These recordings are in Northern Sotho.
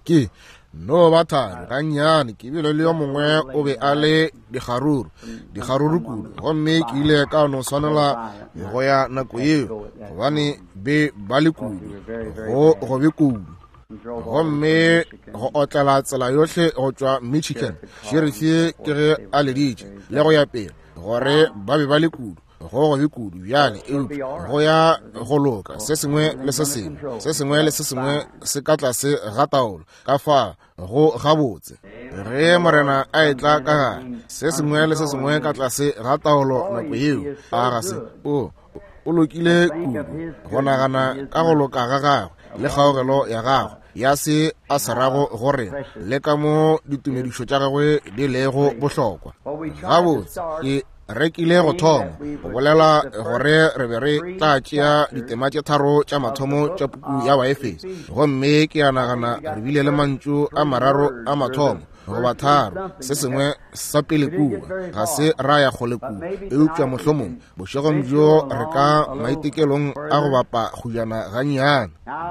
Ke no ba thari gannyane, ke bile le yo mongwe o be a le dikgaruru, dikgaruru kudu, gomme ke ile ka no swanela go ya nako yeo, gobane be ba le kudu, go gobe kudu. Gomme go otlela tsela yohle go tšwa Michigan, sherifi ke ge a leditše le go ya pele, gore ba be ba le kudu, go gobe kudu bjale, eupša go ya go loka, se sengwe le se sengwe, se sengwe le se sengwe se ka tlase ga taolo, ka fa go gabotse. Ge Morena a etla ka gare, se sengwe le se sengwe ka tlase ga taolo nako yeo, a ga se o o lokile kudu go nagana ka go loka ga gagwe le kgaogelo ya gagwe ya se a se rago go rena, le ka mo ditumedišo tša gagwe di lego bohlokwa. Gabotse, ke rekile go thoma go bolela gore re be re tla tšea ditema tše tharo tša mathomo tša puku ya Baefeso, gomme ke a nagana re bile le mantšu a mararo a mathomo goba tharo, se sengwe sa pele kua, ga se ra ya kgole kua, eupša mohlomong bošegong bjo re ka maitekelong a go bapa kgujana gannyane.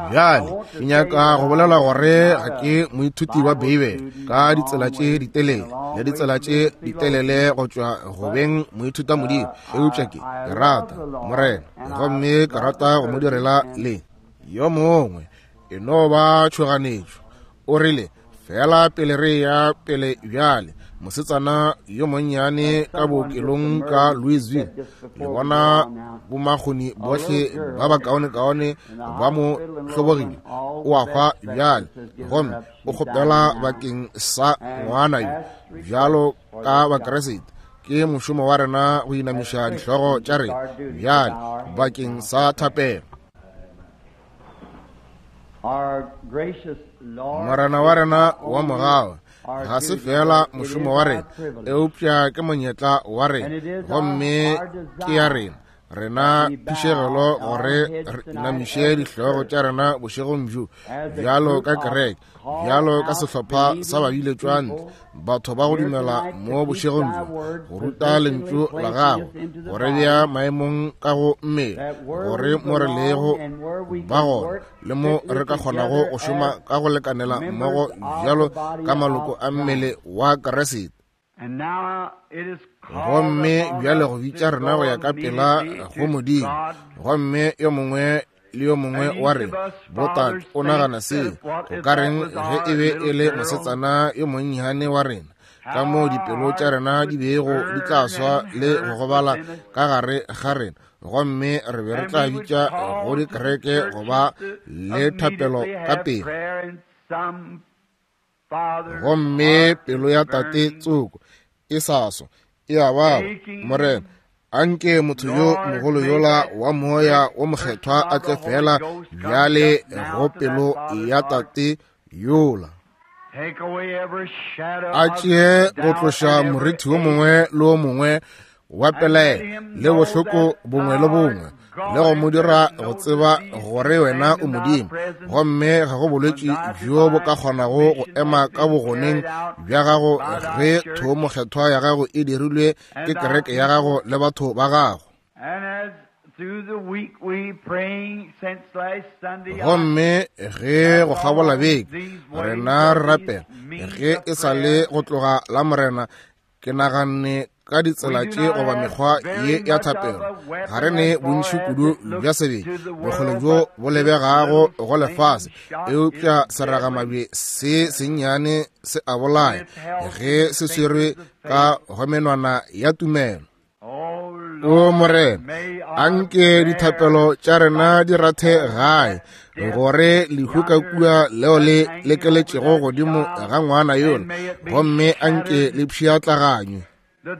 Bjale ke nyaka go bolela gore ga ke moithuti wa Beibele ka ditsela tše ditelele le ditsela tše ditelele go tšwa go beng moithuta Modimo, eupša ke rata Morena gomme ke rata go mo direla le yo mongwe. E no ba tšhoganetšo. O rile, Fela pele re ya pele bjale, mosetsana yo monnyane ka bookelong ka Louisville, le bona bomakgoni bohle ba bakaonekaone ba mo hlobogile, o a hwa bjale, gomme o kgopela bakeng sa ngwana yo. Bjalo ka Bakriste, ke mošomo wa rena go inamiša dihlogo tša rena bjale bakeng sa thapelo. Morena wa rena wa mogau, ga se fela mošomo wa rena, eupša ke monyetla wa rena, gomme ke ya rena, rena phišegelo gore re inamiše dihlogo tša rena bošegong bjo, bjalo ka kereke, bjalo ka sehlopha sa babiletšwa ntle, batho ba go dumela mo bošegong bjo, go ruta lentšu la gago, go re bea maemong ka go mmele, gore mo re lego ba gona le mo re ka kgonago go šoma ka go lekanela mmogo bjalo ka maloko a mmele wa Kriste. Gomme bjale go bitša rena go ya ka pela go Modimo, gomme yo mongwe le yo mongwe wa rena, botate, o nagana se, go ka reng ge e be e le mosetsana yo monnyane wa rena, ka moo dipelo tša rena di bego di tla swa le go gobala ka gare ga rena, gomme re be re tla bitša go dikereke go ba le thapelo ka pele. Gomme pelo ya tate tsoko e sa swa e a baba, Morena, anke motho yo mogolo yola wa Moya wo Mokgethwa a tle feela bjale go pelo ya tate yola, a tšee go tloša morithi wo mongwe le wo mongwe wa pelaelo le bohloko bongwe le bongwe, le go mo dira go tseba gore wena o Modimo, gomme ga go bolwetši bjo bo ka kgonago go ema ka bogoneng bja gago ge thoomokgethwa ya gago e dirilwe ke kereke ya gago le batho ba gago. Gomme ge go kgabola beke rena re rapela, ge e sa le go tloga la Morena, ke naganne ka ditsela tše goba mekgwa ye ya thapelo. Ga re ne bontši kudu bja sebele bokgole bjo bo lebegago go lefase, eupša seragamabje se sennyane se a bolaya ge se swerwe ka go menwana ya tumelo. O Morena, anke dithapelo tša rena di rathe gae, gore lehu ka kua leo le lekeletšego godimo ga ngwana yola, gomme anke le pšhiatlaganywe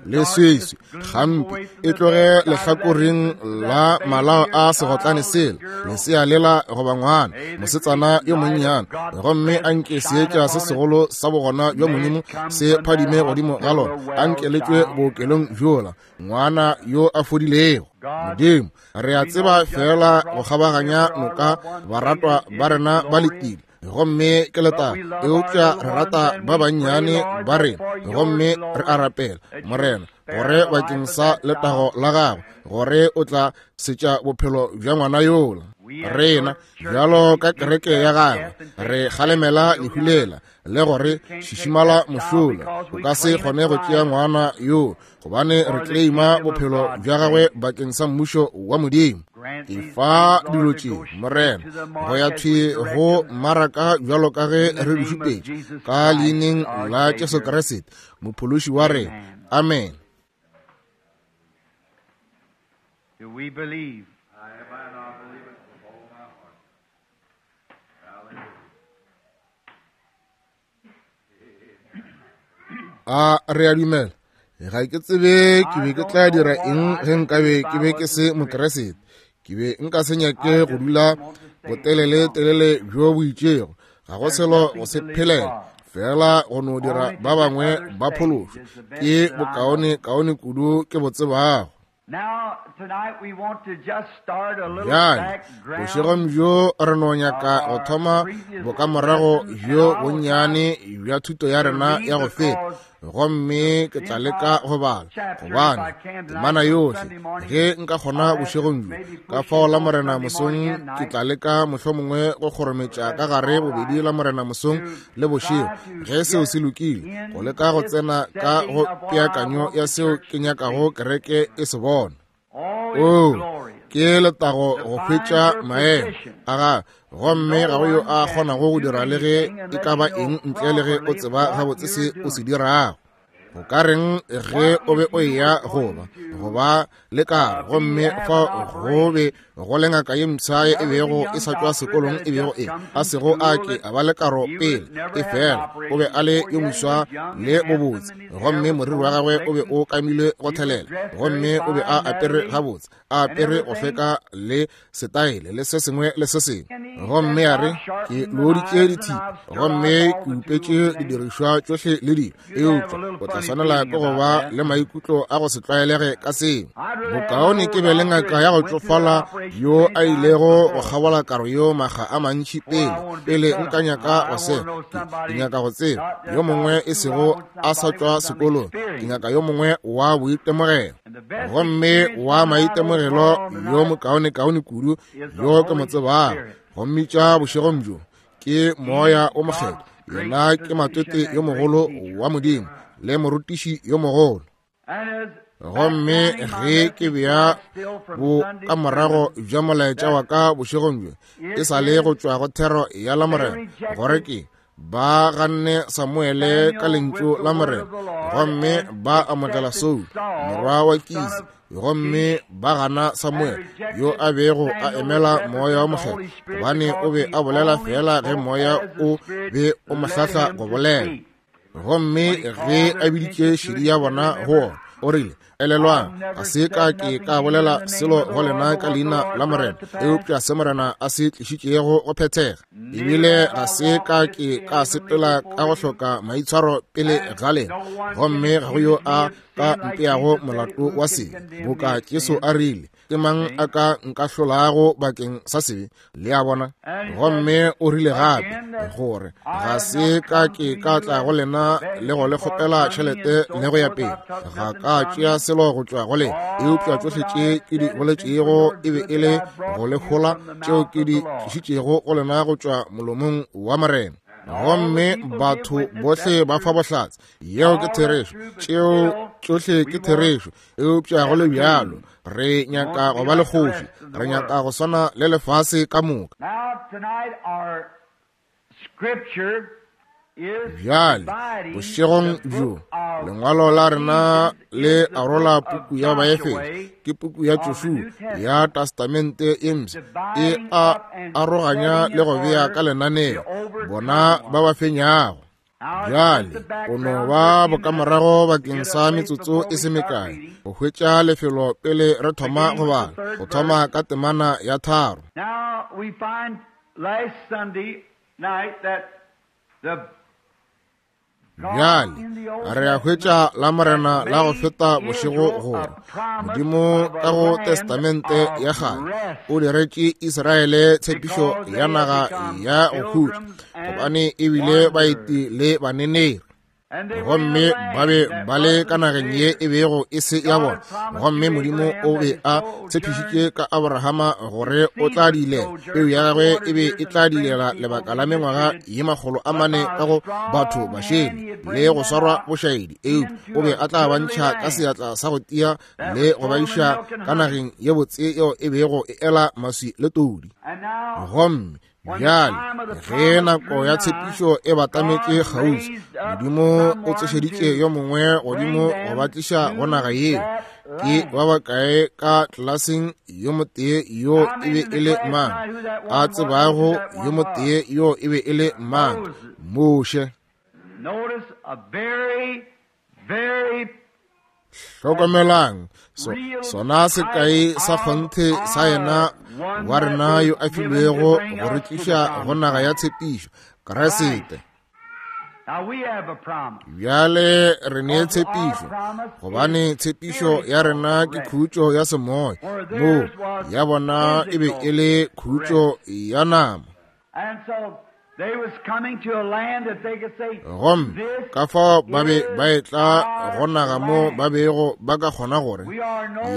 le seswe gampe e tloge lehlakoreng la malao a segotlane sela, lesea lela goba ngwana mosetsana yo monnyane, gomme anke seetša se segolo sa bogona bja Modimo se phadime godimo ga lona, anke le tšwe bookelong bjola, ngwana yo a fodilego. Modimo, re a tseba feela go kgabaganya noka baratwa ba rena ba letile, gomme ke letaba, eupša re rata ba bannyane ba rena, gomme re a rapela, Morena, gore bakeng sa letago la gagwe, gore o tla setša bophelo bja ngwana yola. Rena, bjalo ka kereke ya gagwe, re kgalemela lehu lela le gore šišimala mošola. O ka se kgone go tšea ngwana yo, gobane re kleima bophelo bja gagwe bakeng sa mmušo wa Modimo. Efa dilo tše, Morena, go ya thwi go mmaraka bjalo ka ge re di šupetše, ka leineng la Jesu Kriste, Mophološi wa rena. Amen. Do we believe? A re a dumela? Ga ke tsebe ke be ke tla dira eng ge nkabe ke be ke se Mokeresete. Ke be nka se nyake go dula botelele telele bjo bo itšego. Ga go selo go se phelela, fela go no dira ba bangwe ba phološwe. Ke bokaone kaone kudu ke bo tsebago. Bjale, bošegong bjo re no nyaka go thoma bokamorago bjo bonnyane bja thuto ya rena ya go feta, gomme ke tla leka go bala, gobane temana yohle, ge nka kgona bošegong bjo, ka fao la Morena mosong ke tla leka mohlomongwe go kgorometša ka gare bobedi la Morena mosong le bošego, ge seo se lokile, go leka go tsena ka go peakanyo ya seo ke nyakago kereke e se bona. Oo, ke letago go hwetša maemo a ga, gomme ga go yo a kgonago go dira le ge e ka ba eng ntle le ge o tseba gabotse se o se dirago. Go ka reng ge o be o eya go ba le karo, gomme fa go be go le ngaka ye mpsha ye e bego e sa tšwa sekolong e bego e a sego a ke a ba le karo pele, e fela o be a le yo moswa le bobotse, gomme moriri wa gagwe o be o kamilwe go thelela, gomme o be a apere gabotse, a apere go hlweka le setaele le se sengwe le se sengwe. Gomme a re, ke looditše dithipa gomme ke upetše didirišwa tšohle le dilo, eupša o tla swanela ke go ba le maikutlo a go se tlwaelege ka seo. Bokaone ke be le ngaka ya go tšofala yo a ilego go kgabola karo yo makga a mantši pele, pele nka nyaka go se. Ke nyaka go tseba yo mongwe e sego a sa tšwa sekolong, ke nyaka yo mongwe wa boitemogelo. Gomme wa maitemogelo yo mokaonekaone kudu yo ke mo tsebago, go mmitša bošegong bjo, ke Moya o Mokgethwa. Yena ke matwete yo mogolo wa Modimo le morutiši yo mogolo. Gomme ge ke bea bokamorago bja molaetša wa ka bošegong bjo, e sa le go tšwa go thero ya Lamorena, gore ke ba ganne Samuele ka lentšu la Morena, gomme ba amogela Saul morwa wa Kisi, gomme ba gana Samuele yo a bego a emela Moya wa Mokgethwa, gobane o be a bolela fela ge Moya o be o mo hlahla go bolela. Gomme ge a biditše šedi ya bona go ona, o rile, Elelwang, ga se ka ke ka bolela selo go lena ka leina la Morena, eupša se Morena a se tlišitšego go phethega. Ebile ga se ka ke ka sepela ka go hloka maitshwaro pele ga lena, gomme ga go yo a ka mpeago molato wa sebe, boka Jesu a rile, ke mang a ka nkahlolago bakeng sa sebe? Le a bona? Gomme o rile gape gore ga se ka ke ka tla go lena le go le kgopela tšhelete le go ya pele, ga ka tšea selo go tšwa go lena, eupša tšohle tše ke di boletšego e be e le go le hola, tšeo ke di tlišitšego go lena go tšwa molomong wa Morena. Gomme batho bohle ba fa bohlatse, yeo ke therešo, tšeo tšohle ke therešo, eupša go le bjalo re nyaka go ba le kgoši, re nyaka go swana le lefase ka moka. Bjale bošegong bjo lengwalo la rena le arola puku ya Baefeso, ke puku ya Joshua ya Testamente e Mpsha, e a aroganya le go bea ka lenaneo bona ba ba fenyago. Bjale o no ba bokamorago bakeng sa metsotso e se mekae go hwetša lefelo pele re thoma go bala, go thoma ka temana ya 3. Bjale re a hwetša la Morena la go feta bošego gore Modimo ka go Testamente ya Kgale o diretše Israele tshepišo ya naga ya go khutša, gobane e bile baeti le baneneri. Gomme ba be ba le ka nageng ye e bego e se ya bona, gomme Modimo o be a tshepišitše ka Abrahama gore o tla dilela peu ya gagwe e be e tla dilela lebaka la mengwaga ye 400 ka go batho bašele le go swarwa bošaedi, eupša o be a tla ba ntšha ka seatla sa go tia le go ba iša ka nageng ye botse yeo e bego e ela maswi le todi. Gomme bjale ge nako ya tshepišo e batametše kgauswi, Modimo o tsošeditše yo mongwe godimo go ba tliša go naga yeo. Ke ba bakae ka tlelaseng yo motee yo e be e le mang a tsebago yo motee yo e be e le mang? Moshe. Hlokomelang, so, sona sekai sa kgonthe sa yena wa rena yo a filwego go re tliša go naga ya tshepišo, Kriste. Bjale re ne tshepišo, gobane tshepišo ya rena ke khutšo ya semoya, moo ya bona e be e le khutšo ya nama. Gomme ka fao ba be ba etla go naga mo ba bego ba ka kgona gore,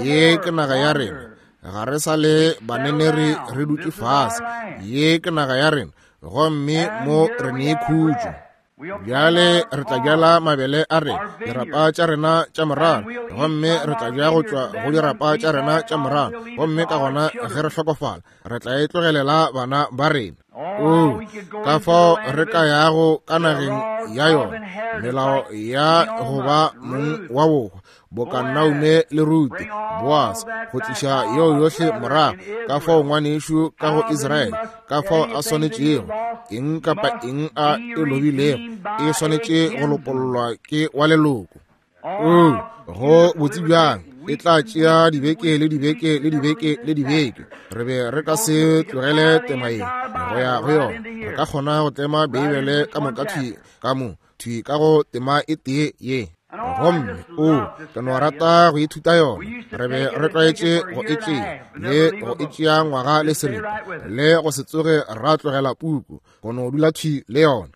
ye ke naga ya rena, ga re sa le baneneri re dutše fase, ye ke naga ya rena, gomme mo re ne khutšo. Bjale re tla bjala mabele a rena, dirapa tša rena tša morara, gomme re tla bja go tšwa go dirapa tša rena tša morara, gomme ka gona ge re hlokofala re tla e tlogelela bana ba rena. O, ka fao re ka yago ka nageng ya yona, melao ya go ba mong wa bohwa, boka Naume le Rute, Boase, go tliša yeo yohle morago, ka fao ngwanešu ka go Israele, ka fao a swanetšego, eng kapa eng a e lobilego, e swanetše go lopollwa ke wa leloko. O, go botse bjang, e tla tšea dibeke le dibeke le dibeke le dibeke. Re be re ka se tlogele tema ye go ya go yona. Re ka kgona go tlema Beibele ka moka thwi ka mo, thwi ka go tema e tee ye. Gomme o, ke no rata go ithuta yona. Re be re tlwaetše go e tšea le go e tšea ngwaga le seripa, le go se tsoge ra tlogela puku, go no dula thwi le yona.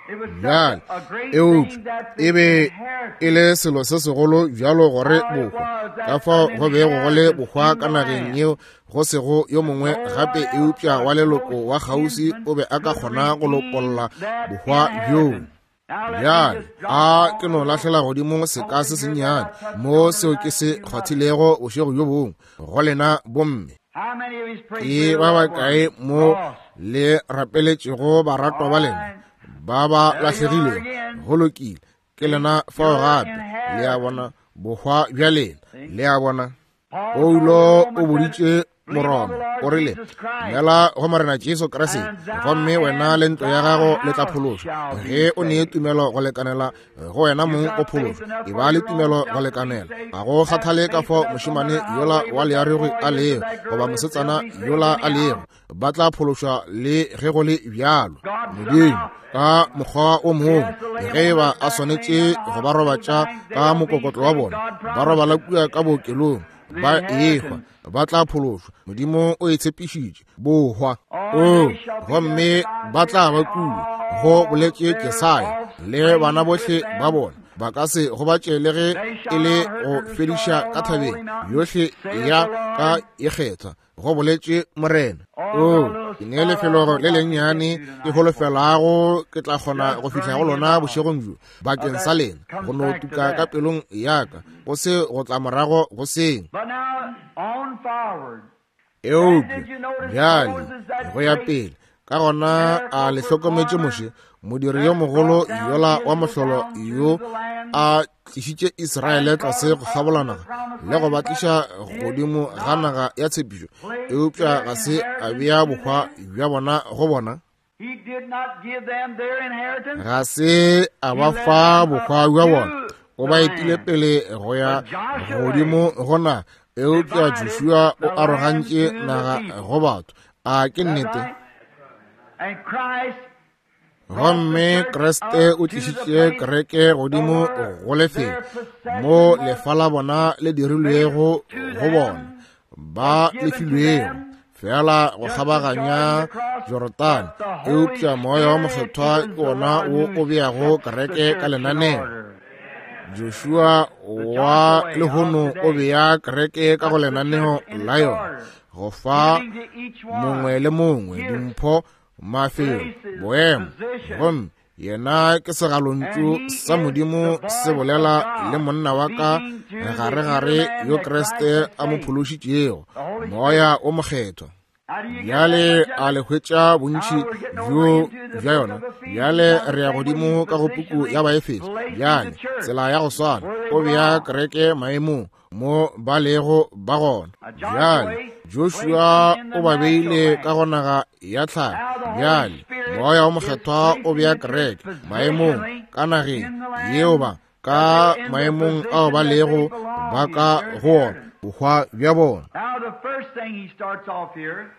Bjale, eupša e be e le selo se segolo bjalo gore bohwa, ka fao go bego go le bohwa ka nageng yeo go sego yo mongwe gape eupša wa leloko wa kgauswi o be a ka kgona go lopolla bohwa bjoo. Bjale a ke no lahlela godimo seka se sennyane mo seo ke se kgwathilego bošego bjo bongwe go lena bomme. Ke ba bakae mo le rapeletšego baratwa ba lena ba ba lahlegilego? Go lokile, ke lena fao gape. Le a bona, bohwa bja lena. Le a bona? Paulo o boditše Moroma, o rile, dumela go Morena Jesu Kriste, gomme wena le ntlo ya gago le tla phološwa. Ge o ne tumelo go lekanela go wena mong o phološwa, e ba le tumelo go lekanela. Ga go kgathale ka fao mošemane yola wa learogi a lego, goba mosetsana yola a lego, ba tla phološwa le ge go le bjalo. Modimo ka mokgwa o mongwe, ge e ba a swanetše go ba robatša ka mokokotlo wa bona, ba robala kua ka bookelong, ba ehwa, ba tla phološwa. Modimo o e tshepišitše, bohwa. O, gomme ba tla ba kua, go boletše Jesaya, le bana bohle ba bona ba ka se gobatše le ge e le go fediša ka thabeng yohle ya ka e kgethwa, go boletše Morena. O, ke ne lefelo le lennyane ke holofelago ke tla kgona go fihla go lona bošegong bjo bakeng sa lena, go no tuka ka pelong ya ka, go se go tla morago go seng. Eupša bjale go ya pele, ka gona a le hlokometše Moshe, modiri yo mogolo yola wa mohlolo yo a tlišitše Israele tlase go kgabola naga le go ba tliša godimo ga naga ya tshepišo, eupša ga se a bea bohwa bja bona go bona. Ga se a ba fa bohwa bja bona, o ba etile pele go ya godimo go naga, eupša Joshua o arogantše naga go batho. A ke nnete? Gomme Kriste o tlišitše kereke godimo go lefelo mo lefa la bona le dirilwego go bona, ba le filwego. feela go kgabaganya Jorodane, eupša Moya wo Mokgethwa ke wona wo o beago kereke ka lenaneo. Joshua wa lehono o bea kereke ka go lenaneo la yona, go fa mongwe le mongwe dimpho, mafelo, boemo, gomme yena ke segalontšu sa Modimo se bolela le monna wa ka gare-gare yo Kriste a mo phološitšego, Moya o Mokgethwa. Bjale a le hwetša bontši bjo bja yona? Bjale re ya godimo ka go puku ya Baefeso. Bjale tsela ya go swana, o bea kereke maemong mo ba lego ba gona. Bjale Joshua o ba beile ka go naga ya tlhago. Bjale Moya wo Mokgethwa o bea kereke maemong ka nageng yeo ba ka maemong ao ba lego ba ka go ona, bohwa bja bona. Now the first thing he starts off here,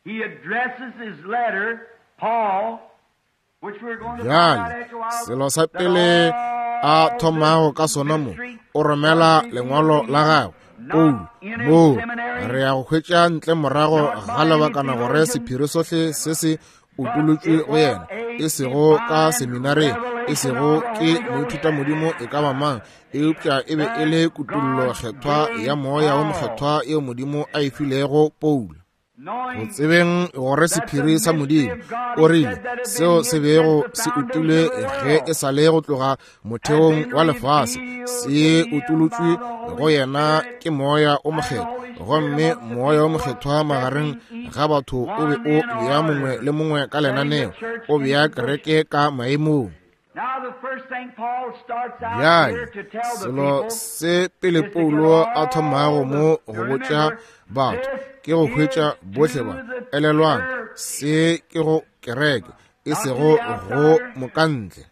he addresses his letter, Paul, Bjale, selo sa pele a thomago ka sona mo, o romela lengwalo la gagwe, Paulo, moo re ya go hwetša ntle morago ga lebakana gore sephiri sohle se se utolotšwe go yena, e sego ka seminareng, e sego ke moithutamodimo e ka ba mang, eupša e be e le kutollo kgethwa ya Moya wo Mokgethwa yeo Modimo a e filego Paulo. Go tsebeng gore sephiri sa Modimo, o rile, seo se bego se utilwe ge e sa le go tloga motheong wa lefase, se utolotšwe go yena ke Moya o Mokgethwa. Gomme Moya o Mokgethwa magareng ga batho o be o bea mongwe le mongwe ka lenaneo, o bea kereke ka maemong. Bjale, selo se pele Paulo a thomago mo go botša batho ke go hwetša bohle ba. Elelwang, se ke go kereke, e sego go mokantle.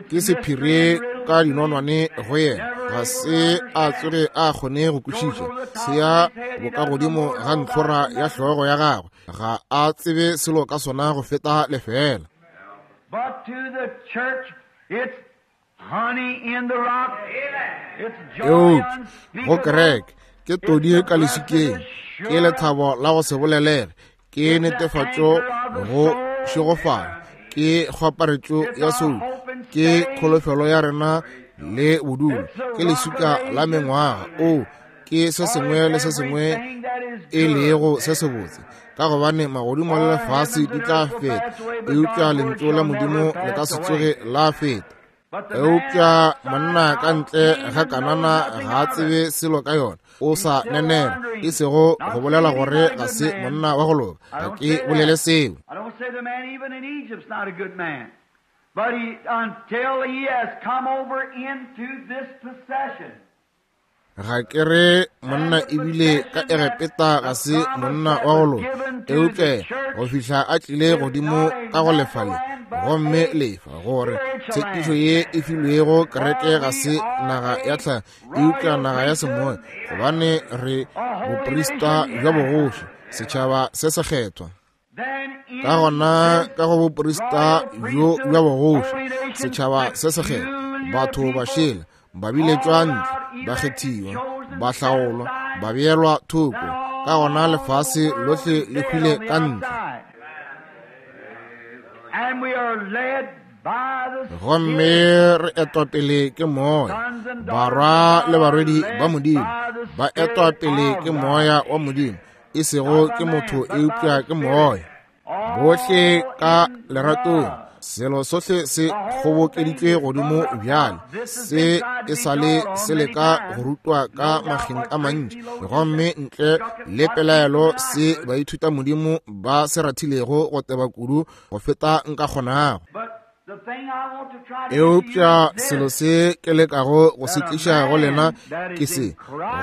Ke sephiri ka dinonwane go yena, ga se a tsoge a kgone go kwešiša. Se ya bokagodimo ga ntlhora ya hlogo ya gagwe, ga a tsebe selo ka sona go feta lefeela. But to the church, it's honey in the rock. It's joy Eupša go kereke ke todi ka leswikeng, ke lethabo la go se bolelege, ke netefatšo go šegofala, ke kgwaparetšo ya soulo, ke kholofelo ya rena le bodulo, ke leswika la mengwaga. O ke se sengwe le se sengwe e lego se sebotse, ka gobane magodimo le lefase di tla feta, eupša lentšu la Modimo le ka se tsoge la feta. Eupša monna ka ntle ga Kanana ga a tsebe selo ka yona, o sa nenera, e sego go bolela gore ga se monna wa go loka. Ga ke bolele seo. But he, until he has come over into this possession. Ga ke re monna ebile ka Egepeta ga se monna wa go loka, eupša go fihla a tlile godimo ka go lefa le, gomme lefa gore tshepišo ye e filwego kereke ga se naga ya tlhago, eupša naga ya semoya, gobane re boprista bja bogoši, setšhaba se sekgethwa. Ka gona ka go boprista bjo bja bogoši, setšhaba se sekgethwa, batho ba šele, ba biletšwa ntle, ba kgethiwa, ba hlaolwa, ba beelwa thoko, ka gona lefase lohle le hwile ka ntle. Gomme re etwa pele ke Moya, barwa le barwedi ba Modimo ba etwa pele ke Moya wa Modimo, e sego ke motho eupša ke Moya. Bohle ka leratong, selo sohle se kgobokeditšwe godimo bjale, se e sa le se leka go rutwa ka makgeng a mantši, gomme ntle le pelaelo se baithutamodimo ba se rathilego go teba kudu go feta nka kgonago. Eupša selo se ke lekago go se tliša go lena ke se,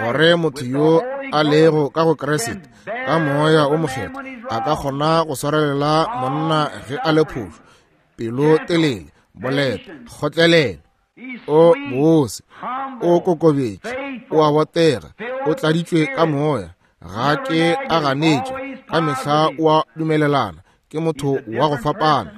gore motho yo a lego ka go Kriste ka Moya o Mokgethwa a ka kgona go swarelela monna ge a le phošo, pelo telele, boleta, kgotlelelo, o bose, o kokobetše, o a botega, o tladitšwe ka Moya, ga ke a ganetše, ka mehla o a dumelelana, ke motho wa go fapana.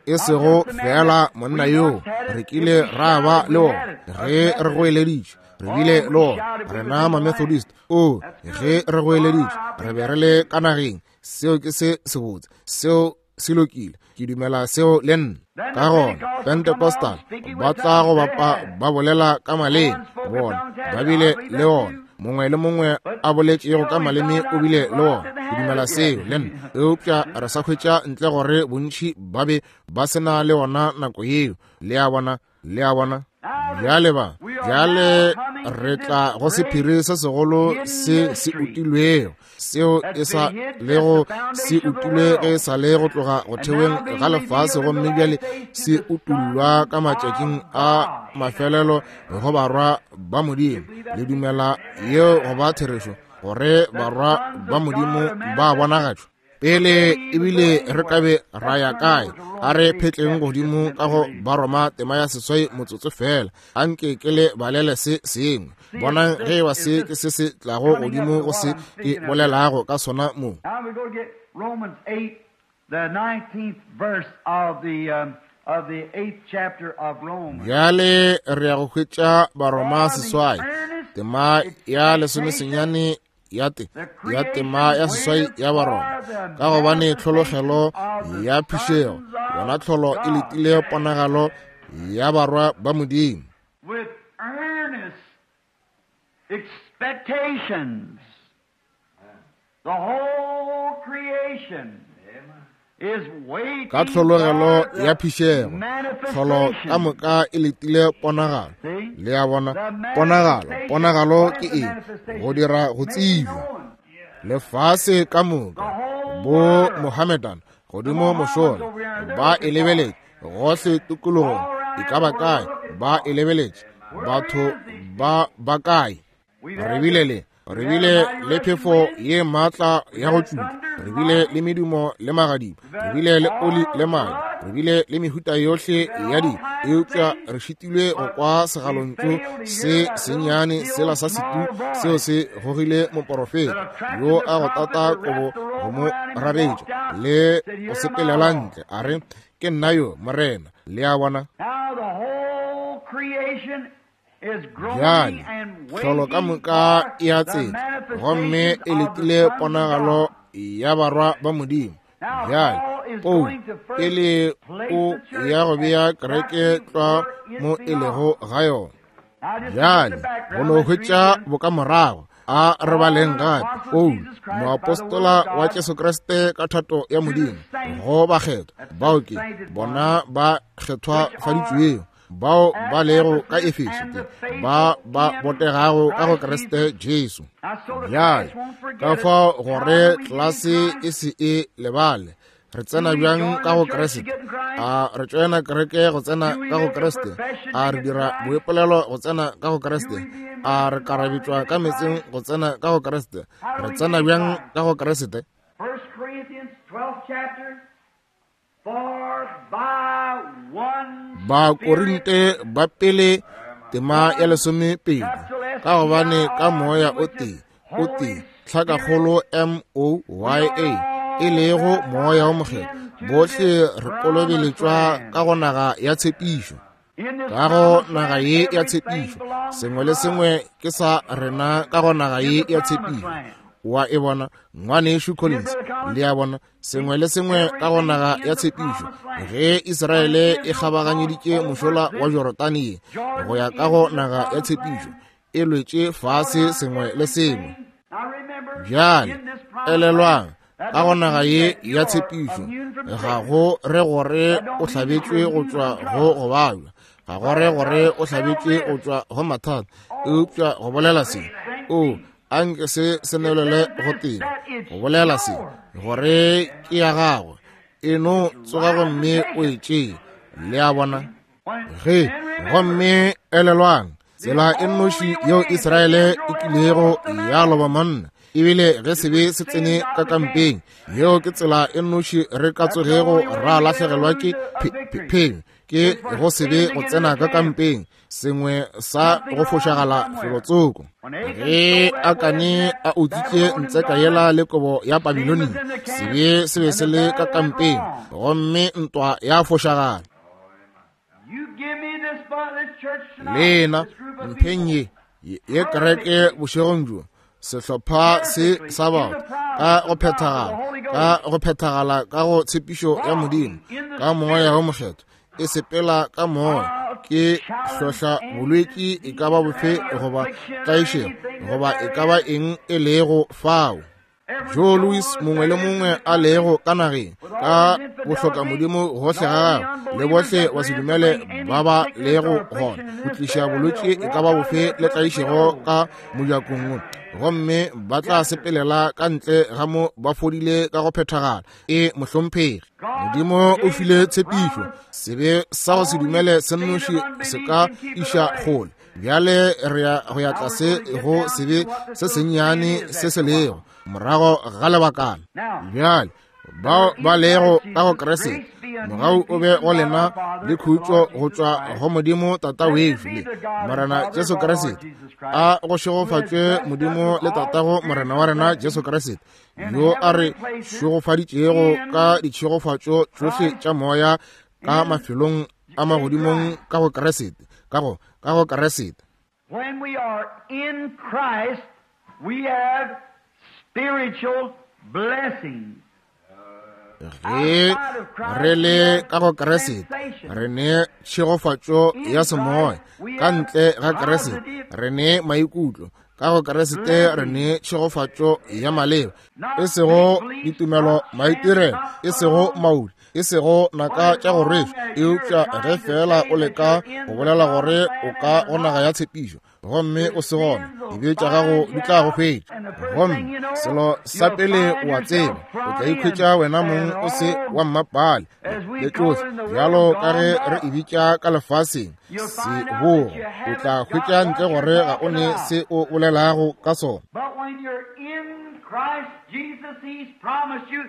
E sego feela monna yoo re kile ra ba le ona ge re goeleditše, re bile le ona rena Mamethodist, o ge re goeleditše re be re le ka nageng. Seo ke se sebotse. Seo se lokile. Ke dumela seo le nna. Ka gona Pentecostal ba tla go bapa ba bolela ka maleme, bona ba bile le ona. Mongwe le mongwe a boletšego ka maleme o bile le ona. Ke dumela seo le nna. Eupša re sa hwetša ntle gore bontši ba be ba se na le ona nako yeo. Le a bona? Le a bona? Bjale ba, bjale re tla go sephiri se segolo se se utilwego, seo e sa lego se utilwe ge e sa le go tloga go theweng ga lefase, gomme bjale se utullwa ka matšatšing a mafelelo go barwa ba Modimo. Le dumela yeo go ba therešo, gore barwa ba Modimo ba bonagatšwa? Pele ebile re ka be ra ya kae, a re phetleng godimo ka go Baroma tema ya 8 motsotso fela. Anke ke le balele se sengwe. Bonang ge eba se ke se se tlago godimo go se ke bolelago ka sona mo. Now we go to get Romans 8, the 19th verse of the 8th chapter of Romans. Bjale re ya go hwetša Baroma 8, tema ya 19 ya te ya tema ya 8 ya Baroma. Ka gobane tlhologelo ya phišego, yona tlholo e letile ponagalo ya barwa ba Modimo. With earnest expectations, the whole creation is waiting Ka tlhologelo for the ya phišego, tlholo ka moka e letile ponagalo. Le a bona? Ponagalo, ponagalo ke eng? Go dira go tsebja. Lefase ka moka, bo Mohammedan godimo mošola, ba e lebeletše gohle tikologong, e ka ba kae ba e lebeletše, batho ba ba kae? Re bile le, re bile le phefo ye maatla ya go tšutla, re bile le medumo le magadima, re bile le oli le madi, re bile le mehuta yohle ya dilo, eupša re šitilwe go kwa segalontšu se sennyane sela sa setu seo se gogile moporofeta yo a go tata kobo go mo raretša le go sepelela ntle, a re, Ke nna yo, Morena. Le a bona? Now the whole creation Bjale tlholo ka moka e a tseta, gomme e letile ponagalo ya barwa ba Modimo. Bjale Paulo pele o ya go bea kereke tlwa mo e lego ga yona. Bjale go no hwetša bokamorago, a re baleng gape. Paulo, moapostola wa Jesu Kriste ka thato ya Modimo, go bakgethwa, bao ke bona ba kgethwafaditšwego, bao ba lego ka Efeso, ke ba ba botegago ka go Kriste Jesu. Bjale ka fao gore tlelase e se e lebale, re tsena bjang ka go Kriste? A re tšoena kereke go tsena ka go Kriste? A re dira boipolelo go tsena ka go Kriste? A re karabetšwa ka metseng go tsena ka go Kriste? Re tsena bjang ka go Kriste? 1 Corinthians 12th chapter, for by one Bakorinte ba pele tema ya 12, ka gobane ka moya o tee, o tee, tlhakakgolo M O Y A, e lego moya o mokgethwa, bohle re kolobeletšwa ka go naga ya tshepišo. Ka go naga ye ya tshepišo, sengwe le sengwe ke sa rena ka go naga ye ya tshepišo. Wa e bona, ngwanešu Collins? Le a bona, sengwe le sengwe ka go naga ya tshepišo. Ge Israele e kgabaganyeditše mošola wa Jorodane ye go ya ka go naga ya tshepišo, e lwetše fase sengwe le sengwe. Bjale elelwang, ka go naga ye ya tshepišo ga go re gore o hlabetšwe go tšwa go go babja, ga go re gore o hlabetšwe go tšwa go mathata, eupša go bolela se, o anke se se nwelele go tee, go bolela se gore ke ya gagwe, e no tsoga gomme o e tšee. Le a bona? Ge, gomme elelwang, tsela e nnoši yeo Israele e kilego ya loba monna, ebile ge sebe se tsene ka kampeng, yeo ke tsela e nnoši re ka tsogego ra lahlegelwa ke phenyo, ke go sebe go tsena ka kampeng, sengwe sa go fošagala felotsoko. Ge Akane a utswitše ntseka yela le kobo ya Babilonia, sebe se be se le ka kampeng, gomme ntwa ya fošagala. Lena mpheng ye, ye kereke bošegong bjo, Sehlopha se sa batho ka go phethagala, ka go phethagala ka go tshepišo ya Modimo, ka Moya wo Mokgethwa, e sepela ka Moya. Ke hlohla bolwetši e ka ba bofe goba tlaišego goba e ka ba eng e lego fao. Joe Louis mongwe le mongwe a lego ka nageng ka bohlokamodimo gohle ga gagwe le bohle ba se dumele ba ba lego gona go tliša bolwetši e ka ba bofe le tlaišego ka mojakong wo, gomme ba tla sepelela ka ntle ga mo ba fodile ka go phethagala. E mohlomphegi, Modimo o file tshepišo, sebe sa go se dumele se nnoši se ka iša kgole. Bjale re ya go ya tlase go sebe se sennyane se se lego morago ga lebakana. Bjale bao ba lego ka go Kriste, mogau o be go lena le khutšo go tšwa go Modimo Tata wešo le Morena Jesu Kriste. A go šegofatšwe Modimo le Tatago Morena wa rena Jesu Kriste, yo a re šegofaditšego ka ditšhegofatšo tšohle tša moya ka mafelong a magodimong ka go Kriste, ka go, ka go Kriste. When we are in Christ, we have spiritual blessings. Ge re le ka go Kriste, re ne tšhegofatšo ya semoya. Ka ntle ga Kriste, re ne maikutlo. Ka go Kriste, re ne tšhegofatšo ya maleba, e sego ditumelo maitirelo, e sego mauli, e sego naka tša go rwešwa, eupša ge feela o leka go bolela gore o ka go naga ya tshepišo gomme o se gona, dibe tša gago di tla go hwetša. Gomme selo sa pele o a tseba, o tla ikhwetša wena mong o se wa mmapale le tšohle, bjalo ka ge re e bitša ka lefaseng sebogo. O tla hwetša ntle gore ga o ne se o bolelago ka sona. But when you're in Christ Jesus, He's promised you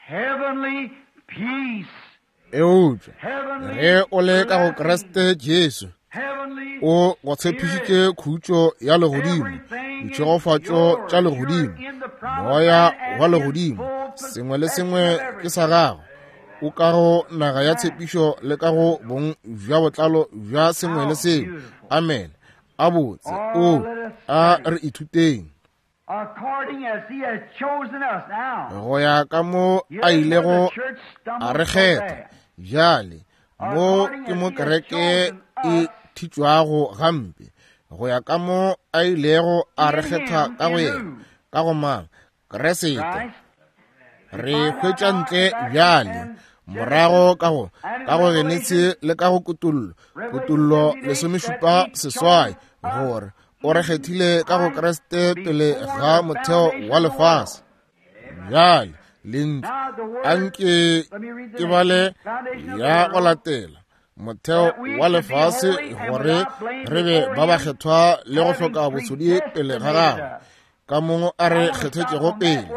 heavenly peace. Eupša ge o le ka go Kriste Jesu, o go tshepišitše khutšo ya legodimo, ditšhegofatšo tša legodimo, moya wa legodimo, sengwe le sengwe ke sa gago. O ka go naga ya tshepišo le ka go bong bja botlalo bja sengwe le sengwe. Amen. A botse. O a re ithuteng. According as he has chosen us now. Go ya ka mo a ilego a re kgetha. Bjale, mo ke mo kereke e thitšwago gampe. Go ya ka mo a ilego a re kgetha ka go yena, ka go mang? Kriste. Re hwetša ntle bjale, morago ka go, ka go Genesi le ka go Kutollo, Kutollo 18, gore o re kgethile ka go Kriste pele ga motheo wa lefase. Bjale, lentšu, anke ke bale ya go latela, motheo wa lefase, gore re be ba bakgethwa le go hloka bosodi pele ga gagwe, ka mo a re kgethetšego pele.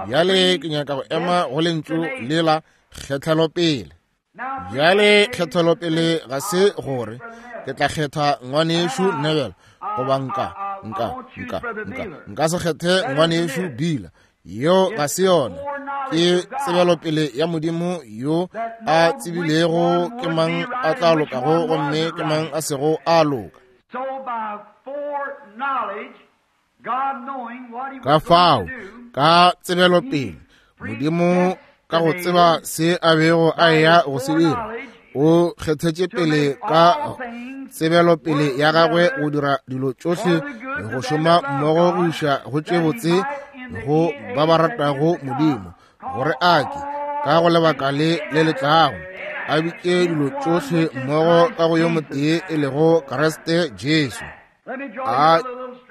Bjale ke nyaka go ema go lentšu lela, kgethelo pele. Bjale kgethelopele ga se gore ke tla kgetha ngwanešu Neville, goba nka, nka, nka, nka, nka se kgethe ngwanešu Bila. Yeo ga se yona. Ke tsebelopele ya Modimo yo a tsebilego ke mang a tla lokago gomme ke mang a sego a loka. So by foreknowledge, Ka fao, ka tsebelopele, Modimo ka go tseba se a bego a eya go se dira, o kgethetše pele ka tsebelopele ya gagwe go dira dilo tšohle go šoma mmogo go iša go tše botse go ba ba ratago Modimo, gore a ke ka go lebaka le le le tlago a bitše dilo tšohle mmogo ka go yo motee e lego Kriste Jesu. A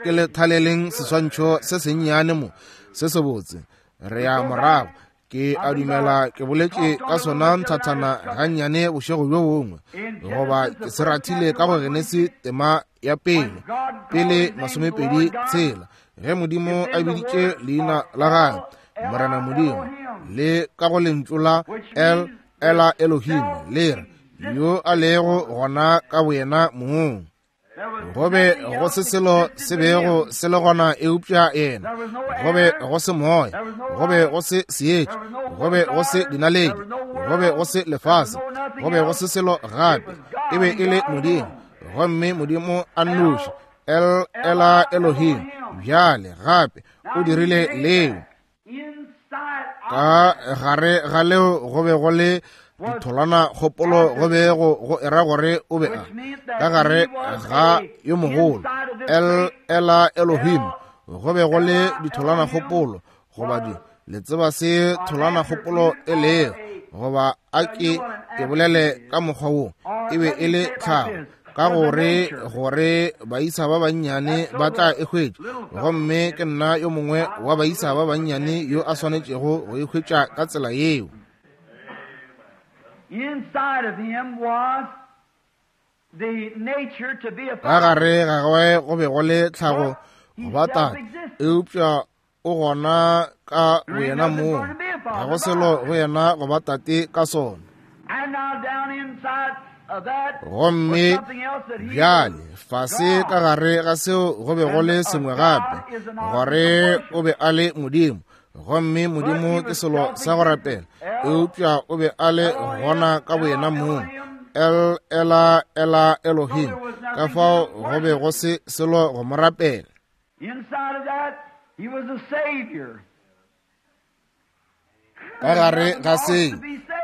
ke le thaleleng seswantšho se sennyane mo se sebotse. Re ya morago. Ke a dumela ke boletše ka sona nthathana gannyane bošego bjo bongwe, goba ke se rathile ka go Genesi tema ya pele, pele 26, ge Modimo a biditše leina la gagwe Morena Modimo, le ka go lentšu la El, Ela Elohim, le re, yo a lego gona ka boyena mong. Go be go se selo se bego se le gona eupša yena. Go be go se moya, go be go se seetša, go be go se dinaledi, go be go se lefase, go be go se selo gape. E be e le Modimo, gomme Modimo a nnoši. El Ela Elohim. Bjale gape o dirile leo. Ka gare ga leo go be go le ditholwana kgopolo go be go era gore o be a ka gare ga yo mogolo El Ela Elohim go be go le ditholwana kgopolo goba di le tseba se tholwana kgopolo e lego, goba a ke ke bolele ka mokgwa wo, e be e le tlhago, ka gore gore baisa ba bannyane ba tla e hwetša, gomme ke nna yo mongwe wa baisa ba bannyane yo a swanetšego go e hwetša ka tsela yeo. Inside of him was the nature to be a Ka gare ga gagwe go be go le tlhago go ba tate, eupša o gona ka boyena mong, ga go selo go yena go ba tate ka sona. And now down inside of that was Gomme something else that he bjale was fase God. ka gare ga seo go be go le sengwe gape, gore o be a le Modimo, gomme Modimo ke selo sa go rapela, eupša o be a le gona ka boyena mong, El Ela Ela Elohim, ka fao go be go se selo go mo rapela. Inside of that, he was a savior. Ka gare ga se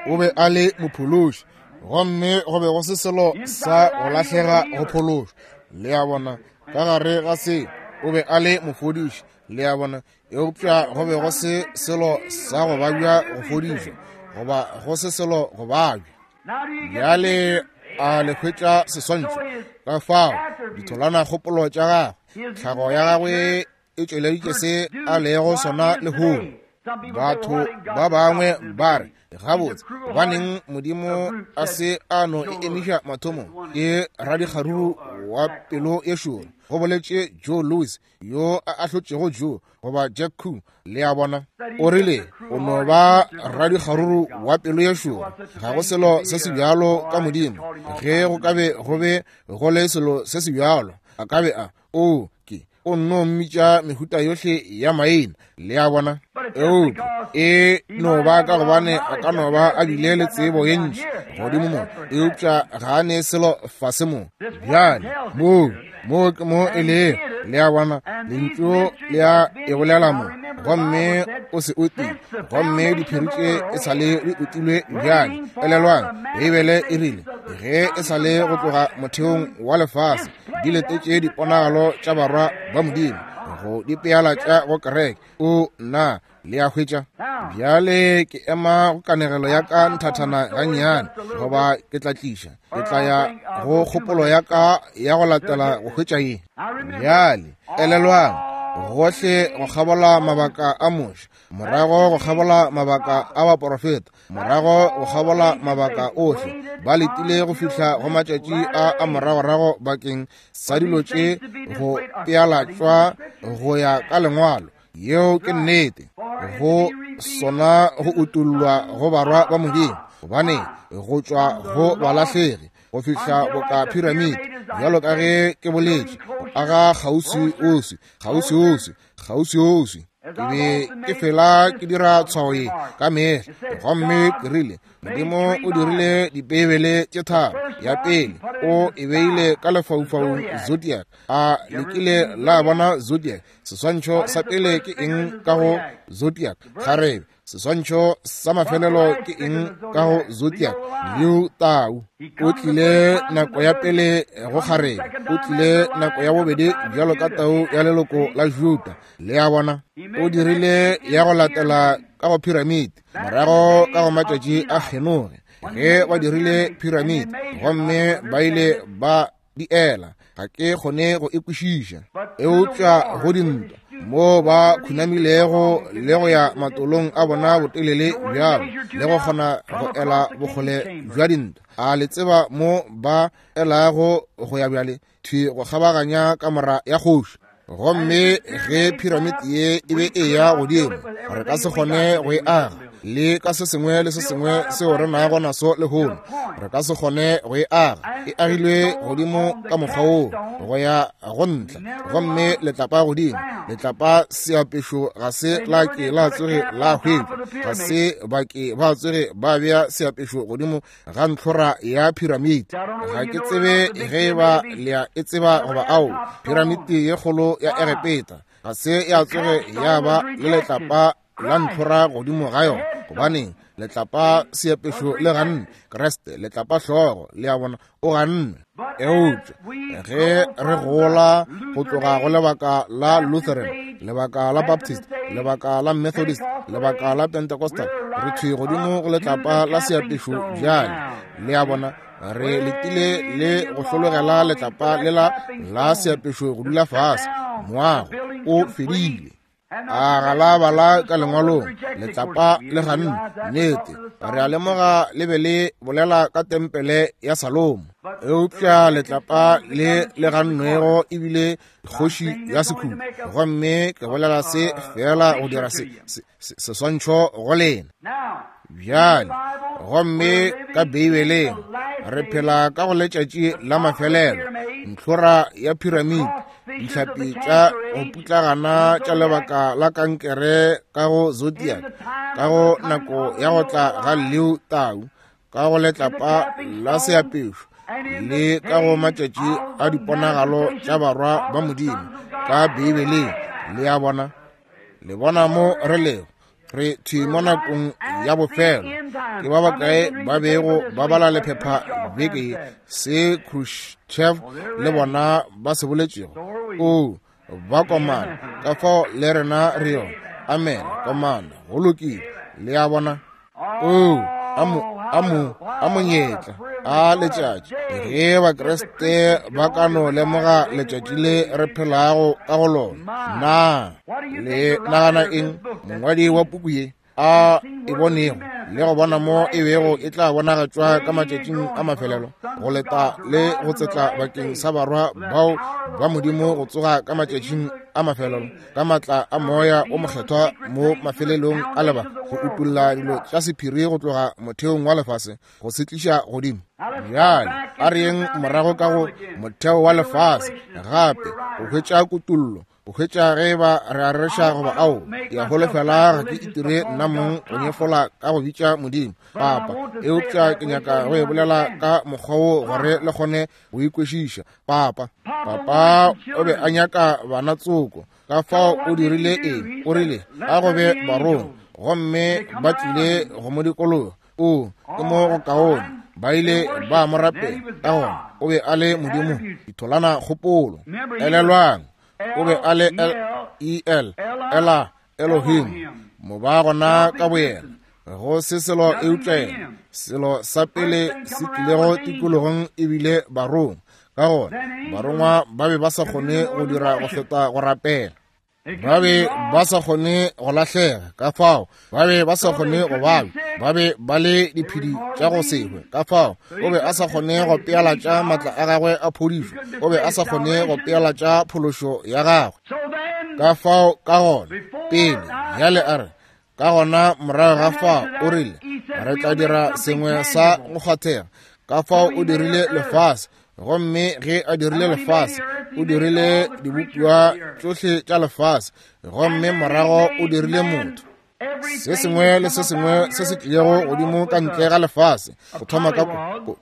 o be a le mophološi, gomme go be go se selo sa go lahlega go phološwa. Le a bona, ka gare ga se o be a le mofodiši, le a bona, eupša go be go se selo sa go babja go fodišwa, goba go se selo go babja. Now do you get the Bjale picture? a le hwetša seswantšho? Ka fao ditholwana kgopolo tša gagwe, tlhago ya gagwe e tšweleditše se a lego sona lehono. Batho ba bangwe ba re, gabotse, gobaneng Modimo a se a no e emiša mathomong? Ke radikgaruru wa pelo ye šoro, go boletše Joe Louis, yo a ahlotšego Joe goba Jack Koo. Le a bona, o rile o no ba radikgaruru wa pelo ye šoro. Ga go selo se se bjalo ka Modimo. Ge go ka be go be go le selo se se bjalo, a ka be a o ke o nno mmitša mehuta yohle ya maina. Le a bona, eupša e no ba ka gobane a ka no ba a bile le tsebo ye ntši godimo mo, eupša ga a ne selo fase mo. Bjale mo mo ke mo e lego. Le a bona, lentšu le a e bolela mo, gomme o se utile, gomme diphiri tše e sa le di utilwe. Bjale elelwang, Beibele e rile ge e sa le go tloga motheong wa lefase di letetše diponagalo tša barwa ba Modimo go di peala tša go kereke. O na le a hwetša? Bjale ke ema go kanegelo ya ka nthathana gannyane, goba ke tla tliša, ke tla ya go kgopolo ya ka ya go latela go hwetša ye. Bjale elelwang, gohle go kgabola mabaka a Moshe, morago go kgabola mabaka a baporofeta, morago go kgabola mabaka ohle, ba letile go fihla go matšatši a a moragorago bakeng sa dilo tše go pealatšwa go ya ka lengwalo. Yeo ke nnete, go sona go utollwa go barwa ba Modimo, gobane go tšwa go balahlegi go fihla boka piramidi, bjalo ka ge ke boletše, go aga kgauswi-uswi, kgauswi-uswi, kgauswi-uswi. Ke be ke fela ke dira tshwao ye ka mehla, gomme ke rile Modimo o dirile dipeibele tše tharo. Ya pele o e beile ka lefaufaung, zodiac. A le kile la bona zodiac? Seswantšho sa pele ke eng ka go zodiac? Kgarebe. Seswantšho sa mafelelo ke eng ka go zodiac? Leo tau. O tlile nako ya pele go kgarebe, o tlile nako ya bobedi bjalo ka tau ya leloko la Juda. Le a bona, o dirile ya go latela ka go piramidi, morago ka go matšatši a Henoge, ge ba dirile piramidi, gomme ba ile ba di ela. Ga ke kgone go e kwešiša, eupša go dintwa mo ba khunamilego le go ya matolong a bona botelele bjalo, le go kgona go ela bokgole bja dintwa. A le tseba mo ba elago go ya bjale? Thwi go kgabaganya kamora ya kgoši. Gomme ge piramidi ye e be e ya godimo, re ka se kgone go e aga. Le ka se sengwe le se sengwe seo re nago naso lehono, re ka se kgone go e aga. E agilwe godimo ka mokgwa woo go ya go ntla, gomme letlapa godimo. Letlapa seapešo ga se la ke la tsoge la hwetšwa, ga se ba ke ba tsoge ba bea seapešo godimo ga ntlhora ya piramiti. Ga ke tsebe ge e ba le a e tseba goba ao. Piramiti ye kgolo ya Egepeta ga se ya tsoge ya ba le letlapa la ntlhora godimo ga yona. Gobaneng? Letlapa seapešo le ganne Kriste, letlapa hlogo, le a bona, o ganne. Eupša ge re gola go tloga go lebaka la Lutheran, lebaka la Baptist, lebaka la Methodist, lebaka la Pentecostal, re thwi godimo go letlapa la seapešo bjale, le a bona, re letile le go hlologela letlapa lela la seapešo go dula fase. Moago o fedile. A ga la bala ka lengwalong, letlapa le ganne. Nnete, re a lemoga le be le bolela ka tempele ya Salomo, eupša letlapa le le gannwego ebile kgoši ya sekhutlo. Gomme ke bolela se fela go dira seswantšho go lena bjale. Gomme ka Beibeleng re phela ka go letšatši la mafelelo, ntlhora ya piramidi, dihlapi tša go putlagana tša lebaka la kankere ka go zodiac, ka go nako ya go tla ga Leo Tau, ka go letlapa la seapešo, le ka go matšatši a diponagalo tša barwa ba Modimo ka Beibeleng. Le a bona, le bona mo re lego, re thwi mo nakong ya bofelo. Ke ba bakae ba bego ba bala lephepha beke ye, se Khrushchev le bona ba se boletšego? O ba komana, ka fao le rena re yona. Amen, komana, go lokile. Le a bona? O a monyetla a letšatši ge Bakriste ba ka no lemoga letšatši le re phelago ka go lona. Na le nagana eng mongwadi wa puku ye a e bonego le go bona mo e bego e tla bonagatšwa ka matšatšing a mafelelo, go leta le go tsetla bakeng sa barwa bao ba Modimo go tsoga ka matšatšing a mafelelo, ka matla a Moya o Mokgethwa mo mafelelong a lebaka, go utolla dilo tša sephiri go tloga motheong wa lefase go se tliša godimo. Bjale a re yeng morago ka go motheo wa lefase gape go hwetša kutollo, go hwetša ge ba re a reša goba ao. Ke a holofela ga ke itire nna mong go nyefola ka go bitša Modimo Papa, eupša ke nyaka go e bolela ka mokgwa wo gore le kgone go ikwešiša. Papa, papa o be a nyaka bana tsoko, ka fao o dirile eng? O rile a go be barongwa, gomme ba tlile go mo dikologa. O ke mo go kaone, ba ile ba mo rapela, ka gona o be a le Modimo. Ditholana kgopolo, elelwang, o be a le L-E-L, Ela Elohim, mo ba gona ka boyena, go se selo eupša yena. Selo sa pele se tlilego tikologong ebile barongwa, ka gona barongwa ba be ba sa kgone go dira go feta go rapela. Ba be ba sa kgone go lahlega, ka fao ba be ba sa kgone go babja, ba be ba le diphedi tša go se hwe, ka fao o be a sa kgone go pealatša matla a gagwe a phodišo, o be a sa kgone go pealatša phološo ya gagwe. Ka fao ka gona pele bjale a re, ka gona morago ga fao o rile re tla dira sengwe sa go kgwathega. Ka fao o dirile lefase, gomme ge a dirile lefase o dirile dibopiwa tšohle tša lefase, gomme morago o dirile motho. Se sengwe le se sengwe se se tlilego godimo ka ntle ga lefase, go thoma ka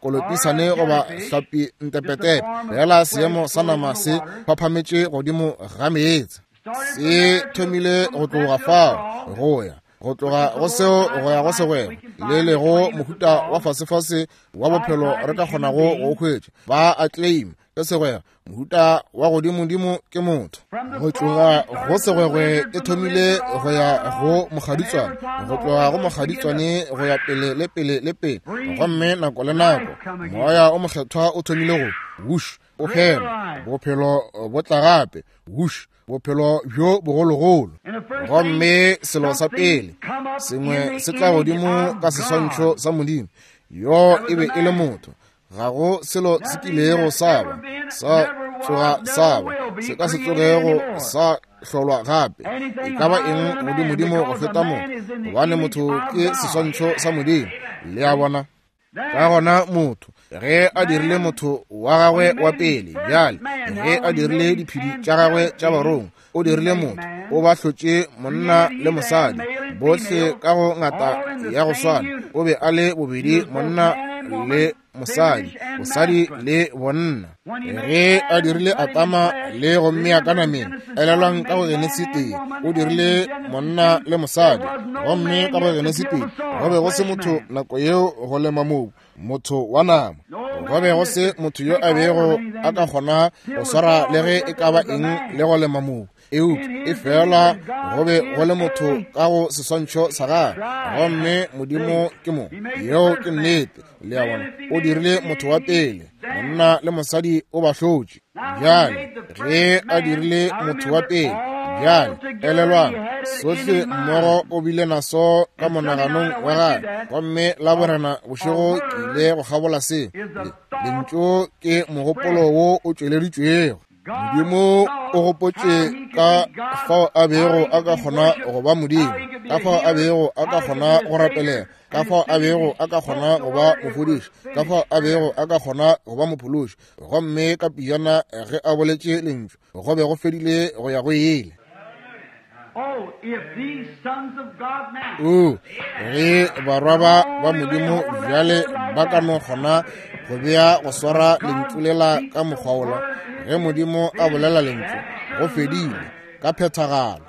kolopisane goba hlapi ntepetepe, fela seemo sa nama se phaphametše godimo ga meetse. Se thomile go tloga fao go ya go tloga go seo go ya go segwego le lego mohuta wa fasefase wa bophelo re ka kgonago go hwetša. Ba a claim ke segwego, mohuta wa godimodimo ke motho. Go tloga go segwegwe e thomile go ya go mokgaditswane, go tloga go mokgaditswane go ya pele le pele le pele, gomme nako le nako Moya o Mokgethwa o thomile go wush, o hema, bophelo bo tla gape, wush, bophelo bjo bogologolo. Gomme selo sa pele sengwe se tla godimo ka seswantšho sa Modimo, yo e be e le motho. Ga go selo se kilego sa ba sa tsoga sa ba se ka se tsogego sa hlolwa gape. E ka ba eng godimodimo go feta motho, gobane motho ke seswantšho sa Modimo. Le a bona? Ka gona motho, ge a dirile motho wa gagwe wa pele, bjale ge a dirile diphedi tša gagwe tša barongwa, o dirile motho, o ba hlotše monna le mosadi, bohle ka go ngata ya go swana. O be a le bobedi monna le mosadi, bosadi le bonna. Ge a dirile Adama le go mmea ka nameng, elelwang ka go Genesi 1, o dirile monna le mosadi, gomme ka go Genesi 2 go be go se motho nako yeo go lema mobu, motho wa nama. Go be go se motho yo a bego a ka kgona go swara le ge e ka ba eng le go lema mobu, eupša e fela go be go le motho ka go seswantšho sa gagwe, gomme Modimo ke mo. Yeo ke nnete. Le a bona, o dirile motho wa pele, monna le mosadi o ba hlotše. Bjale ge a dirile motho wa pele, bjale elelwang, sohle mmogo o bile naso ka monaganong wa gagwe. Gomme la borena bošego ke ile go kgabola se. Lentšu ke mogopolo wo o tšweleditšwego. Modimo o gopotše ka fao a bego a ka kgona go ba Modimo, ka fao a bego a ka kgona go rapelela, ka fao a bego a ka kgona go ba mofodiši, ka fao a bego a ka kgona go ba mophološi. Gomme ka pejana ge a boletše lentšu, go be go fedile go ya go ile. O, ge barwa ba ba Modimo bjale ba ka no kgona go bea go swara lentšu lela ka mokgwa wola, ge Modimo a bolela lentšu, go fedile ka phethagalo.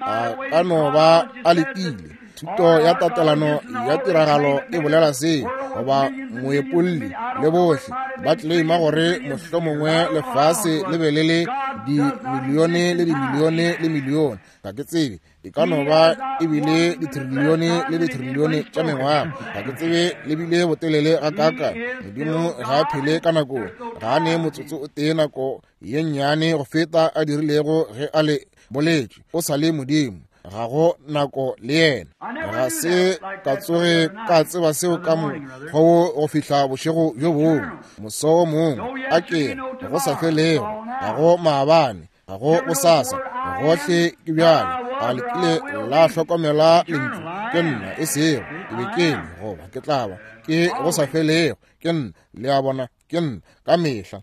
A ka no ba a letile. Thuto ya tatelano ya tiragalo e bolela seo, goba moepolli le bohle ba tleleima gore mohlomongwe lefase le be le le dimilione le dimilione le milione, ga ke tsebe, e ka no ba e bile ditrilione le ditrilione tša mengwaga, ga ke tsebe le bile botelele gakaaka. Modimo ga a phele ka nako, ga a ne motsotso o tee nako ye nnyane go feta a dirilego ge a le boletše. O sa le Modimo, ga go nako le yena. Ga se ka tsoge ka tseba seo ka mokgwa wo go fihla bošego bjo bongwe, moso wo mongwe, a ke go sa felego, ga go maabane, ga go bosasa, gohle ke bjale. A le kile la hlokomela lentšu ke nna, e sego ke be ke le, goba ke tla ba, ke go sa felego, ke nna. Le a bona? Ke nna ka mehla.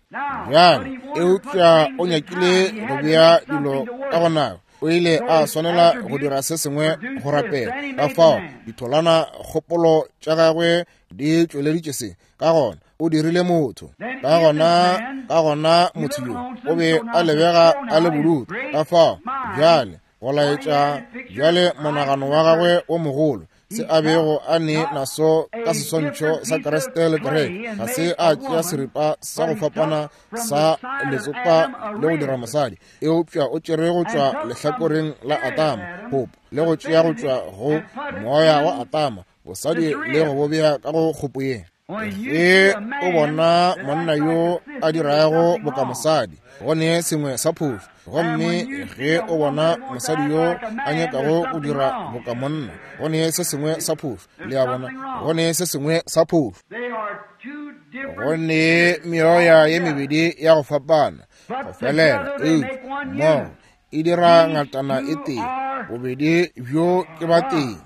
Bjale, eupša o nyakile go bea dilo ka go nako, o ile a swanela go dira se sengwe go rapela. Ka fao ditholwana kgopolo tša gagwe di tšweleditše se. Ka gona o dirile motho. Ka gona motho yo o be a lebega a le bodutu. Ka fao bjale go laetša bjale monagano wa gagwe o mogolo, se a bego a ne naso ka seswantšho sa Kriste le kereke, ga se a tšea seripa sa go fapana sa letsopa le go dira mosadi, eupša o tšere go tšwa lehlakoreng la Adama kgopo, le go tšea go tšwa go moya wa Adama bosadi le go bo bea ka go kgopo ye. Ge o bona monna yo a dirago boka mosadi, go ne sengwe sa phošo. Gomme ge o bona mosadi yo a nyakago go dira boka monna, go ne se sengwe sa phošo. Le a bona, go ne se sengwe sa phošo. Go ne meoya ye mebedi ya go fapana go felela, eupša mmogo e dira ngatana e tee. Bobedi bjo ke ba tee.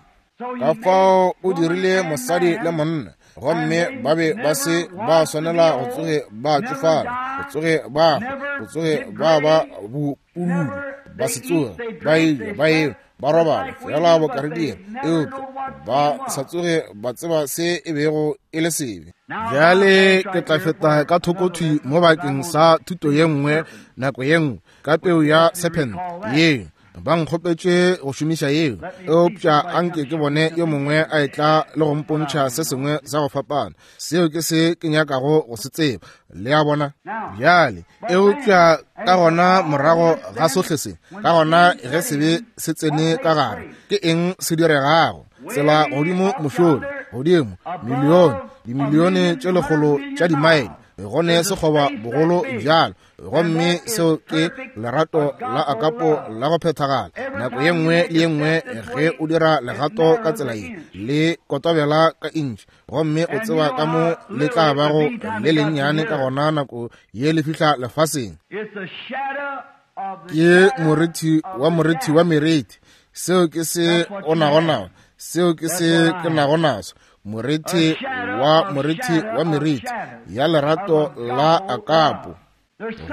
Ka fao o dirile mosadi le monna, gomme ba be ba se ba swanela go tsoge ba tšofala, go tsoge ba hwa, go tsoge ba ba bopululu, ba se tsoge ba eja, ba enwa, ba robala fela boka re dira, eupša ba sa tsoge ba tseba se e bego e le sebe. Bjale ke tla feta ka thoko thwi mo bakeng sa thuto ye nngwe nako ye nngwe ka peu ya serpent ye. Ba nkgopetše go šomiša yeo, eupša anke ke bone yo mongwe a etla le go mpontšha se sengwe sa go fapana. Seo ke se ke nyakago go se tseba. Le a bona? Bjale, eupša ka gona morago ga sohle se, ka gona ge sebe se tsene ka gare, ke eng se diregago? Tsela godimo mošola, godimo, milione, dimilione tše lekgolo tša dimaele, go ne sekgoba bogolo bjalo. Gomme seo ke lerato la akapo la go phethagala. Nako ye nngwe le ye nngwe ge o dira legato ka tsela ye, le kotobela ka intšhi, gomme o tseba ka mo le tla bago le lennyane ka gona nako ye le fihla lefaseng. Ke morithi wa morithi wa merithi. Seo ke se o nago nao. Seo ke se ke nago naso. Morithi wa morithi wa merithi ya lerato la akapo.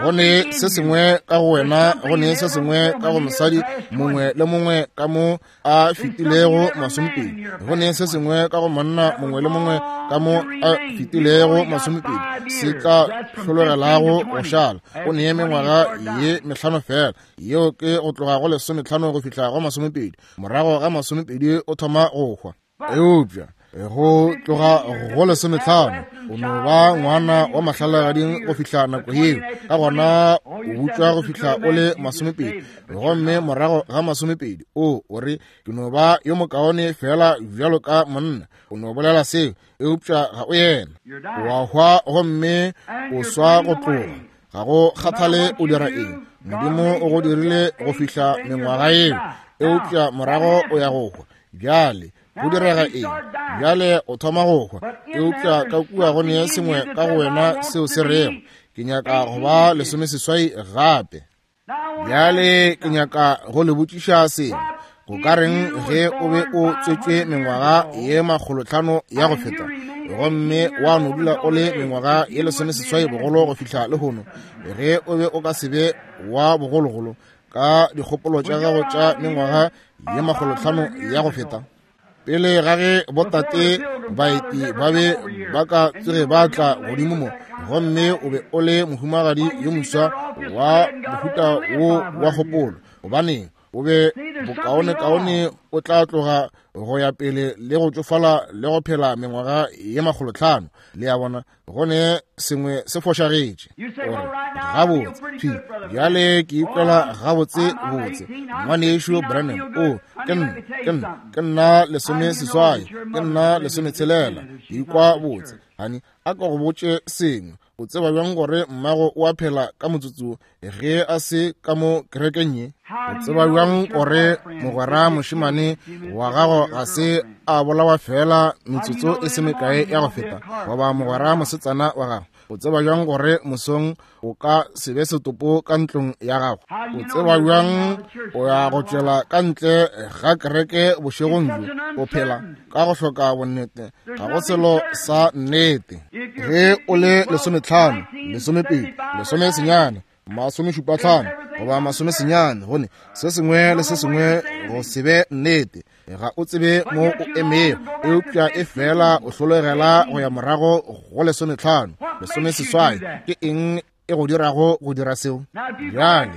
Go ne se sengwe ka go wena, go ne se sengwe ka go mosadi mongwe le mongwe ka mo a fetilego masomepedi. Go ne se sengwe ka go monna mongwe le mongwe ka mo a fetilego masomepedi, se tla hlologelago go šala. O ne mengwaga ye mehlano fela, yeo ke go tloga go 15 go fihla go 20. Morago ga 20 o thoma go hwa. Eupša go tloga go 15 o no ba ngwana wa mahlalagading go fihla nako yeo. Ka gona o butšwa go fihla o le 20, gomme morago ga 20 o re ke no ba yo mokaone fela bjalo ka monna. O no bolela seo, eupša ga o yena. O a hwa gomme o swa go tloga. Ga go kgathale o dira eng, Modimo o go dirile go fihla mengwaga yeo, eupša morago o ya go hwa. Bjale go direga eng? Bjale o thoma go hwa, eupša ka kua go ne sengwe ka go wena seo se rego ke nyaka go ba 18 gape. Bjale ke nyaka go le botšiša sengwe. Go ka reng ge o be o tswetšwe mengwaga ye 500 ya go feta, gomme wa no dula o le mengwaga ye 18 bogolo go fihla lehono? Ge o be o ka se be wa bogologolo ka dikgopolo tša gago tša mengwaga ye 500 ya go feta, pele ga ge botate baeti ba be ba ka tsoge ba tla godimo mo, gomme o be o le mohumagadi yo moswa wa mohuta wo wa kgopolo, gobaneng o be bokaonekaone o tla tloga go ya pele le go tšofala le go phela mengwaga ye 500. Le a bona, go ne sengwe se fošagetše. O re, gabotse, thwi bjale ke ikwela gabotse botse, ngwanešu Branham. O, ke nna 18, ke nna 16, ke ikwa botse. Hani, a ka go botše sengwe. O tseba bjang gore mmago o a phela ka motsotso ge a se ka mo kerekeng ye? O tseba bjang gore mogwera mošemane wa gago ga se a bolawa fela metsotso e se mekae ya go feta, goba mogwera mosetsana wa gago? O tseba bjang gore mosong o ka se be setopo ka ntlong ya gago? O tseba bjang o ya go tšwela ka ntle ga kereke bošegong bjo? O phela ka go hloka bonnete, ga go selo sa nnete. Ge o le 15, 12, 19, 75 goba 90, gone se sengwe le se sengwe go se be nnete. Ga o tsebe mo o emego, eupša e fela o hlologela go ya morago go 15, 18. Ke eng e go dirago go dira seo? Bjale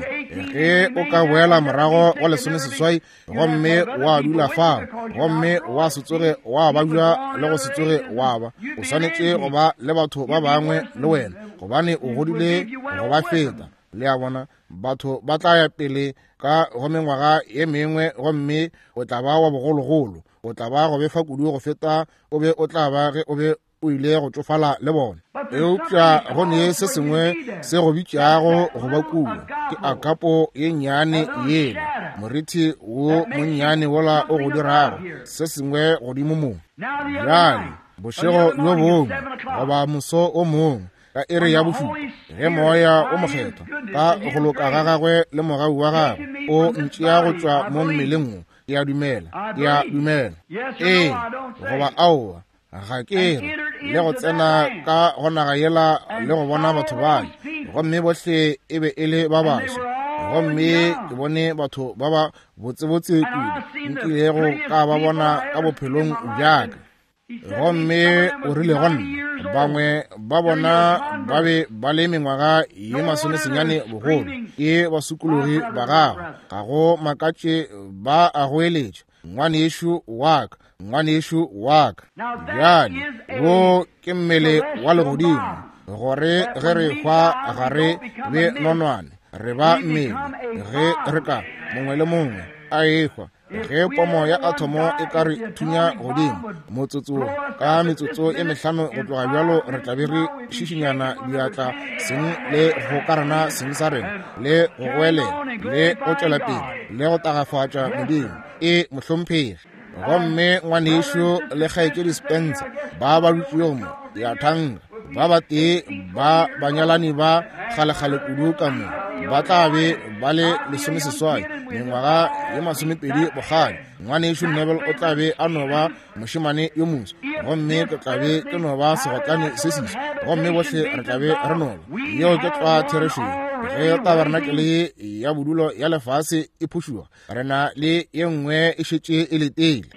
ge o ka boela morago go 18 gomme wa dula fao, gomme wa se tsoge wa babja le go se tsoge wa ba, o swanetše go ba le batho ba bangwe le wena, gobane o godile go ba feta. Le a bona, batho ba tla ya pele ka go mengwaga ye mengwe, gomme o tla ba wa bogologolo, o tla ba go befa kudu go feta o be o tla ba ge o be o ile go tšofala le bona. Eupša go ne se sengwe se go bitšago go ba kua, ke akapo ye nnyane yela, morithi wo monnyane wola o go dirago se sengwe godimo mo. Bjale bošego bjo bongwe goba moso o mongwe ka iri ya bošupa, ge moya o mokgethwa ka go loka ga gagwe le mogau wa gagwe o ntšea go tšwa mo mmeleng wo, ke a dumela, ke a dumela, ee goba aowa, ga ke re, le go tsena ka go naga yela le go bona batho bale, gomme bohle e be e le ba baso, gomme ke bone batho ba ba botsebotse kudu nkilego ka ba bona ka bophelong bjaka. Gomme o rile go nna, bangwe ba bona ba be ba le mengwaga ye 90 bogolo, ke basokologi ba gago, ga go makatše ba a goeletša, ngwanešu wa ka, ngwanešu wa ka. Bjale wo ke mmele wa legodimo, gore ge re hwa ga re be nonwane, re ba mmele. Ge re ka mongwe le mongwe a ehwa, ge pomo ya athomo e ka re thunya godimo motsotso ka metsotso e mehlano go tloga bjalo, re tla be re šišinyana diatla seng le go karana seng sa rena, le go goelela, le go tšwela pele, le go tagafatša Modimo. E mohlomphegi. Gomme ngwanešu le kgaetšedi Spencer ba ba dutšego mo, ya thanka, ba batee ba banyalani ba kgalekgale kudu ka mo, ba tla be ba le 18, mengwaga ye 20 bokgale. Ngwanešu Neville o tla be a no ba mošemane yo moso, gomme ke tla be ke no ba segotlane se seswa, gomme bohle re tla be re no ba. Yeo ke tlwa therešo. Ge tabernacle ya bodulo ya lefase e phušuga, re na le ye nngwe e šetše e letile.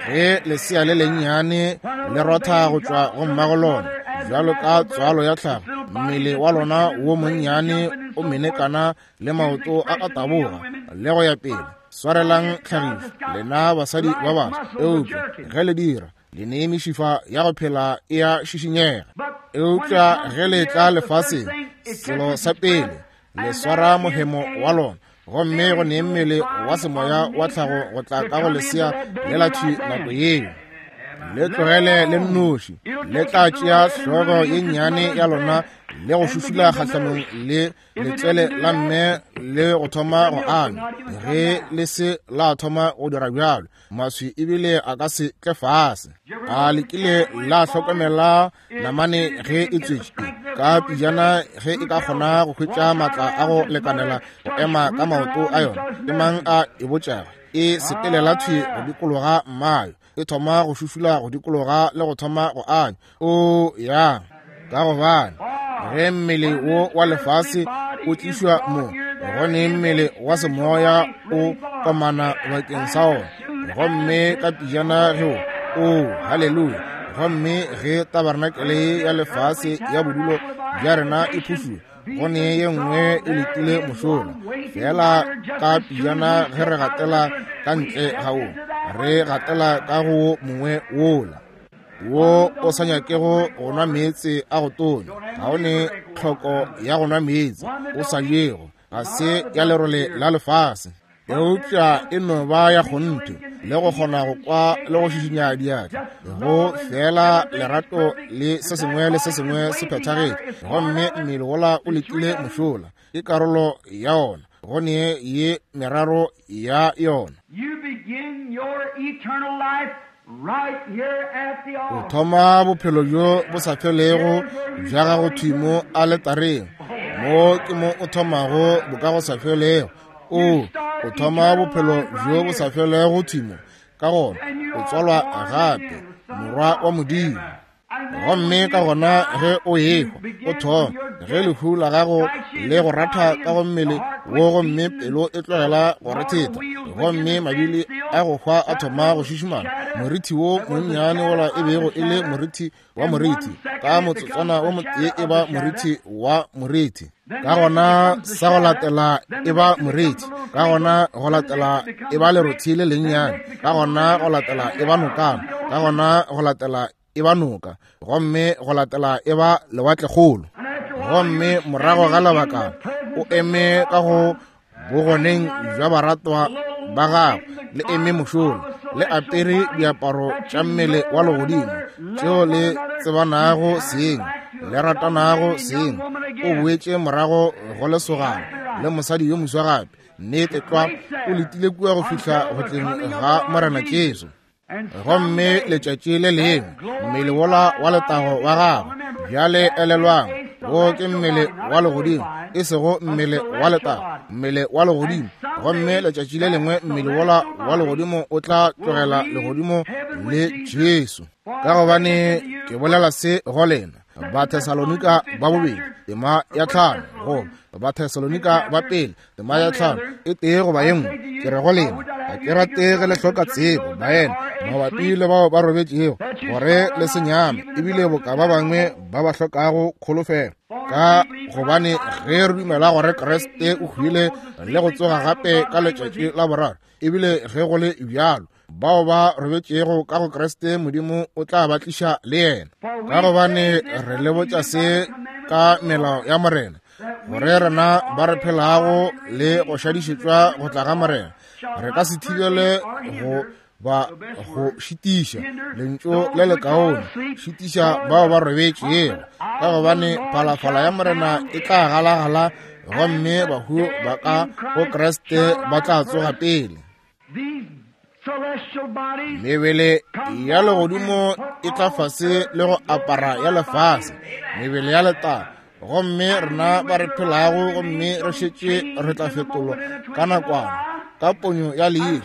Ge lesea le lennyane le rotha go tšwa go mmago lona, bjalo ka tswalo ya tlhago, mmele wa lona wo monnyane o menekana le maoto a a taboga le go ya pele. Swarelang tlhagišo, lena basadi ba baswa, eupša ge le dira, le ne mešifa ya go phela e a šišinyega. Eupša ge le tla lefaseng, selo sa pele, le swara mohemo wa lona, gomme go ne mmele wa semoya wa tlhago go tla ka go lesea le la thwi nako yeo. Le tlogele le nnoši, le tla tšea hlogo ye nnyane ya lona le go šušula kgahlanong le letswele la mme le go thoma go anywa. Ge le se la thoma go dira bjalo, maswi ebile a ka se tle fase. A le kile la hlokomela namane ge e tswetše ka pijana, ge e ka kgona go hwetša maatla a go lekanela go ema ka maoto a yona, ke mang a e botšago? E sepelela thwi go dikologa mmayo, e thoma go šušula go dikologa le go thoma go anywa. O ya ka gobane ge mmele wo wa lefase o tlišwa mo, go ne mmele wa semoya o komana bakeng sa ona. Gomme ka pijana ge o, haleluya, gomme ge tabernacle ya lefase ya bodulo bja rena e phušuwa, go ne ye nngwe e letile mošola. Fela ka pijana ge re gatela ka ntle ga wo, re gatela ka go wo mongwe wola wo o sa nyakego go nwa meetse a go tonya. Ga o ne tlhoko ya go nwa meetse, o sa jego, ga se ya lerole la lefase, eupša e no ba ya kgonthe le go kgona go kwa le go šišinya diatla, go fela lerato le se sengwe le se sengwe se phethagetše. Gomme mmele wola o letile mošola, ke karolo ya ona, go ne ye meraro ya yona. O thoma bophelo bjo bo sa felego bja gago thwi mo aletareng. Mo ke mo o thomago boka go sa felego. O thoma bophelo bjo bo sa felego thwi mo. Ka gona o tswalwa gape, morwa wa Modimo. Gomme ka gona ge o ehwa, o thoma ge lehu la gago le go ratha ka go mmele wo, gomme pelo e tlogela go rethetha, gomme mabili a go hwa a thoma go šišimana. Morithi wo monnyane wola e bego e le morithi wa morithi, ka motsotswana wo motee e ba morithi wa morithi. Ka gona sa go latela e ba morithi, ka gona go latela e ba lerothi le lennyane, ka gona go latela e ba nokana, ka gona go latela e ba noka, gomme go latela e ba lewatlekgolo. Gomme morago ga lebaka o eme ka go bogoneng bja baratwa ba gagwe, le eme mošola, le apere diaparo tša mmele wa legodimo tšeo le tsebanago seng, le ratanago seng. O boetše morago go lesogana le mosadi yo moswa gape. Nnete tlwa, o letile kua go fihla go tleng ga Morena Jesu. Gomme letšatši le lengwe mmele wola wa letago wa gagwe, bjale elelwang, wo ke mmele wa legodimo, e sego mmele wa letago, mmele wa legodimo. Gomme letšatši le lengwe mmele wola wa legodimo o tla tlogela legodimo le Jesu. Ka gobane ke bolela se go lena, Bathesalonika ba bobedi tema ya 5, goba Bathesalonika ba pele tema ya 5, e tee goba ye nngwe, ke re go lena, ga ke rate ge le hloka tsebo, baena, mabapi le bao ba robetšego, gore le se nyame, ebile boka ba bangwe ba ba hlokago kholofelo. Ka gobane ge re dumela gore Kriste o hwile le go tsoga gape ka letšatši la boraro, ebile ge go le bjalo, bao ba robetšego ka go Kriste Modimo o tla ba tliša le yena. Ka gobane re le botša se ka melao ya Morena, gore rena ba re phelago le go šadišetšwa go tla ga Morena, re ka se thibele go ba go šitiša lentšu le lekaone, šitiša bao ba robetšego. Ka gobane phalafala ya Morena e tla galagala, gomme bahu ba ka go Kriste ba tla tsoga pele. Mebele ya legodimo e tla fase le go apara ya lefase, mebele ya letago. Gomme rena ba re phelago gomme re šetše re tla fetolwa ka nakwana, ka ponyo ya leihlo,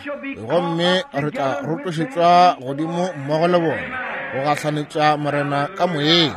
gomme re tla rotošetšwa godimo mmogo le bona go gahlanetša Morena ka moyeng.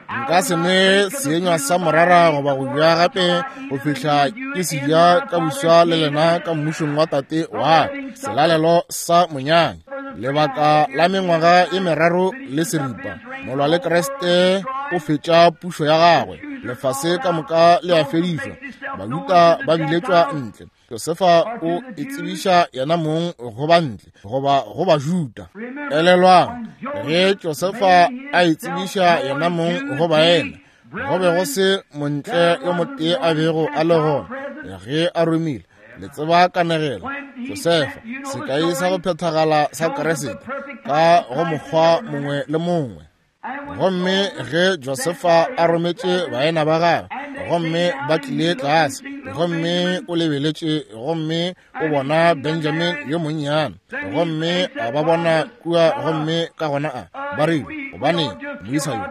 Nka se nwe seenywa sa morara goba go ja gape go fihla ke se ja ka buswa le lena ka mmušong wa Tate wa ka, selalelo sa monyanya. Lebaka la mengwaga ye meraro le seripa, molwa le Kriste o fetša pušo ya gagwe, lefase ka moka le a fedišwa, Bajuda ba biletšwa ntle. Josefa o itsebiša yena mong go bantle goba go Bajuda. Elelwang, ge Josefa a itsebiša yena mong go baena, go be go se montle yo motee a bego a le gona ge a romile. Le tseba kanegelo. Josefa, sekai sa go phethagala sa Kriste, ka go mokgwa mongwe le mongwe. Gomme ge Josefa a rometše baena ba gagwe, gomme ba tlile tlase, gomme o lebeletše gomme o bona Benjamin yo monnyane, gomme a ba bona kua, gomme ka gona a ba rile, gobane moisa yo,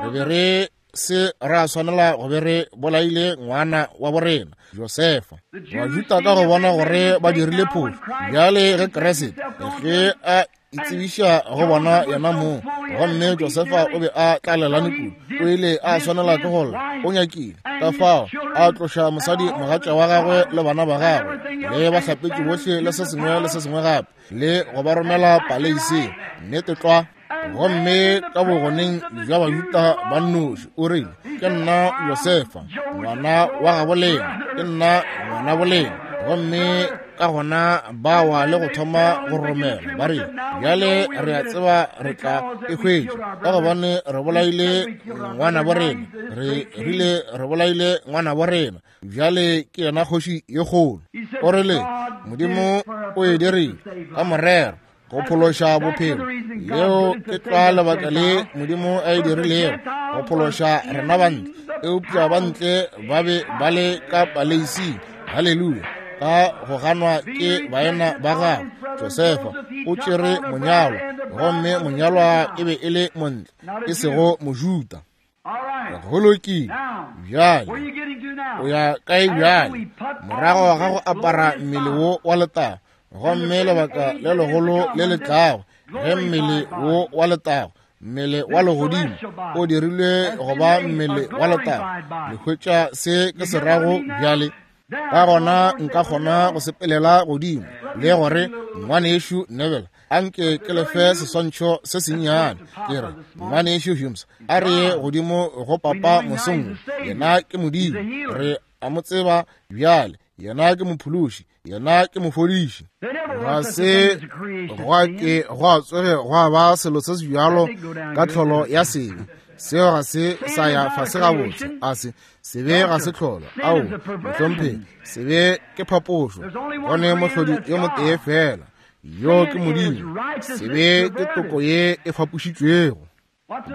re be re se ra swanela go be re bolaile ngwana wa borena Josefa. Bajuda ka go bona gore ba dirile phošo, bjale ge Kriste ge a itsebiša go bona yena mong, gomme Josefa o be a tlalelane kudu, o ile a swanela ke go lla, o nyakile ka fao a tloša mosadi mogatša wa gagwe le bana ba gagwe le bahlapetši bohle le se sengwe le se sengwe gape, le go ba romela paleiseng. Nnete tlwa. Gomme ka bogoneng bja Bajuda ba nnoši o rile, Ke nna Josefa, ngwana wa gabo lena, ke nna ngwana bolena. Gomme ka gona ba wa le go thoma go romela, ba rile, Bjale re a tseba re tla e hwetša, ka gobane re bolaile ngwana bo rena, re rile re bolaile ngwana bo rena, bjale ke yena kgoši ye kgolo. O rile, Modimo o e dirile ka morero go phološa bophelo. Leo ke tlwa lebaka le Modimo a e dirilego, go phološa rena bantle. Eupša bantle ba be ba le ka paleising, haleluya, ka go ganwa ke baena ba gagwe. Josefa o tšere monyalwa, gomme monyalwa e be e le montle, e sego Mojuda. Go lokile. Bjale o ya kae bjale? Morago ga go apara mmele wo wa letago, gomme lebaka le legolo le le tlago, ge mmele wo wa letago, mmele wa legodimo, o dirilwe go ba mmele wa letago. Le hwetša se ke se rago bjale? Ka gona nka kgona go sepelela godimo le gore, Ngwanešu Neville, a nke ke le fe seswantšho se sennyane. Ke re, Ngwanešu Humes, a re ye godimo go papa mosong. Yena ke Modimo, re a mo tseba bjale. Yena ke Mophološi, yena ke Mofodiši. Ga se gwa ke gwa tsoge gwa ba selo se se bjalo ka tlholo ya sebe. Seo ga se sa ya fase gabotse. A se sebe ga se tlholo. Ao, mohlomphegi, sebe ke phapošo. Go ne mohlodi yo motee fela, yo ke Modimo. Sebe ke toko ye e fapošitšwego.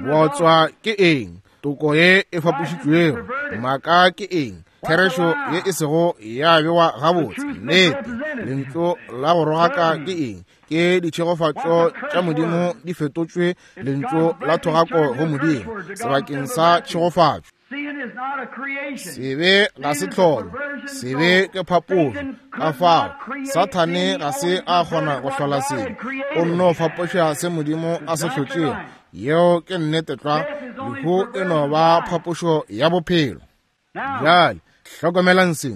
Bootswa ke eng? Toko ye e fapošitšwego. Maaka ke eng? Therešo ye e sego ya bewa gabotse. Nnete. Lentšu la go rogaka ke eng? Ke ditšhegofatšo tša Modimo di fetotšwe lentšu la thogako go Modimo sebakeng sa tšhegofatšo. Sebe ga se tlholo, sebe ke phapošo. Ka fao Sathane ga se a kgona go hlola sebe, o nno fapoša se Modimo a se hlotšego. Yeo ke nnete tlwa. Lehu e no ba phapošo ya bophelo. Bjale hlokomelang se,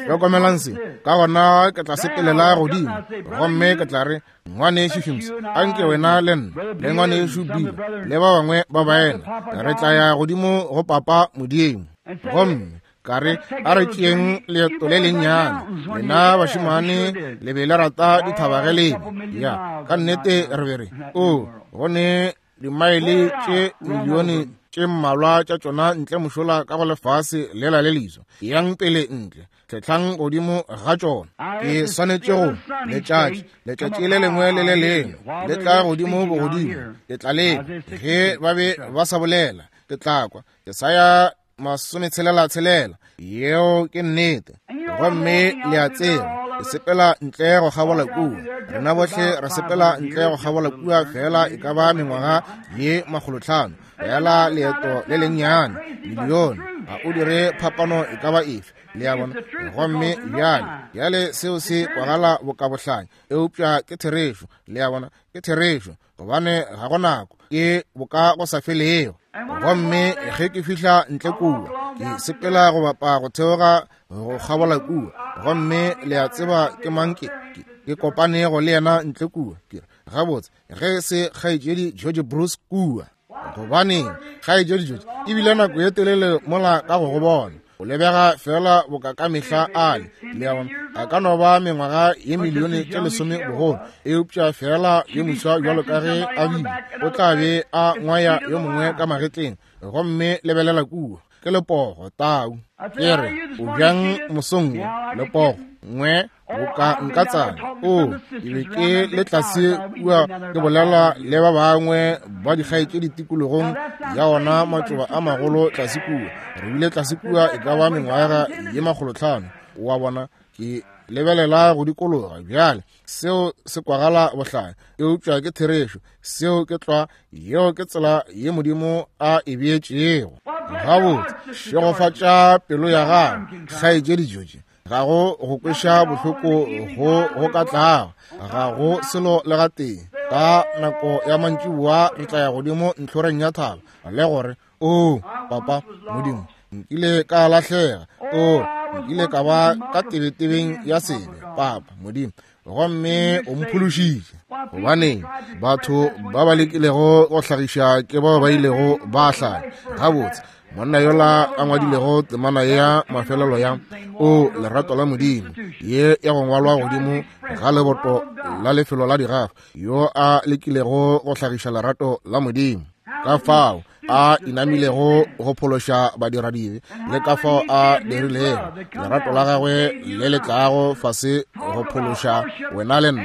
hlokomelang se. Ka gona ke tla sepelela godimo gomme ke tla re, Ngwanešu Humes, a nke wena le nna le Ngwanešu Bill le ba bangwe ba baena re tla ya godimo go Papa Modimo, gomme ka re a re tšeeng leeto le lennyane. Lena bašemane le be le rata dithaba ge lebe ya ka nnete re be re o go ne dimaele tše milione tše mmalwa tša tšona ntle mošola ka go lefase lela le leso. Yang pele ntle, tlhehlang godimo ga tšona. Ke swanetše go letšatši, letšatši le lengwe le le lengwe le tla godimo bogodimo, ke tla leba. Ge ba be ba sa bolela, ke tla kwa. Jesaya 66, yeo ke nnete. Gomme le a tseba, ke sepela ntle go kgabola kua. Rena bohle re sepela ntle go kgabola kua feela e ka ba mengwaga ye 500, feela leeto le lennyane, milione. Ga o dire phapano e ka ba efe, le a bona. Gomme bjale, bjale seo se kwagala bokabohlanya, eupša ke therešo, le a bona, ke therešo, gobane ga go nako, ke boka go sa felego. Gomme ge ke fihla ntle kua, ke sepela go bapa go theoga go kgabola kua, gomme le a tseba ke mang ke, ke, ke kopanego le yena ntle kua. Ke re, gabotse, ge se kgaetšedi George Bruce kua. Gobaneng, kgaetšedi George, e bile nako ye telele mola ka go go bona. O lebega feela boka ka mehla a le. Le a bona, a ka no ba mengwaga ye milione tše lesome bogolo, eupša feela yo moswa bjalo ka ge a bile, o tla be a ngwaya yo mongwe ka magetleng. Gomme lebelela kua, ke lepogo, tau. Ke re, o bjang mosong wo, lepogo, ngwe, boka nka tsana. O, ke be ke le tlase kua ke bolela le ba bangwe ba dikgaetšedi tikologong ya ona matšoba a magolo tlase kua. Re bile tlase kua e ka ba mengwaga ye 500. Wa bona, ke lebelela go dikologa bjale. Seo se kwagala bohlanya, eupša ke therešo. Seo ke tlwa, yeo ke tsela ye Modimo a e beetšego. Gabotse, šegofatša pelo ya gago, kgaetšedi George. Ga go go kweša bohloko go go ka tlago, ga go selo le gatee. Ka nako ya mantšiboa re tla ya godimo ntlhoreng ya thaba le gore, O, Papa, Modimo, nkile ka lahlega. O, nkile ka ba ka tebetebeng ya sebe, Papa, Modimo, gomme o mphološitše. Gobaneng, batho ba ba lekilego go hlagiša ke bao ba ilego ba hlaya. Gabotse, monna yola a ngwadilego temana ya mafelelo ya O lerato la Modimo, ye ya go ngwalwa godimo ga leboto la lefelo la digafa, yo a lekilego go hlagiša lerato la Modimo, ka fao a inamilego go phološa badiradibe, le ka fao a dirilego lerato la gagwe le le tlago fase go phološa wena le nna.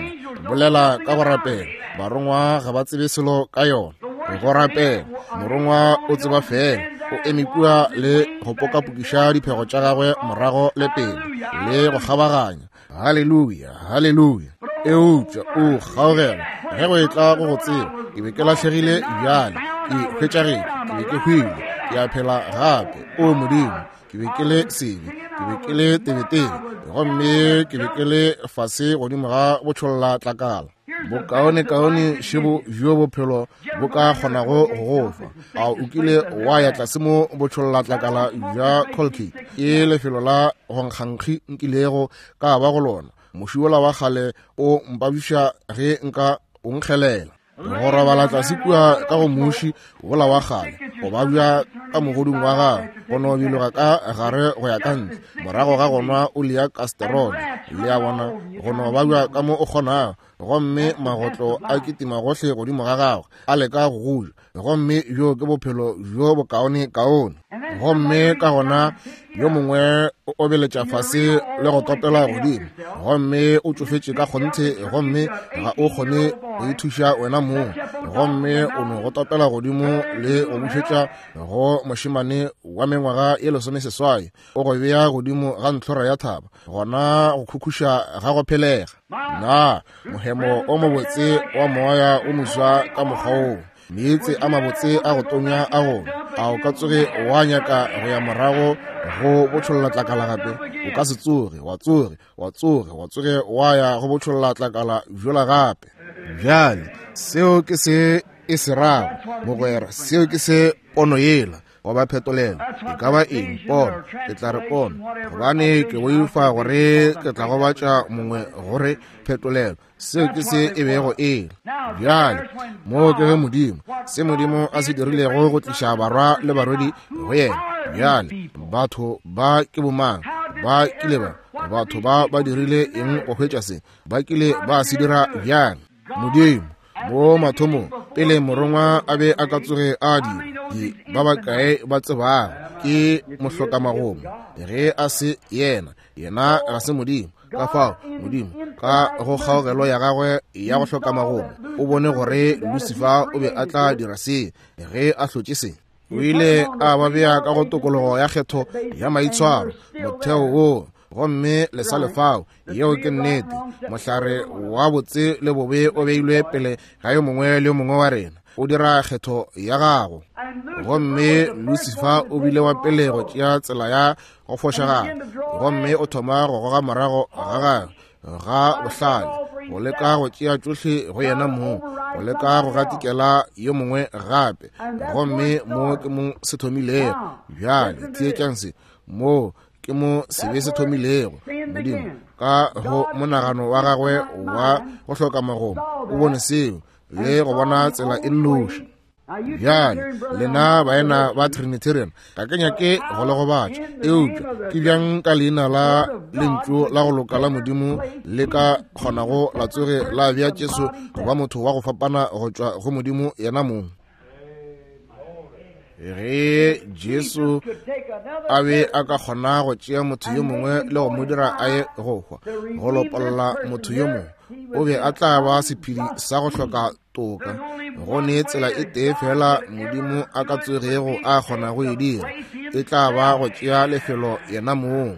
Bolela ka go rapela, barongwa ga ba tsebe selo ka yona. Go rapela, morongwa o tseba fela, o eme kua le go pokapokiša diphego tša gagwe morago le pele le go kgabaganya. Haleluya, haleluya. Eupša o kgaogela ge go etla go go tseba, ke be ke lahlegile, bjale ke hwetšagetše, ke be ke hwile, ke a phela gape. O Modimo, ke be ke le sebe, ke be ke le tebetebe, gomme ke be ke le fase godimo ga botšholla tlakala. Bokaonekaone šebo bjo bophelo bo ka kgonago go go fa. A o kile wa ya tlase mo botšhollatlakala bja Colgate? Ke lefelo la go nkgankgi nkilego ka ba go lona. Moši wola wa kgale o mpabiša ge nka o nkgelela. Go robala tlase kua ka go moši wola wa kgale, go babja ka mogodung wa gago, go no biloga ka gare go ya ka ntle, morago ga go nwa oli ya kasterole, le a bona, go no babja ka mo o kgonago, gomme magotlo a kitima gohle godimo ga gagwe, a leka go go ja, gomme bjo ke bophelo bjo bokaone kaone. Gomme ka gona yo mongwe o obeletša fase le go topela godimo, gomme o tšofetše ka kgonthe, gomme ga o kgone go ithuša wena mong, gomme o no go topela godimo le go bušetša go mošemane wa mengwaga ye 18, o go bea godimo ga ntlhora ya thaba, gona go khukhuša ga go phelega. Na mohemo o mobotse wa moya o moswa ka mokgwa woo, meetse a mabotse a go tonya a go, a o ka tsoge wa nyaka go ya morago go botšholla tlakala gape? O ka se tsoge, wa tsoge, wa tsoge, wa tsoge wa ya go botšholla tlakala bjola gape. Bjale, seo ke se e se rago, mogwera, seo ke se pono yela goba phetolelo e ka ba eng, pono, ke tla re pono, gobane ke boifa gore ke tla gobatša mongwe gore phetolelo, seo ke se e bego e le. Bjale moo ke ge Modimo, se Modimo a se dirilego go tliša barwa le barwedi go yena. Bjale batho ba ke bomang? Ba kile ba, batho ba ba dirile eng go hwetša se? Ba kile ba se dira bjang? Modimo, mo mathomong, pele morongwa a be a ka tsoge a dira, ke ba bakae ba tsebago ke mohlokamagomo? Ge a se yena, yena ga se Modimo. Ka fao Modimo, ka go kgaogelo ya gagwe ya go hloka magomo, o bone gore Lucifer o be a tla dira se ge a hlotše se. O ile a ba bea ka go tokologo ya kgetho ya maitshwaro, motheo wo, gomme le sa lefao. Yeo ke nnete. Mohlare wa botse le bobe o beilwe pele ga yo mongwe le yo mongwe wa rena. O dira kgetho ya gago. Gomme Lucifer o bile wa pele go tšea tsela ya go fošagala, gomme o thoma go goga morago ga gagwe ga bohlale, go leka go tšea tšohle go yena mong, go leka go gatikela yo mongwe gape. Gomme mo ke mo se thomilego. Bjale theetšang se, mo ke mo sebe se thomilego. Modimo ka go monagano wa gagwe wa go hloka magomo o bone seo le go bona tsela e nnoši. Bjale lena baena ba Trinitarian, ga ke nyake go le gobatša, eupša ke bjang ka leina la lentšu la go loka la Modimo le ka kgonago la tsoge la bea Jesu go ba motho wa go fapana go tšwa go Modimo yena mong? Ge Jesu a be a ka kgona go tšea motho yo mongwe le go mo dira a ye go hwa, go lopolla motho yo mongwe, o be a tla ba sephedi sa go hloka toka. Go ne tsela e tee fela Modimo a ka tsogego a kgona go e dira, e tla ba go tšea lefelo yena mong.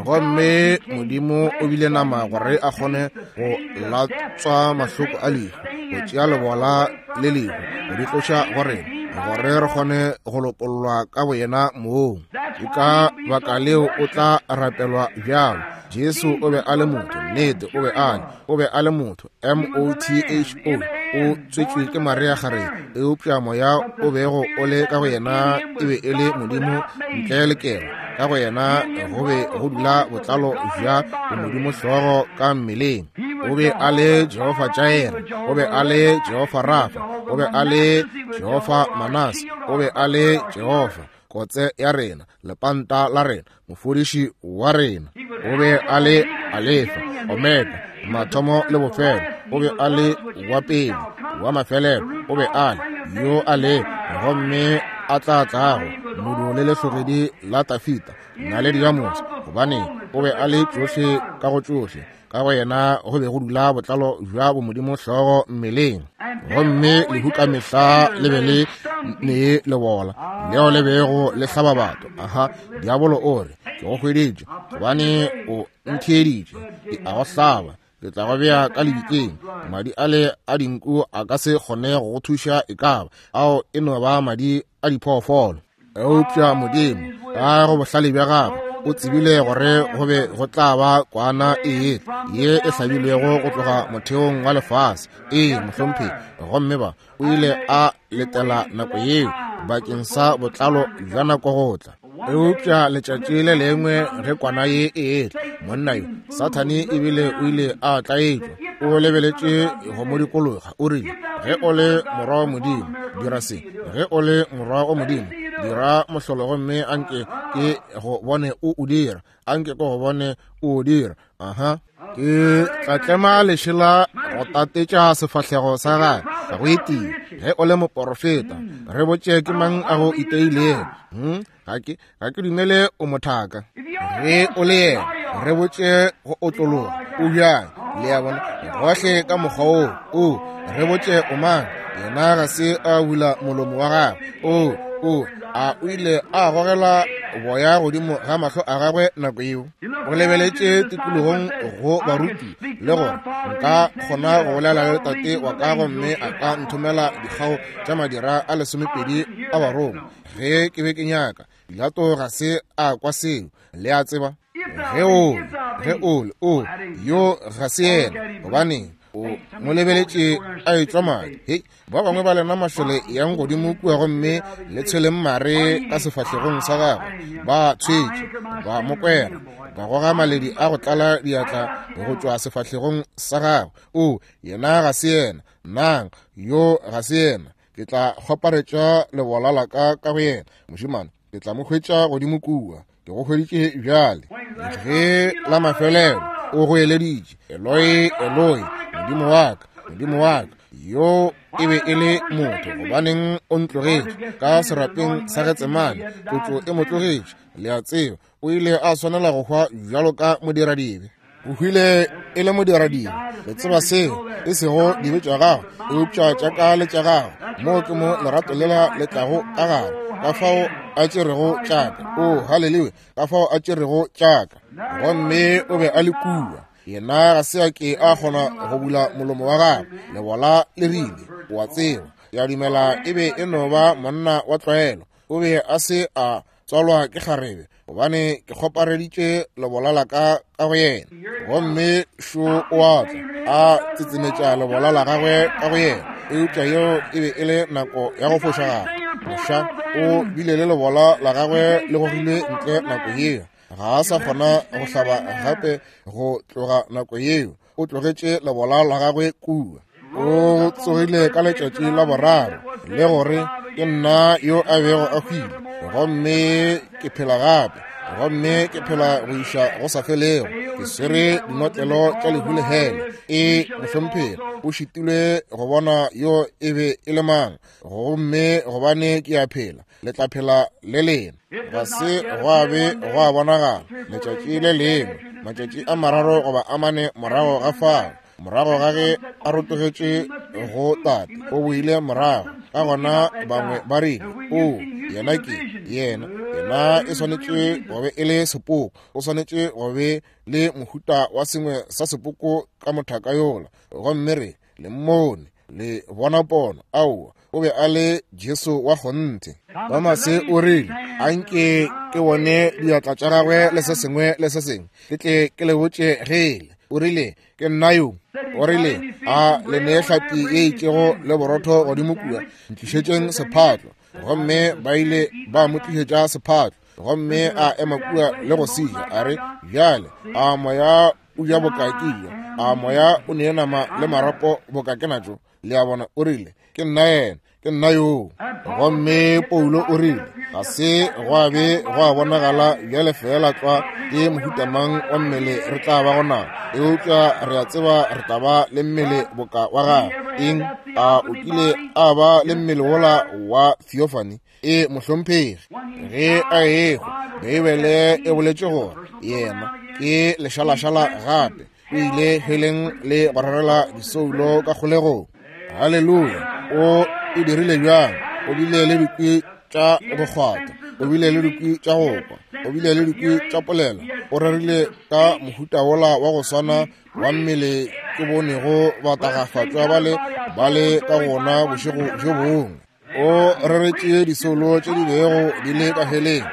Gomme Modimo o bile nama gore a kgone go latswa mahloko a lehu, go tšea lebola le lehu go di tloša go rena, gore re kgone go lopollwa ka boyena mong. Ke ka baka leo o tla rapelwa bjalo. Jesu o be a le motho, nnete o be a le, o be a le motho, M-O-T-H-O, o tswetšwe ke Maria kgarebe, eupša moya o bego o le ka go yena e be e le Modimo ntle le kelo. Ka go yena go be go dula botlalo bja bomodimo hlogo ka mmeleng. O be a le Jehofa Jair, o be a le Jehofa Rafa, o be a le Jehofa Manase, o be a le Jehofa kotse ya rena, lepanta la rena, mofodiši wa rena. O be a le Alefa, Omega, mathomo le bofelo. O be a le wa pele, wa mafelelo. O be a le yo a le gomme a tla tlago, modu le lehlogedi la Tafita, naledi ya motse, gobane o be a le tšohle ka go tšohle. Ka go yena go be go dula botlalo bja bomodimo hlogo mmeleng. Gomme lehu ka mehla le be le ne lebola leo le bego le hlaba batho. Aha, diabolo o re, ke go hweditše, gobane o ntheeditše, ke a go hlaba, ke tla go bea ka lebitleng. Madi ale a dinku a ka se kgone go go thuša, e ka ba ao e no ba madi a diphoofolo. Eupša Modimo ka go bohlale bja gagwe o tsebile gore go be go tla ba kwana e ye e hlabilwego go tloga motheong wa lefase. Ee, mohlomphegi. Gomme ba o ile a letela nako yeo bakeng sa botlalo bja nako go tla. Eupša letšatši le lengwe ge kwana ye e etla, monna yo Sathane ebile o ile a tlaetšwa, o lebeletše go mo dikologa, o rile, ge o le morwa wa Modimo, dira se. Ge o le morwa wa Modimo, dira mohlolo gomme anke ke go bone o o dira. Anke ke go bone o o dira. Aha. Ke tla tlema lešela go tatetša sefahlego sa gagwe go etia. Ge o le moporofeta, re botše ke mang a go iteilego. Ga ke dumele o mothaka. Ge o le yena, re botše go otlologa o bjang. Le a bona, gohle ka mokgwa wo, o re botše o mang. Yena ga se a bula molomo wa gagwe. O a o ile a gogela boya godimo ga mahlo a gagwe nako yeo. O lebeletše tikologong go baruti le gore nka kgona go bolela le tate wa ka gomme a ka nthomela dikgao tša madira a 12 a Barongwa ge ke be ke nyaka. Pilato ga se a kwa seo, le a tseba. Ge o le o yo ga se yena, gobane o mo lebeletše a etšwa madi. Hei, ba bangwe ba lena mašole yang godimo kua gomme le tshweleng mare ka sefahlegong sa gagwe. Ba tshwetše, ba mo kwera, ba goga maledi a go tlala diatla go tšwa sefahlegong sa gagwe. O, yena ga se yena. Nang, yo ga se yena. Ke tla kgoparetša lebola la ka ka go yena. Mošemane, ke tla mo hwetša godimo kua. Ke go hweditše bjale. Ge la mafelelo o goeleditše, Eloi, Eloi, Modimo wa ka, Modimo wa ka, yo e be e le motho, gobaneng o ntlogetše? Ka serapeng sa Getsemane, tlotšo e mo tlogetše. Le a tseba, o ile a swanela go hwa bjalo ka modiradibe. O hwile e le modiradibe. Le tseba seo, e sego dibe tša gago, eupša tša ka le tša gago. Moo ke mo lerato lela le tlago ka gare, ka fao a tšerego tša ka. O, haleluya, ka fao a tšerego tša ka. Gomme o be a le kua. Yena ga se a ke a kgona go bula molomo wa gagwe. Lebola le rile, o a tseba. Ke a dumela e be e no ba monna wa tlwaelo. O be a se a tswalwa ke kgarebe, gobane ke kgopareditše lebola la ka ka go yena. Gomme šo o a tla, a tsetsemetša lebola la gagwe ka go yena. Eupša yeo e be e le nako ya go fošagala. Moša o bile le lebola la gagwe le gogilwe ntle nako yeo. Ga a sa kgona go hlaba gape go tloga nako yeo. O tlogetše lebola la gagwe kua. O tsogile ka letšatši la boraro, le gore ke nna yo a bego a hwile, gomme ke phela gape, gomme ke phela go iša go sa felego. Ke swere dinotlelo tša lehu le hele. E mohlomphegi, o šitilwe go bona yo e be e le mang, gomme gobane ke a phela, le tla phela le lena. Ga se gwa be gwa bonagala letšatši le lengwe, matšatši a mararo goba a mane morago ga fao, morago ga ge a rotogetše go Tate, o boile morago. Ka gona bangwe ba rile, o yena ke yena, yena e swanetše go be e le sepoko, o swanetše go be le mohuta wa sengwe sa sepoko ka mothaka yola. Gomme re le mmone, le bona pono. Aowa, o be a le Jesu wa kgonthe. Tomase o rile, anke ke bone diatla tša gagwe le se sengwe le se sengwe, ke tle ke le botše gele. O rile, ke nna yo. O rile, a le nee hlapi ye itšego le borotho godimo kua, ntlišetšeng sephatlo. Gomme ba ile ba mo tlišetša sephatlo, gomme a ema kua le go seja. A re, bjale a moya o ja boka ke ja, a moya o nee nama le marapo boka ke natšo? Le a bona, o rile, ke nna yena, ke nna yoo. Gomme Paulo o rile, ga se gwa be gwa bonagala bjale fela tlwa ke mohuta mang wa mmele re tla ba gona, eupša re a tseba re tla ba le mmele boka wa gagwe. Eng? A o kile a ba le mmele wola wa theophany? E mohlomphegi, ge a ehwa, Beibele e boletše gore yena ke lešalašala gape o ile heleng le go rerela disoulo ka kgolegong. Haleluya! O e dirile bjang? O bile le dikwi tša go kgwata, o bile le dikwi tša go kwa, o bile le dikwi tša polelo. O rerile ka mohuta wola wa go swana wa mmele ke bonego batagafatšwa ba le ka gona bošego bjo bongwe. O reretše disoulo tše di bego di le ka heleng,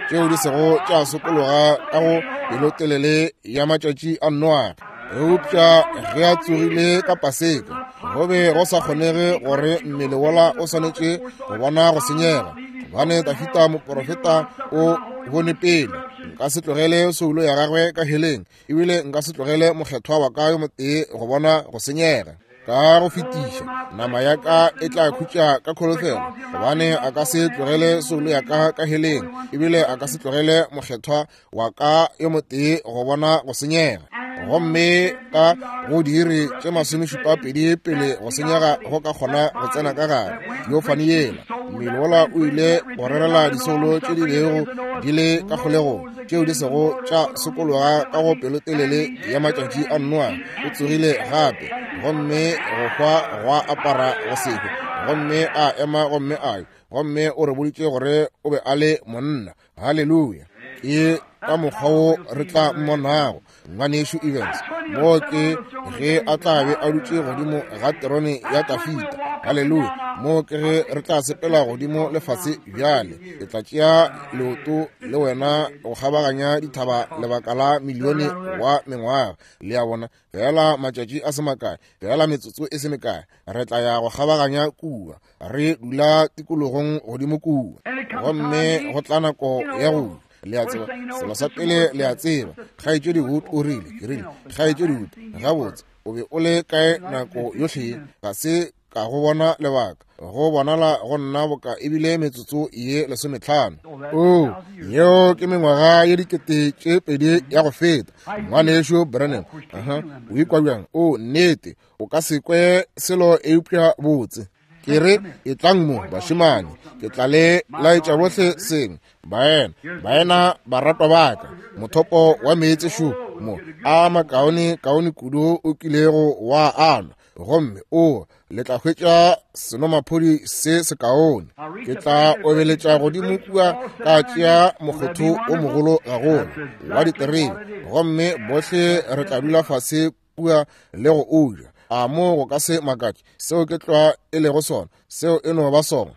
tšeo di sego tša sokologa ka go pelotelele ya matšatši a Noage. Eupša ge a tsogile ka Paseka, go be go sa kgonege gore mmele wola o swanetše go bona go senyega, gobane Dafita moporofeta o bone pele, nka se tlogele soulo ya gagwe ka heleng, ebile nka se tlogele mokgethwa wa ka yo motee go bona go senyega. Ka go fetiša, nama ya ka e tla khutša ka kholofelo, gobane a ka se tlogele soulo ya ka ka heleng, ebile a ka se tlogele mokgethwa wa ka yo motee go bona go senyega. Gomme ka go diiri tše 72 pele go senyega go ka kgona go tsena ka gare theophany yela, mmele wola o ile go rerela disoulo tše di bego di le ka kgolegong, tšeo di sego tša sokologa ka go pelotelele ya matšatši a Noa. O tsogile gape, gomme go hwa gwa apara go sehwe, gomme a ema gomme a yo, gomme o re boditše gore o be a le monna. Haleluya! Ke ka mokgwa wo re tla mmonago ngwanešu Evans, moo ke ge a tla be a dutše godimo ga terone ya Dafita. Haleluya! Moo ke ge re tla sepela godimo lefase bjale. Ke tla tšea leoto le wena go kgabaganya dithaba lebaka la milione wa mengwaga. Le a bona, fela matšatši a se makae, fela metsotso e se mekae, re tla ya go kgabaganya kua, re dula tikologong godimo kua. Gomme go tla nako ya go le a tseba, selo sa pele le a tseba, Kgaetšedi Wood o rile, ke rile, Kgaetšedi Wood, gabotse, o be o le kae nako yohle ye? Ga se ka go bona lebaka, go bonala go nna boka ebile metsotso ye 15. O, yeo ke mengwaga ye 2000 ya go feta, ngwanešu Branham. Aha, o ikwa bjang? O, nnete, o ka se kwe selo eupša botse. Ke re, etlang mo, bašemane, ke tla le laetša bohle sengwe. Baena, baena baratwa ba ka, mothopo wa meetse šo mo, a makaone kaone kudu o kilego wa anwa, gomme o le tla hwetša senomaphodi se sekaone. Ke tla obeletša godimo kua ka tšea mokgotho o mogolo gagolo wa diterebe, gomme bohle re tla dula fase kua le go o ja. A mo go ka se makatše? Seo ke tlwa e lego sona. Seo e no ba sona.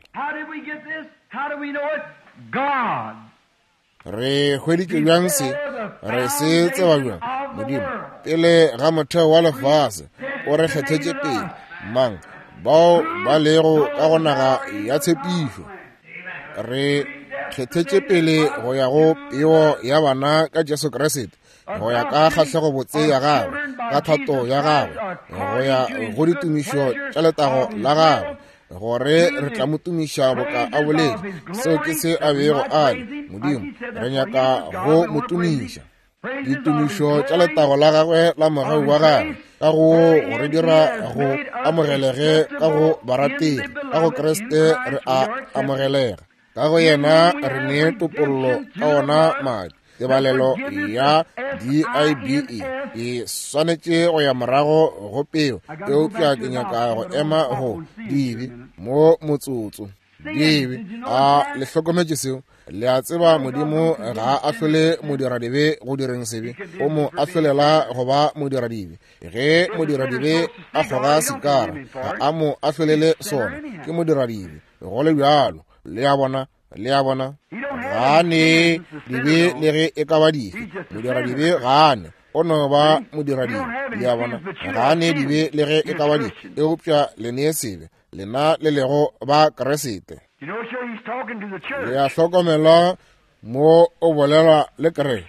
Re hweditše bjang se? Re se tseba bjang? Modimo, pele ga motheo wa lefase, o re kgethetše pele. Mang? Bao ba lego ka go naga ya tshepišo. Re kgethetše pele go ya go peo ya bana ka Jesu Kriste, go ya ka kgahlego botse ya gagwe, ka thato ya gagwe, go ya go ditumišo tša letago la gagwe, gore re tla mo tumiša boka a boletše. Seo ke se a bego a le. Modimo, re nyaka go mo tumiša. Ditumišo tša letago la gagwe la mogau wa gagwe, ka go re dira go amogelege ka go barategi, ka go Kriste re a amogelega. Ka go yena re ne topollo ka ona madi. Tebalelo ya D-I-B-E e swanetše go ya morago go peo, eupša ke nyaka go ema go dibe mo motsotso. Dibe, a le hlokometše seo? Le a tseba Modimo ga a ahlole modiradibe go direng sebe, o mo ahlolela go ba modiradibe. Ge modiradibe a kgoga sikara, ga a mo ahlolele sona, ke modiradibe go le bjalo. Le a bona? Le a bona? Ga a ne dibe le ge e ka ba dife. Modiradibe ga a ne, o no ba modiradibe. Le a bona? Ga a ne dibe le ge e ka ba dife, eupša le ne sebe, lena le lego ba Kriste. Le a hlokomela mo o bolela le kereke,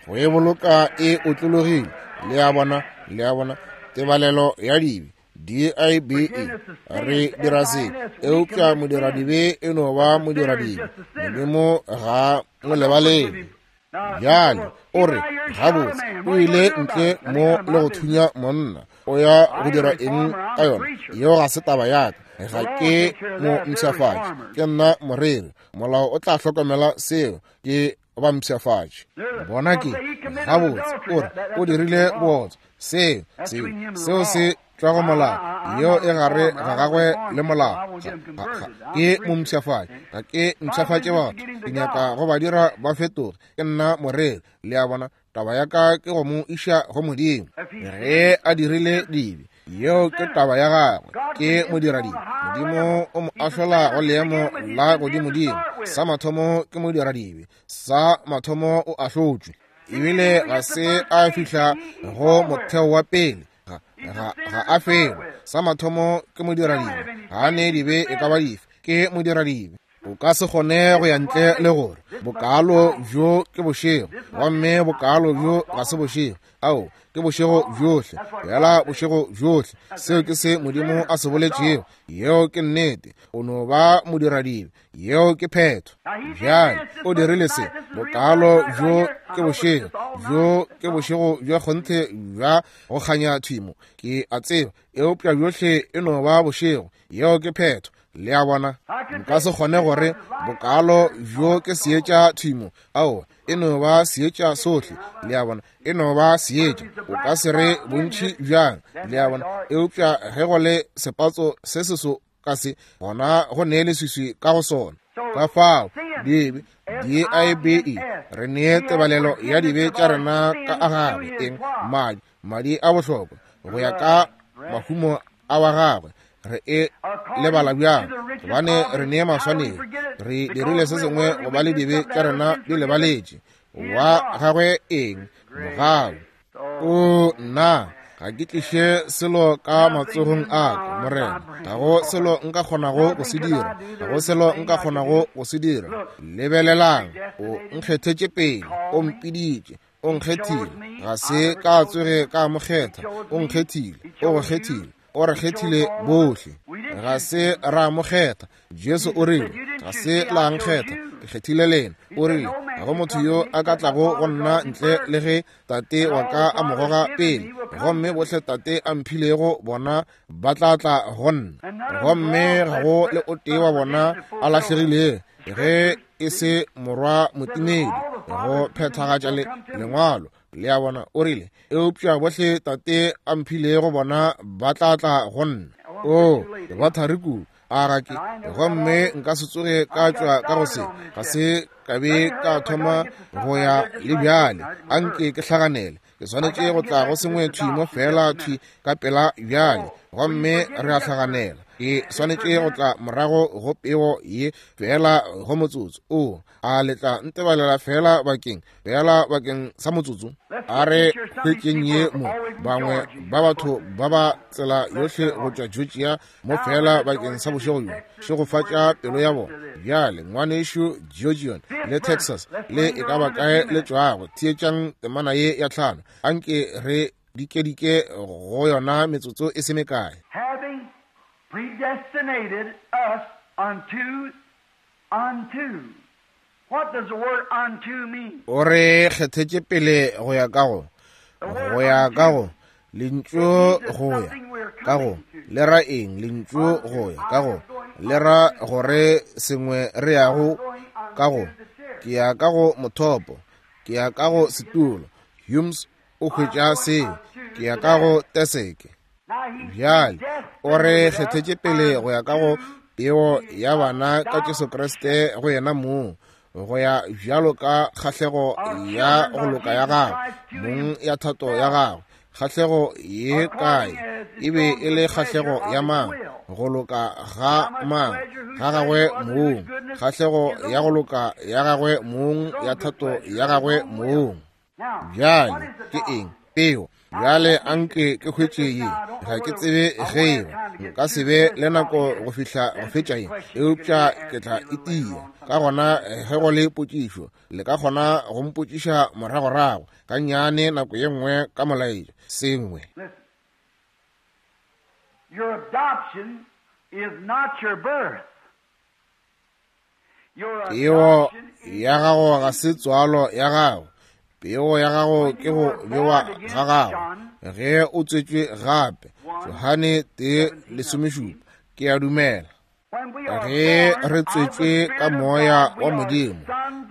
go e boloka e otlologile. Le a bona? Le a bona? Tebalelo ya dibe, D-I-B-E, re dira se, eupša modiradibe e no ba modiradibe. Modimo ga mo lebalele. Bjale o re, gabotse, o ile ntle mo le go thunya monna, o ya go dira eng ka yona? Yeo ga se taba ya ka, ga ke mo mpshafatše, ke nna moreri. Molao o tla hlokomela seo, ke ba mpshafatše. Bona ke, gabotse, o re, o dirile bootswa. Seo, seo, seo se tšwa go molao. Yeo e gare ga gagwe le molao. Ke mo mpshafatše, ga ke mpshafatše batho, ke nyaka go ba dira ba fetoge. Ke nna moreri, le a bona. Taba ya ka ke go mo iša go Modimo. Ge a dirile dibe, yeo ke taba ya gagwe, ke modiradibe. Modimo o mo ahlola go leemo la godimodimo. Sa mathomo ke modiradibe, sa mathomo o ahlotšwe. Ebile ga se a fihla go motheo wa pele, ga a felo. Sa mathomo ke modiradibe, ga a ne dibe e ka ba dife, ke modiradibe. O ka se kgone go ya ntle le gore bokalo bjo ke bošego, gomme bokalo bjo ga se bošego. Ao, ke bošego bjohle, bjala bošego bjohle. Seo ke se Modimo a se boletšego. Yeo ke nnete. O no ba modiradibe. Yeo ke phetho. Bjale o dirile se, bokalo bjo ke bošego bjo, ke bošego bja kgonthe bja go kganya thwimo, ke a tseba, eupša bjohle e no ba bošego. Yeo ke phetho. Le a bona? Nka se kgone gore bokalo bjo ke seetša thwimo. Aowa, e no ba seetša sohle. Le a bona? E no ba seetša. O ka se re bontši bjang. Le a bona? Eupša ge go le sepatso se seso ka se, gona go ne leswiswi ka go sona. Ka fao dibe, D-I-B-E, re nee tebalelo ya dibe tša rena ka a gagwe, eng? Madi, madi a bohlokwa, go ya ka mahumo a wa gagwe. Re e lebala bjang? Gobane re nee maswanedi, re dirile se sengwe go ba le dibe tša rena di lebaletše. Wa gagwe eng? Mogau. O nna, ga ke tliše selo ka matsogong a ka, Morena. Ga go selo nka kgonago go se dira, ga go selo nka kgonago go se dira. Lebelelang, o nkgethetše pele, o mpiditše, o nkgethile. Ga se ka tsoge ka mo kgetha, o nkgethile, o go kgethile, o re kgethile bohle. Ga se ra mo kgetha. Jesu o rile, ga se la nkgetha, ke kgethile lena. O rile, ga go motho yo a ka tlago go nna ntle le ge Tate wa ka a mo goga pele, gomme bohle Tate a mphilego bona ba tla tla go nna, gomme ga go le o tee wa bona a lahlegilego, ge e se morwa motimedi, go phethagatša le lengwalo. Le a bona? O rile, eupša bohle Tate a mphilego bona ba tla tla go nna. Oo, ke ba thari kudu, a ga ke, gomme nka se tsoge ka tšwa ka go se, ga se ka be ka thoma go ya le bjale. A nke ke hlaganele. Ke swanetše go tla go sengwe thwi mo feela thwi ka pela bjale, gomme re a hlaganela. Ke swanetše go tla morago go peo ye feela go motsotso. O a le tla ntebalela feela bakeng, feela bakeng sa motsotso? A re hwetšeng ye mo. Bangwe ba batho ba ba tsela yohle go tšwa Georgia mo feela bakeng sa bošego bjo. Šegofatša pelo ya bona. Bjale, ngwanešu Georgian le Texas le e ka ba kae le tšwago, theetšang temana ye ya 5. Anke re dikedike go yona metsotso e se mekae. Having predestinated us unto, unto. What does the word unto mean? O re kgethetše pele go ya ka go, go ya ka go, lentšu go ya ka go, le ra eng? Lentšu go ya ka go, le ra gore sengwe re yago ka go. Ke ya ka go mothopo, ke ya ka go setulo. Humes o hwetša seo. Ke ya ka go teseke. Bjale o re kgethetše pele go ya ka go peo ya bana ka Jesu Kriste go yena mong, go ya bjalo ka kgahlego ya go loka ya gagwe mong, ya thato ya gagwe. Kgahlego ye kae? E be e le kgahlego ya mang? Go loka ga mang? Ga gagwe mong. Kgahlego ya go loka ya gagwe mong, ya thato ya gagwe mong. Bjale ke eng peo? Bjale anke ke hwetše ye. Ga ke tsebe ge eba nka se be le nako go fihla go fetša ye, eupša ke tla itia. Ka gona ge go le potšišo, le ka kgona go mpotšiša moragorago ka nnyane nako ye nngwe ka molaetša sengwe. Your adoption is not your birth. Peo ya gago ga se tswalo ya gago. Peo ya gago ke go bewa ga gago ge o tswetšwe gape. Johane 1:17. Ke a dumela. Ge re tswetšwe ka moya wa Modimo,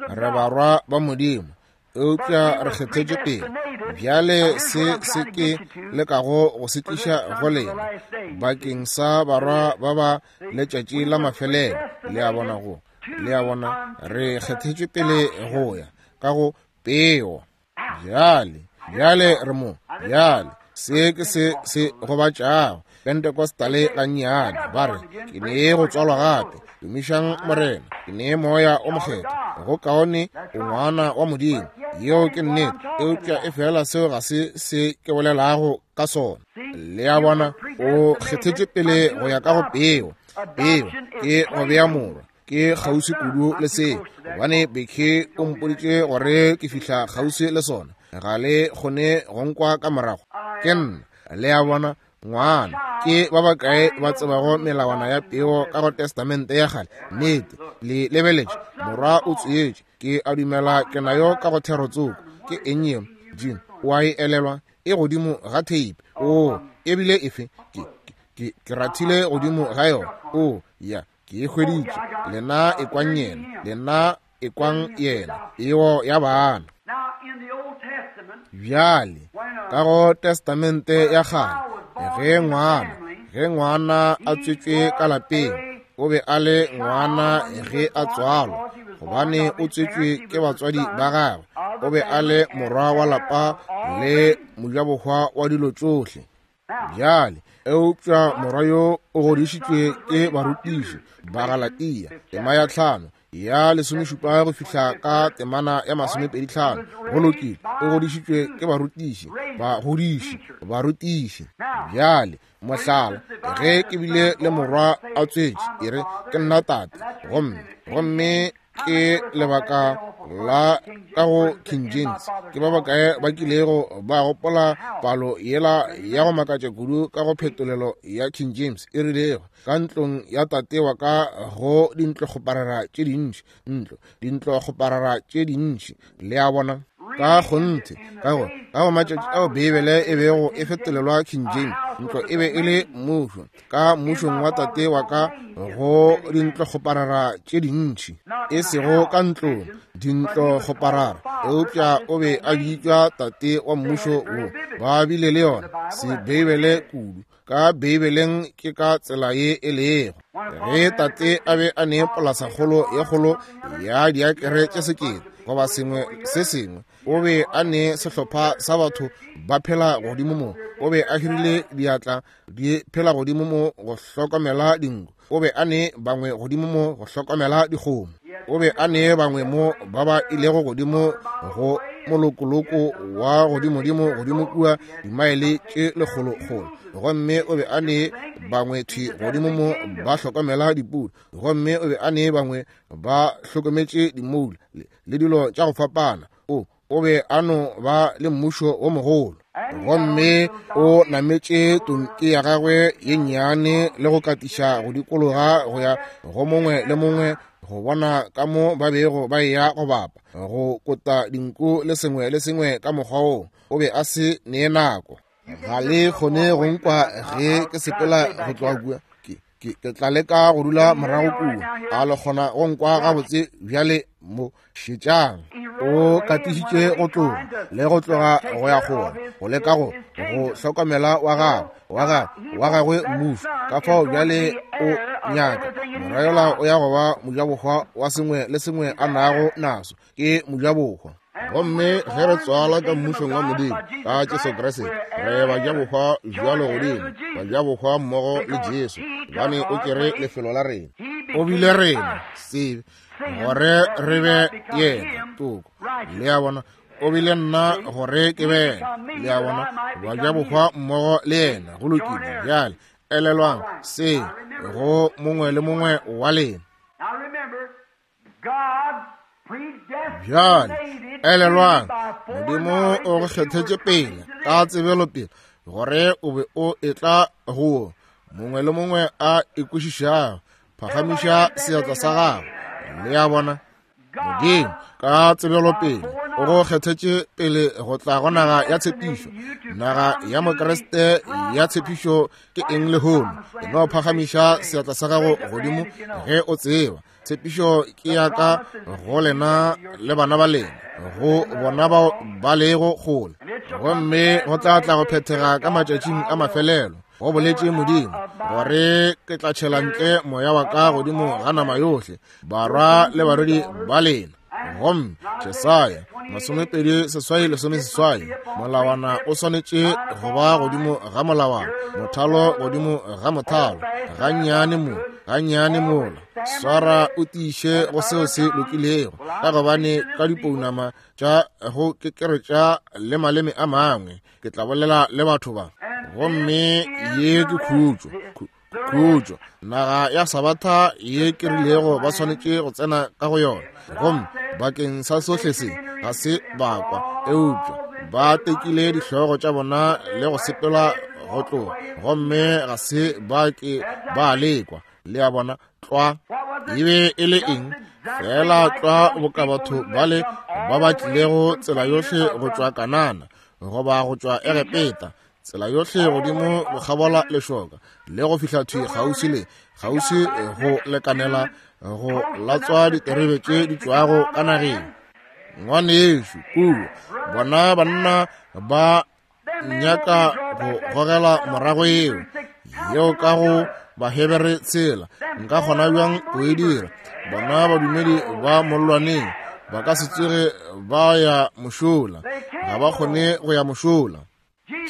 re barwa ba Modimo, eupša re kgethetšwe pele. Bjale se se ke lekago go se tliša go lena bakeng sa barwa ba ba letšatši la mafelelo. Le a bona go, le a bona, re kgethetšwe pele go ya ka go peo. Bjale, bjale re mo. Bjale se ke se se gobatšago Pentecostale gannyane. Ba re, ke nee go tswalwa gape. Tumišang Morena, ke nee moya o mokgethwa. Go kaone o ngwana wa Modimo. Yeo ke nnete, eupša e fela seo ga se se ke bolelago ka sona. Le a bona, o kgethetše pele go ya ka go peo. Peo ke go bea morwa. Ke kgauswi kudu le seo, gobane Becky o mpoditše gore ke fihla kgauswi le sona. Ga le kgone go nkwa ka morago. Ke nna, le a bona, ngwana. Ke ba bakae ba tsebago melawana ya peo ka go Testamente ya kgale? Nnete, le lebeletše, morwa o tswetše. Ke a dumela ke nayo ka go thero tsoko. Ke eng yeo? Jim, o a e elelwa? E godimo ga tape. O, ebile efe? Ke rathile godimo ga yona. O, ya, ke e hweditše. Lena ekwang yena, lena ekwang yena, peo ya bana. Bjale ka go Testamente ya kgale, ge ngwana a tswetšwe ka lapeng, o be a le ngwana ge a tswalwa, gobane o tswetšwe ke batswadi ba gagwe. O be a le morwa wa lapa le mojabohwa wa dilo tšohle. Bjale eupša morwa yo o godišitšwe ke barutiši ba Galatia, tema ya 5 ya 17 go fihla ka temana ya 25. Go lokile, o godišitšwe ke barutiši, bagodiši, barutiši. Bjale mohlala, ge ke bile le morwa a tswetše, e re ke nna tate, gomme ke lebaka la ka go King James. Ke ba bakae ba kilego ba gopola palo yela ya go makatša kudu ka go phetolelo ya King James e rilego, ka ntlong ya tate wa ka go dintlokgoparara tše dintši, ntlo dintlokgoparara tše dintši. Le a bona, ka kgonthe ka go matšatši ao Beibele e bego e fetolelwa King James, ntlo e be e le mmušo. Ka mmušong wa tate wa ka go dintlokgoparara tše dintši, e sego ka ntlong dintlokgoparara, eupša o be a bitšwa tate wa mmušo wo. Ba bile le yona Sebeibele kudu. Ka Beibeleng ke ka tsela ye e lego. Ge tate a be a ne polasakgolo ye kgolo ya diakere tše 1000 goba sengwe se sengwe, o be a ne sehlopha sa batho ba phela godimo mo. O be a hirile diatla di phela godimo mo go hlokomela dinku. O be a ne bangwe godimo mo go hlokomela dikgomo. O be a ne bangwe mo ba ba ilego godimo go molokoloko wa godimodimo godimo kua dimaele tše lekgolokgolo. Gomme o be a ne bangwe thwi godimo mo ba hlokomela dipudi. Gomme o be a ne bangwe ba hlokometše dimoula le dilo tša go fapana. O be a no ba le mmušo wo mogolo. Gomme o nametše tonki ya gagwe ye nnyane le go katiša go dikologa go ya go mongwe le mongwe go bona ka mo ba bego ba eya go bapa, go kota dinku le sengwe le sengwe ka mokgwa woo. O be a se nee nako. Ga le kgone go nkwa ge ke sepela go tloga kua. Ke tla leka go dula morago kua. A le kgona go nkwa gabotse bjale mo? Šetšang. O katišitše go tloga le go tloga go ya kgole, go leka go hlokomela wa gagwe, wa gagwe mmušo. Ka fao bjale o nyaka morwa yola o ya go ba mojabohwa wa sengwe le sengwe a nago naso. Ke mojabohwa. Gomme ge re tswala ka mmušong wa Modimo ka Jesu Kriste, re bajabohwa bjalo godimo, bajabohwa mmogo le Jesu, gobane o tšere lefelo la rena. O bile rena sebe gore re be yena toko. Le a bona, o bile nna gore ke be yena. Le a bona, bajabohwa mmogo le yena. Go lokile. Bjale elelwang se go mongwe le mongwe wa lena. Bjale elelwang, Modimo o go kgethetše pele ka tsebelopele gore o be o etla go mongwe le mongwe a ikwešišago. Phagamiša seatla sa gago. Le a bona, Modimo ka tsebelopele o go kgethetše pele go tla go naga ya tshepišo. Naga ya Mokriste ya tshepišo ke eng lehono? E no phagamiša seatla sa gago godimo ge o tseba tshepišo ke ya ka go lena le bana ba lena, go bona bao ba lego kgole. Gomme go tla tla go phethega ka matšatšing a mafelelo, go boletše Modimo, gore ke tla tšhela ntle moya wa ka godimo ga nama yohle, barwa le barwedi ba lena. Gomme Jesaya 28:8, molawana o swanetše go ba godimo ga molawana, mothalo godimo ga mothalo, gannyane mo, gannyane mola. Swara o tiiše go seo se lokilego, ka gobane ka dipounama tša go kekeretša le maleme a mangwe ke tla bolela le batho ba. Gomme ye ke khutšo, khutšo, naga ya Sabatha ye ke rilego ba swanetše go tsena ka go yona. Gomme bakeng sa sohle se ga se bakwa, eupša ba tekile dihlogo tša bona le go sepela go tloga, gomme ga se ba ke ba lekwa. Le a bona, tlwa e be e le eng? Fela tlwa boka batho bale ba ba tlilego tsela yohle go tšwa Kanana goba go tšwa Egepeta, tsela yohle godimo go kgabola lešoka le go fihla thwi kgauswi le kgauswi go lekanela go latswa diterebe tše di tšwago ka nageng. Ngwanešu kua, bona banna ba nyaka go gogela morago yeo yeo ka go Bahebere tshela. Nka kgona bjang go e dira? Bona badumedi ba mollwaneng ba ka se tsoge ba ya mošola, ga ba kgone go ya mošola.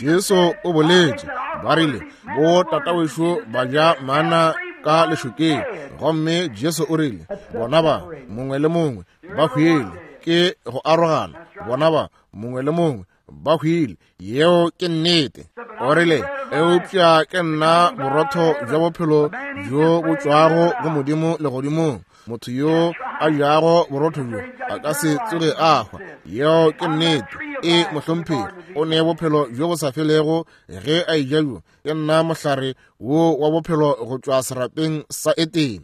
Jesu o boletše, ba rile bo tatawešo ba ja mana ka lešokeng, gomme Jesu o rile bona ba mongwe le mongwe ba hwile, ke go arogana, bona ba mongwe le mongwe ba hwile. Yeo ke nnete. O rile, eupša ke nna borotho bja bophelo bjo bo tšwago go Modimo legodimong. Motho yo a jago borotho bjo a ka se tsoge a hwa. Yeo ke nnete. E mohlomphegi, o ne bophelo bjo bo sa felego ge a eja bjo. Ke nna mohlare wo wa bophelo go tšwa serapeng sa Etene.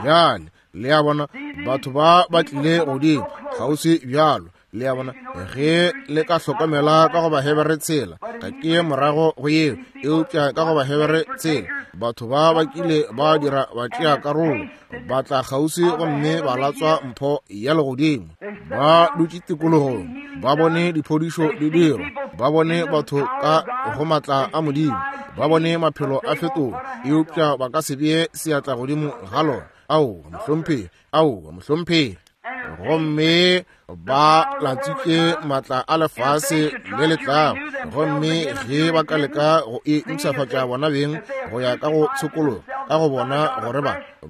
Bjale le a bona, batho ba ba tlile godimo kgauswi bjalo. Le a bona, ge le ka hlokomela ka go Bahebere tshela, ga ke ye morago go yeo, eupša ka go Bahebere tshela, batho ba ba kile ba dira ba tšea karolo, ba tla kgauswi gomme ba latswa mpho ya legodimo. Ba dutše tikologong, ba bone diphodišo di dirwa, Ba bone batho ka go maatla a Modimo, ba bone maphelo a fetoga, eupša ba ka se bee seatla godimo ga lona. Aowa, mohlomphegi. Aowa, mohlomphegi. Gomme ba latswitše maatla a lefase le le tlago, gomme ge ba ka leka go e mpshafatša bona beng go ya ka go tshokologo, ka go bona gore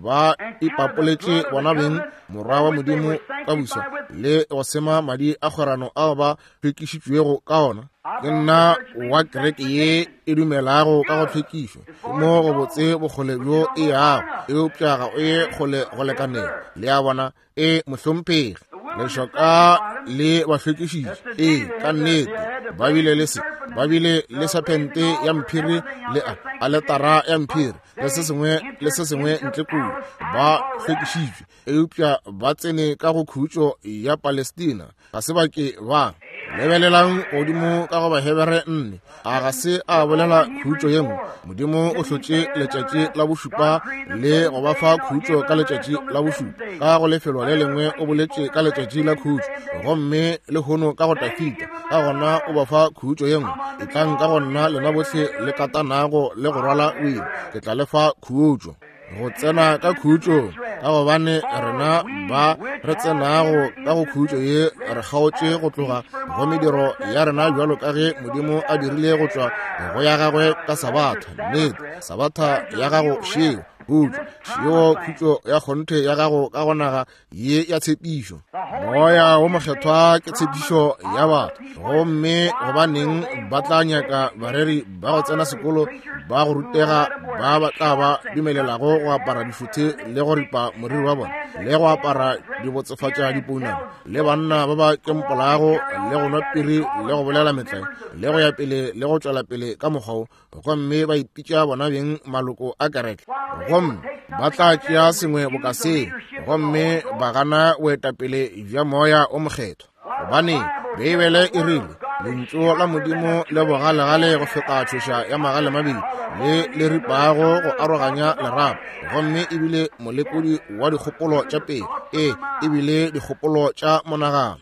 ba ipapoletše bona beng Morwa wa Modimo ka buswa le go sema madi a kgwerano ao ba hlwekišitšwego ka ona. Ke nna wa kereke ye e dumelago ka go hlwekišwa, mo go botse bokgole bjo e yago, eupša ga o ye kgole go lekanelo. Le a bona? E, mohlomphegi. Lešoka le ba hlwekišitše. Ee, ka nnete. Ba bile le se, ba bile le sephente ya mphiri le aletara ya mphiri le se sengwe le se sengwe ntle kua. Ba hlwekišitšwe, eupša ba tsene ka go khutšo ya Palestina. Ga se ba ke ba. Lebelelang godimo ka go Bahebere 4. A ga se a bolela khutšo ye nngwe? Modimo o hlotše letšatši la bošupa le go ba fa khutšo ka letšatši la bošupa. Ka go lefelo le lengwe o boletše ka letšatši la khutšo, gomme lehono ka go Dafida. Ka gona o ba fa khutšo ye nngwe. Etlang ka go nna lena bohle le katanago le go rwala boima, ke tla le fa khutšo. Go tsena ka khutšo, ka gobane rena ba re tsenago ka go khutšo ye re kgaotše go tloga go mediro ya rena bjalo ka ge Modimo a dirile go tšwa go ya gagwe ka Sabatha. Nnete, Sabatha ya gago šeo, khutšo šeo, khutšo ya kgonthe ya gago ka go naga ye ya tshepišo. Moya wo Mokgethwa ke tshepišo ya batho, gomme gobaneng ba tla nyaka bareri ba go tsena sekolo ba go rutega ba ba tla ba dumelelago go apara dišuthe le go ripa moriri wa bona le go apara dibotsefatša dipounama le banna ba ba kempolago le go nwa piri le go bolela metlae le go ya pele le go tšwela pele ka mokgwa wo, gomme ba ipitša bona beng maloko a kereke, gomme ba tla tšea sengwe boka seo gomme ba gana boetapele bja Moya o Mokgethwa. Gobane Beibele e rile, Lentšu la Modimo le bogalegale go feta tšhoša ya magale mabedi le le ripago go aroganya lerapo, gomme ebile molekodi wa dikgopolo tša pele, ee, ebile dikgopolo tša monagano.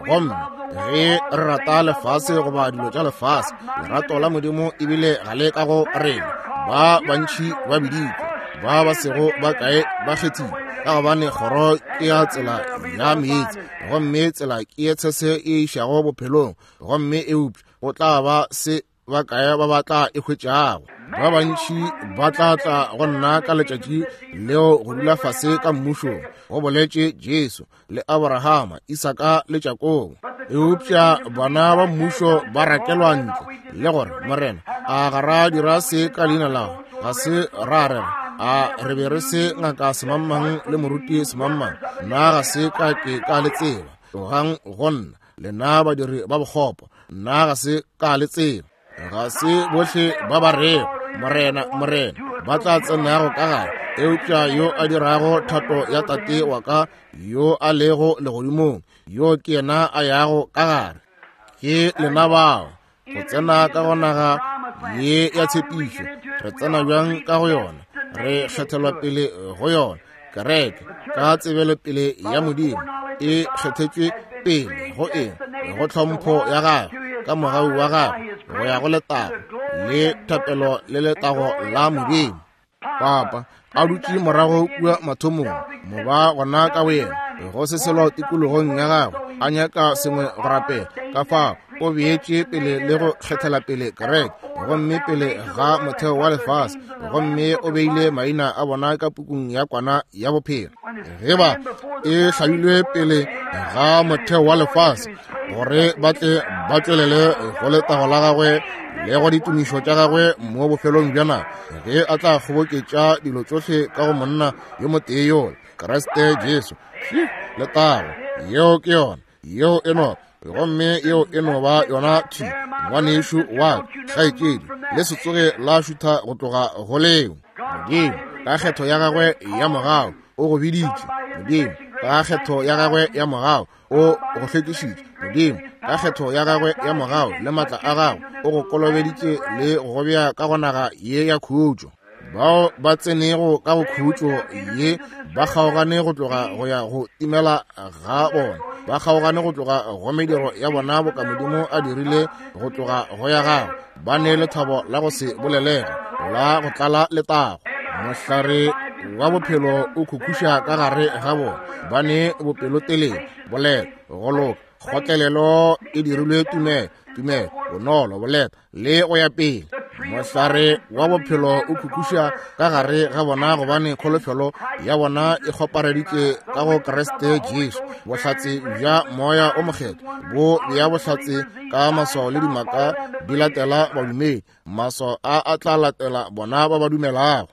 Gomme ge re rata lefase goba dilo tša lefase, lerato la Modimo ebile ga le ka go rena. Ba bantši ba biditšwe, ba ba sego ba kae ba kgethilwe, ka gobane kgoro ke ya tsela ya meetse, gomme tsela ke ye tshese e išago bophelong, gomme eupša go tla ba se ba kae ba ba tla e hwetšago. Ba bantši ba tla tla go nna ka letšatši leo go dula fase ka mmušong, go boletše Jesu, le Abrahama, Isaka le Jakobo. Eupša bana ba mmušo ba rakelwa ntle, le gore, Morena, a ga ra dira se ka leina la gago? Ga se ra rera? A re be re se ngaka semangmang le moruti semangmang? Nna ga se ka ke ka le tseba. Tlogang go nna, lena badiri ba bokgopo, nna ga se ka le tseba. Ga se bohle ba ba rego, Morena, Morena, ba tla tsenago ka gare, eupša yo a dirago thato ya Tate wa ka yo a lego legodimong, yo ke yena a yago ka gare. Ke lena bao go tsena ka go naga ye ya tshepišo. Re tsena bjang ka go yona? Re kgethelwa pele go yona. Kereke ka tsebelopele ya Modimo e kgethetšwe pele go eng? Go tlhompho ya gagwe, ka mogau wa gagwe, go ya go letago le thapelo le letago la Modimo. Papa a dutše morago kua mathomong, moba gona ka boyena, go se selo tikologong ya gagwe, a nyaka sengwe go rapela. Ka fao o beetše pele le go kgethela pele kereke, gomme pele ga motheo wa lefase, gomme o beile maina a bona ka pukung ya kwana ya bophelo. Ge ba e hlabilwe pele ga motheo wa lefase, gore ba tle ba tšwelele go letago la gagwe le go ditumišo tša gagwe mo bofelong bja nako, ge a tla kgoboketša dilo tšohle ka go monna yo motee yola, Kriste Jesu. Letago, yeo ke yona, yeo e no, gomme yeo e no ba yona thi, ngwanešu wa kgaetšedi, le se tsoge la šutha go tloga go leo. Modimo ka kgetho ya gagwe ya mogau o go biditše. Modimo ka kgetho ya gagwe ya mogau o go hlwekišitše. Modimo ka kgetho ya gagwe ya mogau le matla a gagwe o go kolobeditše le go go bea ka go naga ye ya khutšo. Bao ba tsenego ka go khutšo ye ba kgaogane go tloga go ya go timela ga bona. Ba kgaogane go tloga go mediro ya bona boka Modimo a dirile go tloga go ya gagwe. Ba ne lethabo la go se bolelege, la go tlala letago. Mohlare wa bophelo o khukhuša ka gare ga bona. Ba ne bopelotelele, boleta, go loka, kgotlelelo e dirilwe tumelo, tumelo, bonolo, boleta, le go ya pele. Mohlare wa bophelo o khukhuša ka gare ga bona gobane kholofelo ya bona e kgopareditše ka go Kriste Jesu. Bohlatse bja Moya o Mokgethwa bo bea bohlatse ka maswao le dimaka di latela badumedi. Maswao a a tla latela bona ba ba dumelago.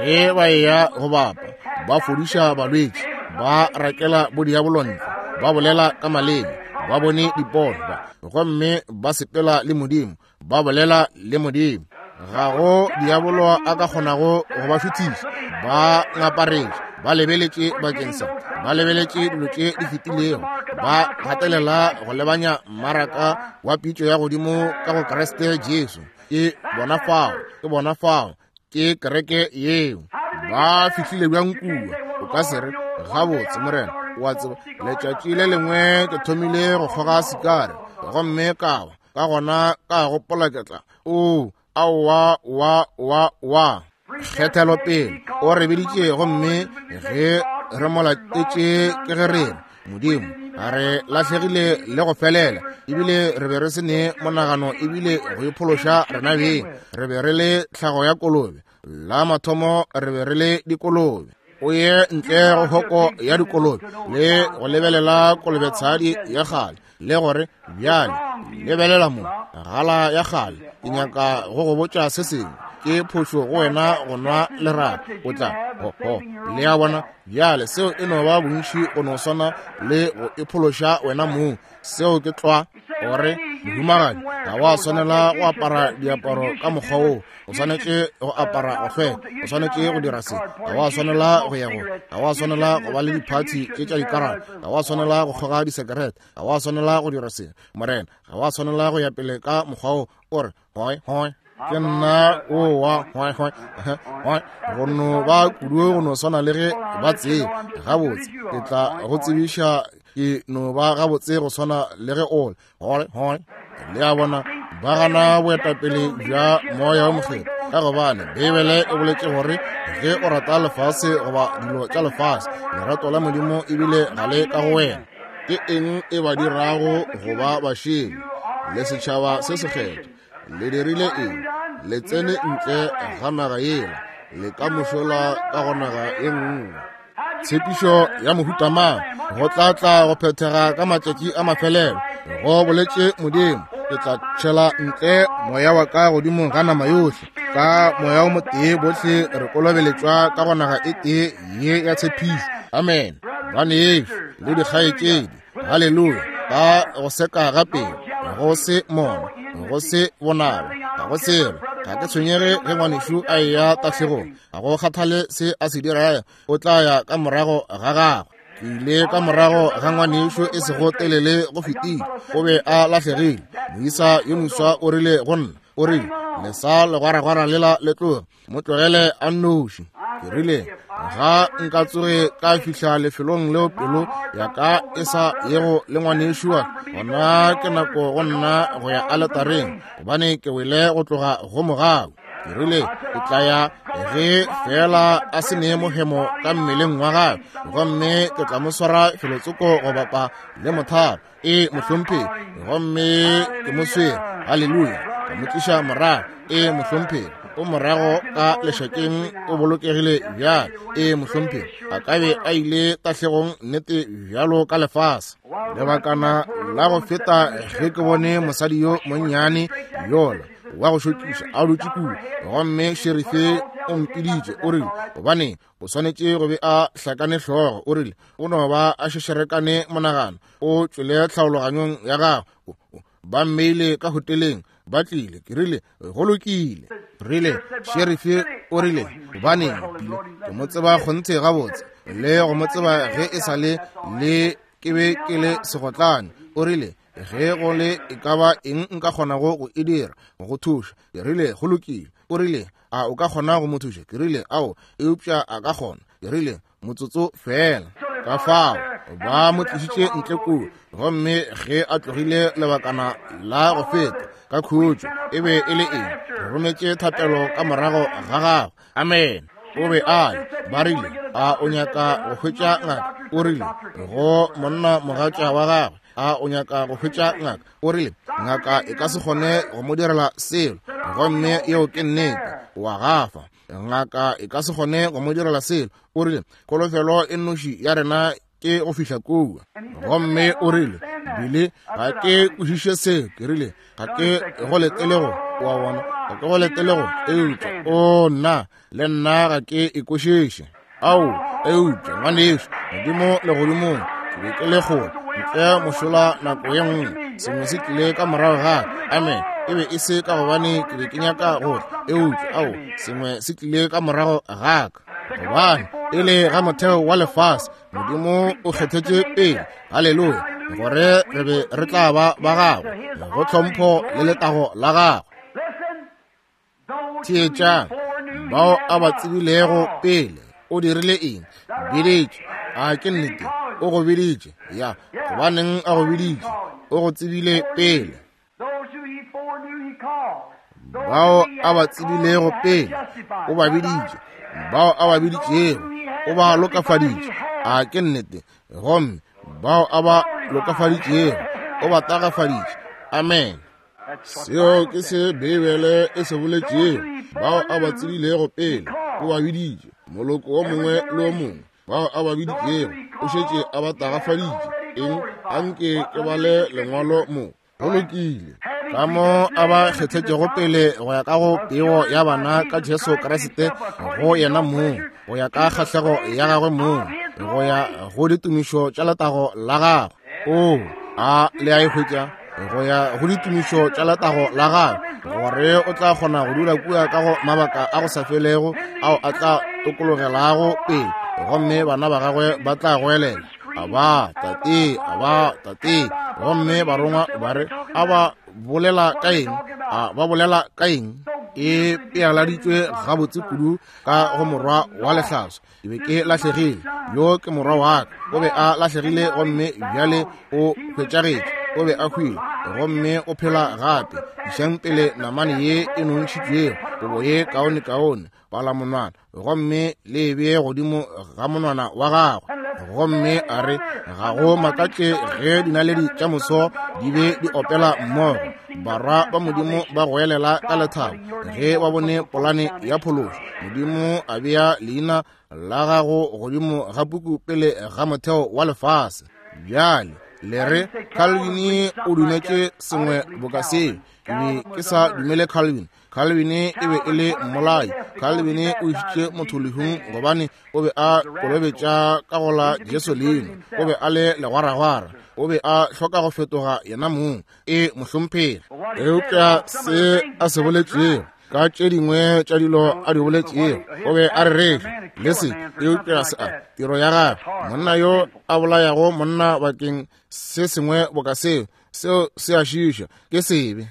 Ge ba eya go bapa, ba fodiša balwetši, ba rakela bodiabolo ntle, ba bolela ka maleme, ba bone dipono, gomme ba sepela le Modimo, ba bolela le Modimo. Ga go diabolo a ka kgonago go ba šuthiša. Ba ngaparetše, ba lebeletše bakeng sa, ba lebeletše dilo tše di fetilego, ba gatelela go lebanya mmaraka wa pitšo ya godimo ka go Kriste Jesu. Ke bona fao, ke bona fao, ke kereke yeo. Ba fihlile bjang kua? O ka se re, gabotse, Morena, o a tseba, letšatši le lengwe ke thomile go kgoga sikare, gomme ka wa, ka gona ka gopola ke tla, oo, aowa, wa, wa, wa. Kgethelopele o re biditše, gomme ge re mo latetše ke ge re re, Modimo, a re lahlegile le go felela, ebile re be re se ne monagano ebile go iphološa rena beng. Re be re le tlhago ya kolobe, la mathomo re be re le dikolobe. O ye ntle go hoko ya dikolobe le go lebelela kolobetshadi ya kgale, le gore bjale lebelela mo gala ya kgale, ke nyaka go go botša se sengwe, ke phošo go wena go nwa lerato. O tla ho ho le a bona bjale, seo e no ba bontši go no swana le go iphološa wena mong. Seo ke tlwa. Gore mohumagadi ga wa swanela go apara diaparo ka mokgwa woo, o swanetše go apara go hlweka, o swanetše go dira se, ga wa swanela go ya go, ga wa swanela go ba le diphathi tše tša dikarata, ga wa swanela go kgoga disekerete, ga wa swanela go dira se, Morena, ga wa swanela go ya pele ka mokgwa wo. O re hoi hoi, ke nna o wa hoi hoi hoi, go no ba kudu go no swana le ge ba tseba gabotse. Ke tla go tsebiša, ke no ba gabotse go swana le ge o le hoi hoi. Le a bona, ba gana boetapele bja Moya wo Mokgethwa, ka gobane Beibele e boletše gore ge o rata lefase goba dilo tša lefase, lerato la Modimo ebile ga le ka go wena. Ke eng e ba dirago go ba bašele le setšhaba se sekgethwa? Le dirile eng? Le tsene ntle ga naga yela, le ka mošola ka go naga e nngwe. Tshepišo ya mohuta mang go tla tla go phethega ka matšatši a mafelelo, go boletše Modimo, ke tla tšhela ntle moya wa ka godimo ga nama yohle. Ka moya o motee bohle re kolobeletšwa ka go naga e tee ye ya tshepišo. Amen. Banešu le dikgaetšedi, haleluya, ka go seka ga pelo, go se mona, go se bonaba, ga go selo, ga ke tshwenyege ge ngwanešu a eya tahlegong, ga go kgathale se a se dirago, o tla ya ka morago ga gagwe. Ke ile ka morago ga ngwanešu e sego telele go fetile, o be a lahlegile. Moisa yo moswa o rile go nna, o rile, lesa legwaragwara lela le tloge, mo tlogele a nnoši. Ke rile, ga nka tsoge ka fihla lefelong leo pelo ya ka e sa yego le ngwanešu wa ka, gona ke nako go nna go ya aletareng, gobane ke wele go tloga go mogau. Ke rile, ke tla ya ge fela a se ne mohemo ka mmeleng wa gagwe, gomme ke tla mo swara felotsoko go bapa le mothalo. E mohlomphegi, gomme ke mo swere. Haleluya, ka mo tliša morago. E mohlomphegi, o morago ka lešakeng, o bolokegile bjale. E mohlomphegi, a ka be a ile tahlegong nnete bjalo ka lefase. Lebakana la go feta ge ke bone mosadi yo monnyane yola wa go šokiša a dutše kua, gomme šerife o mpiditše, o rile, gobane o swanetše go be a hlakane hlogo, o rile, o no ba a šešerekane monagano, o tšwele tlhaologanyong ya gagwe. Ba mmeile ka hoteleng, ba tlile. Ke rile, go lokile. Rile, šerife o rile, gobaneng, ke mo tseba kgonthe gabotse, le go mo tseba ge e sa le le ke be ke le segotlane. O rile, ge go le e ka ba eng nka kgonago go e dira go thuša. Ke rile, go lokile. O rile, a o ka kgona go mo thuša? Ke rile, ao, eupša a ka kgona. Ke rile, motsotso fela. Ka fao Ba mo tlišitše ntle kua, gomme ge a tlogile lebakana la go feta ka khutšo, e be e le eng? Re rometše thapelo ka morago ga gagwe. Amen. O be a le, ba rile, a o nyaka go hwetša ngaka? O rile go monna mogatša wa gagwe, a o nyaka go hwetša ngaka? O rile, ngaka e ka se kgone go mo direla selo, gomme yeo ke nnete, wa gafa. Ngaka e ka se kgone go mo direla selo. O rile, kholofelo e nnoši ya rena ke go fihla kua. Gomme o rile, Billy, ga ke kwešiše seo. Ke rile, ga ke go letele go, wa bona, ga ke go letele go, eupša, o nna, le nna ga ke e kwešiše. Ao, eupša, ngwanešu, Modimo legodimong, ke be ke le kgole ntle mošola nako ye nngwe, sengwe se tlile ka morago ga ka. Amen. E be e se ka gobane ke be ke nyaka go tla, eupša, ao, sengwe se tlile ka morago ga ka. Gobane e le ga motheo wa lefase, Modimo o kgethetše pele, haleluya, gore re be re tla ba ba gagwe, go tlhompho le letago la gagwe. Theetšang, bao a ba tsebilego pele, o dirile eng? Biditše. A ke nnete? O go biditše. Ya, gobaneng a go biditše? O go tsebile pele. Bao a ba tsebilego pele, o ba biditše. Bao a ba biditšego, o ba lokafaditše. A ke nnete? Gomme bao a ba lokafaditšego, o ba tagafaditše. Amen. Seo ke se Beibele e se boletšego. Bao a ba tsebilego pele, o ba biditše, moloko wo mongwe le wo mongwe. Bao a ba biditšego, o šetše a ba tagafaditše. Eng? Anke ke bale lengwalo mo. Go lokile. Ka mo a ba kgethetšego pele go ya ka go pego ya bana ka Jesu Kriste go yena mong, go ya ka kgahlego ya gagwe mong, go ya go ditumišo tša letago la gagwe. O, a le a e hwetša? Go ya go ditumišo tša letago la gagwe, gore o tla kgona go dula kua ka go mabaka a go sa felego ao a tla tokologelago pele, gomme bana ba gagwe ba tla goelela, Aba, Tate, aba, Tate. Gomme barongwa ba re, A ba bolela ka eng? A ba bolela ka eng? E pealaditšwe gabotse kudu ka go morwa wa lehlaswa. Ke be ke lahlegile. Yo ke morwa wa ka. O be a lahlegile gomme bjale o hwetšagetše. O be a hwile gomme o phela gape. Išang pele namane ye e nontšhitšwego, kobo ye kaonekaone, palamonwana, gomme le e bee godimo ga monwana wa gagwe. Gomme a re, ga go makatše ge dinaledi tša moso di be di opela mmogo, barwa ba Modimo ba goelela ka lethabo ge ba bone polane ya phološo. Modimo a bea leina la gago godimo ga puku pele ga motheo wa lefase. Bjale le re, Calvin o dumetše sengwe boka seo. Ke be ke sa dumele Calvin. Calvin e be e le mmolai. Calvin o išitše motho lehung gobane o be a kolobetša ka go la Jesu leina. O be a le legwaragwara. O be a hloka go fetoga yena mong. E mohlomphegi. Eupša se a se boletšego, ka tše dingwe tša dilo a di boletšego, o be a rereša le se, eupša se a tiro ya gagwe, monna yo a bolayago monna bakeng se sengwe boka seo, seo se a šiša, ke sebe.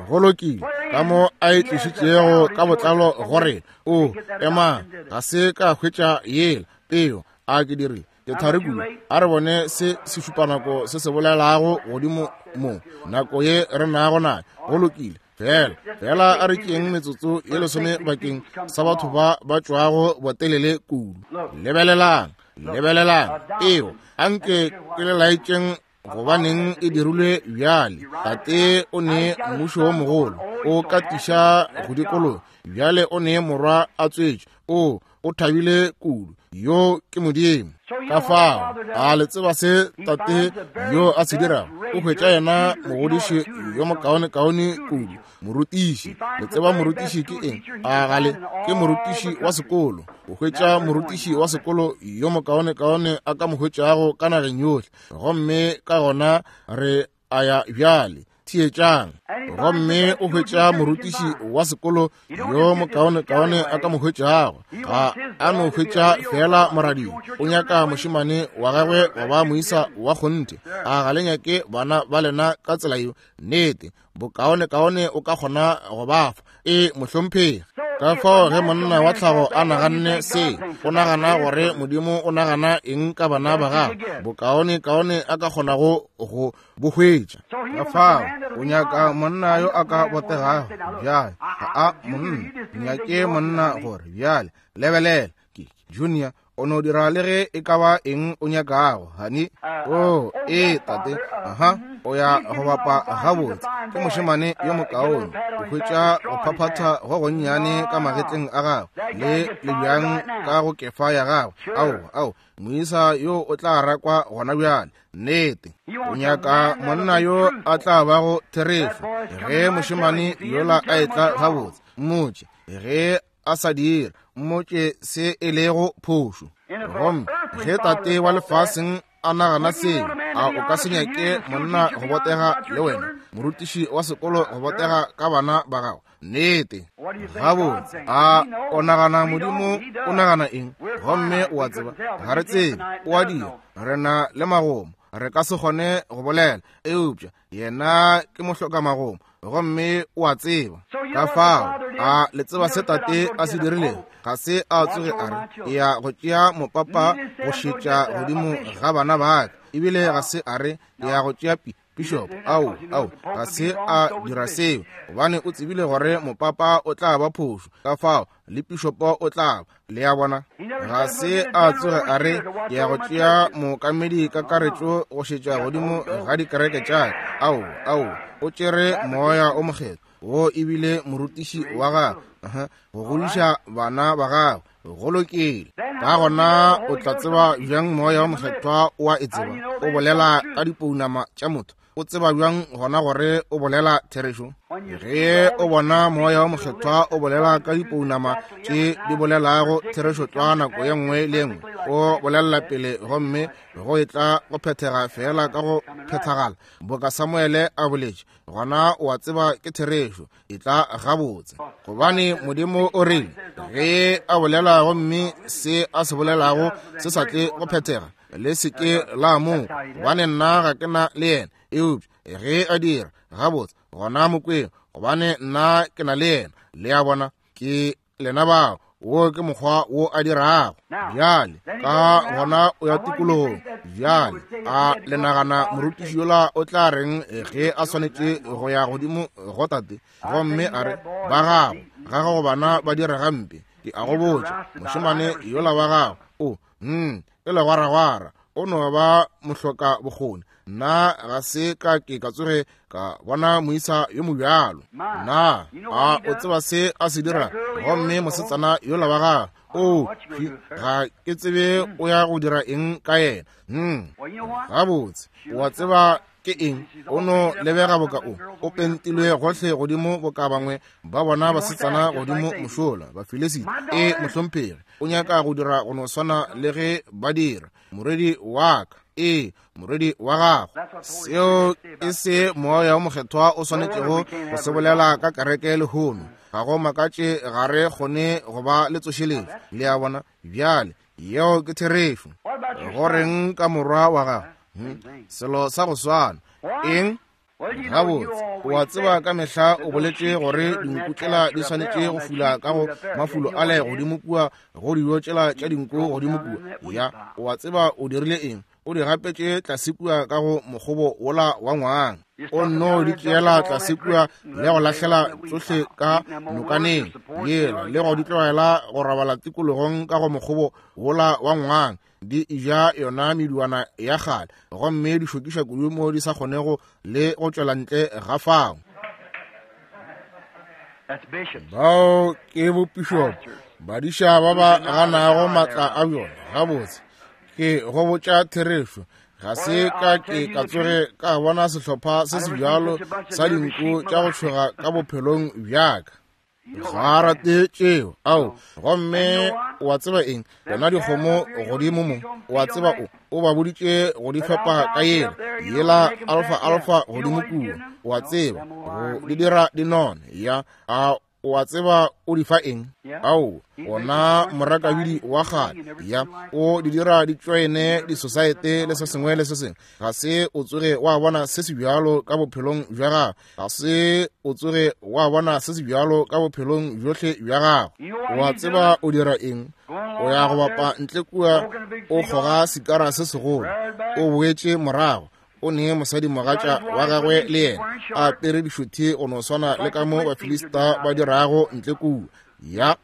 Go lokile, ka mo a e tlišitšego ka botlalo gore o ema, ga se ka hwetša yela peo a ke dirile ke thari kudu. A re bone se sešupanako se se bolelago godimo mo nako ye re nago nayo. Go lokile, fela fela a re tšeeng metsotso ye lesome bakeng sa batho ba ba tšwago botelele kudu. Lebelelang, lebelelang peo, anke ke le laetšeng gobaneng e dirilwe bjale. Tate o ne mmušo wo mogolo, o katiša go dikologa. Bjale o ne morwa a tswetšwe, o o thabile kudu. Yo ke Modimo. Ka fao a le tseba se tate yo a se dirago? O hwetša yena mogodiši yo mokaonekaone kudu, morutiši. Le tseba morutiši ke eng? A gale ke morutiši wa sekolo. O hwetša morutiši wa sekolo yo mokaonekaone a ka mo hwetšago ka nageng yohle. Gomme ka gona re a ya bjale. Theetšang. Gomme o hwetša morutiši wa sekolo yo mokaonekaone a ka mo hwetšago. Ga a no hwetša feela moradio. O nyaka mošemane wa gagwe wa ba moisa wa kgonthe. A ga le nyake bana ba lena ka tsela yeo? Nnete, bokaonekaone o ka kgona go ba fa. E, mohlomphegi. Ka fao ge monna wa tlhago a naganne se, o nagana gore Modimo o nagana eng ka bana ba gagwe, bokaone kaone a ka kgonago go bo hwetša. Ka fao o nyaka monna yo a ka botegago. Bjale ga a monna nyake monna gore bjale lebelela ke Junior o no dira le ge e ka ba eng o nyakago, hani. O ee tate, aha, o ya go bapa gabotse, ke mošemane yo mokaone. O hwetša go phaphatha go gonnyane ka magetleng a gagwe le lebjang ka go kefa ya gagwe. Ao, ao, moisa yo o tla rakwa gona bjale. Nnete, o nyaka monna yo a tla bago therešo. Ge mošemane yola a etla gabotse, mmotše. Ge a sa dire, mmotše se e lego phošo. Gomme ge tate wa lefaseng a nagana seo, a o ka se nyake monna go botega le wena, morutiši wa sekolo go botega ka bana ba gago? Nnete. Gabotse, a o nagana Modimo o nagana eng? Gomme o a tseba, ga re tsebe, o a dira, re na le magomo, re ka se kgone go bolela, eupša yena ke mohlokamagomo gomme o a tseba. Ka fao a le tseba se tate a se dirilego? Ga se a tsoge a re ke ya go tšea mopapa go šetša godimo ga bana ba ka, ebile ga se a re ke ya go tšea bishop. Ao, ao, ga se a dira seo, gobane o tsebile gore mopapa o tla ba phošo, ka fao le pišopo o tla ba. Le a bona? Ga se a tsoge a re ke ya go tšea mookamedi kakaretšo go šetša godimo ga dikereke tša ka. Ao, ao, o tšere Moya o Mokgethwa, wo ebile morutiši wa gagwe, go godiša bana ba gagwe. Go lokile. Ka gona o tla tseba bjang Moya o Mokgethwa o a e tseba? O bolela ka dipounama tša motho. O tseba bjang gona gore o bolela therešo? Ge o bona Moya o Mokgethwa o bolela ka dipounama tše di bolelago therešo tlwa nako ye nngwe le ye nngwe, o bolelela pele gomme go etla go phethega feela ka go phethagala boka Samuele a boletše, gona o a tseba ke therešo, e tla gabotse. Gobane Modimo o rile ge a bolela gomme se a se bolelago se sa tle go phethega, le se ke la mo, gobane nna ga ke na le yena. Eupša ge a dira gabotse, gona mokweng, gobane nna ke na le yena. Le a bona, ke lena bao. Wo ke mokgwa wo a dirago. Bjale ka gona o ya tikologong. Bjale a le nagana morutiši yola o tla reng ge a swanetše go ya godimo go tate gomme a re, ba gago, ga gago bana ba dira gampe? Ke a go botša, mošemane yola wa gago o ke legwaragwara, o no ba mohloka bokgoni. Nna ga se ka ke ka tsoge ka bona moisa yo mobjalo. Na a o tseba se a se dira? Gomme mosetsana yola wa gagwe, o ga ke tsebe o ya go dira eng ka yena. Gabotse, o a tseba ke eng? O no lebega boka o o pentilwe gohle godimo boka bangwe ba bona basetsana godimo mošola Bafilisita. E mohlomphegi, o nyaka go dira go no swana le ge ba dira. Morwedi wa ka, ee, morwedi wa gago. Seo ke se Moya o Mokgethwa o swanetšego go se bolela ka kereke lehono. Ga go makatše ga re kgone go ba le tsošeletšo. Le a bona? Bjale, yeo ke therešo. Go reng ka morwa wa gago? Selo sa go swana. Eng? Gabotse, o a tseba ka mehla o boletše gore dinku tšela di swanetše go fula ka go mafulo ale godimo kua, go dijo tšela tša dinku godimo kua. Ya, o a tseba o dirile eng? O di gapetše tlase kua ka go mokgobo wola wa ngwang. O nno di tšeela tlase kua le go lahlela tsohle ka nokaneng yela, le go di tlogela go robala tikologong ka go mokgobo wola wa ngwang, di eja yona meduana ya kgale, gomme di šokiša kudu mo di sa kgonego le go tšwela ntle ga fao. Bao ke bopišopo, badiša ba ba ganago matla a bjona. Gabotse, ke go botša therešo, ga se ka ke ka tsoge ka bona sehlopha se se bjalo sa dinku tša go tšhoga ka bophelong bjaka. Ga a rate tšeo. Ao, gomme o a tseba eng? Yona dikgomo godimo mo, o a tseba, o ba boditše go di fepa ka yela, yela alfa alfa godimo kua, o a tseba, go di dira di none. Ya, a O a tseba o di fa eng? Ao, ona morakabidi wa kgale. Ya, o di dira di tšoene disosaete le se sengwe le se sengwe. Ga se o tsoge wa bona se se bjalo ka bophelong bja gago. Ga se o tsoge wa bona se se bjalo ka bophelong bjohle bja gago. O a tseba o dira eng? O ya go bapa ntle kua, o kgoga sikara se segolo, o boetše morago. O ne mosadimogatša wa gagwe le yena a apere dišothi go no swana le ka mo Bafilista ba dirago ntle kua. Ya,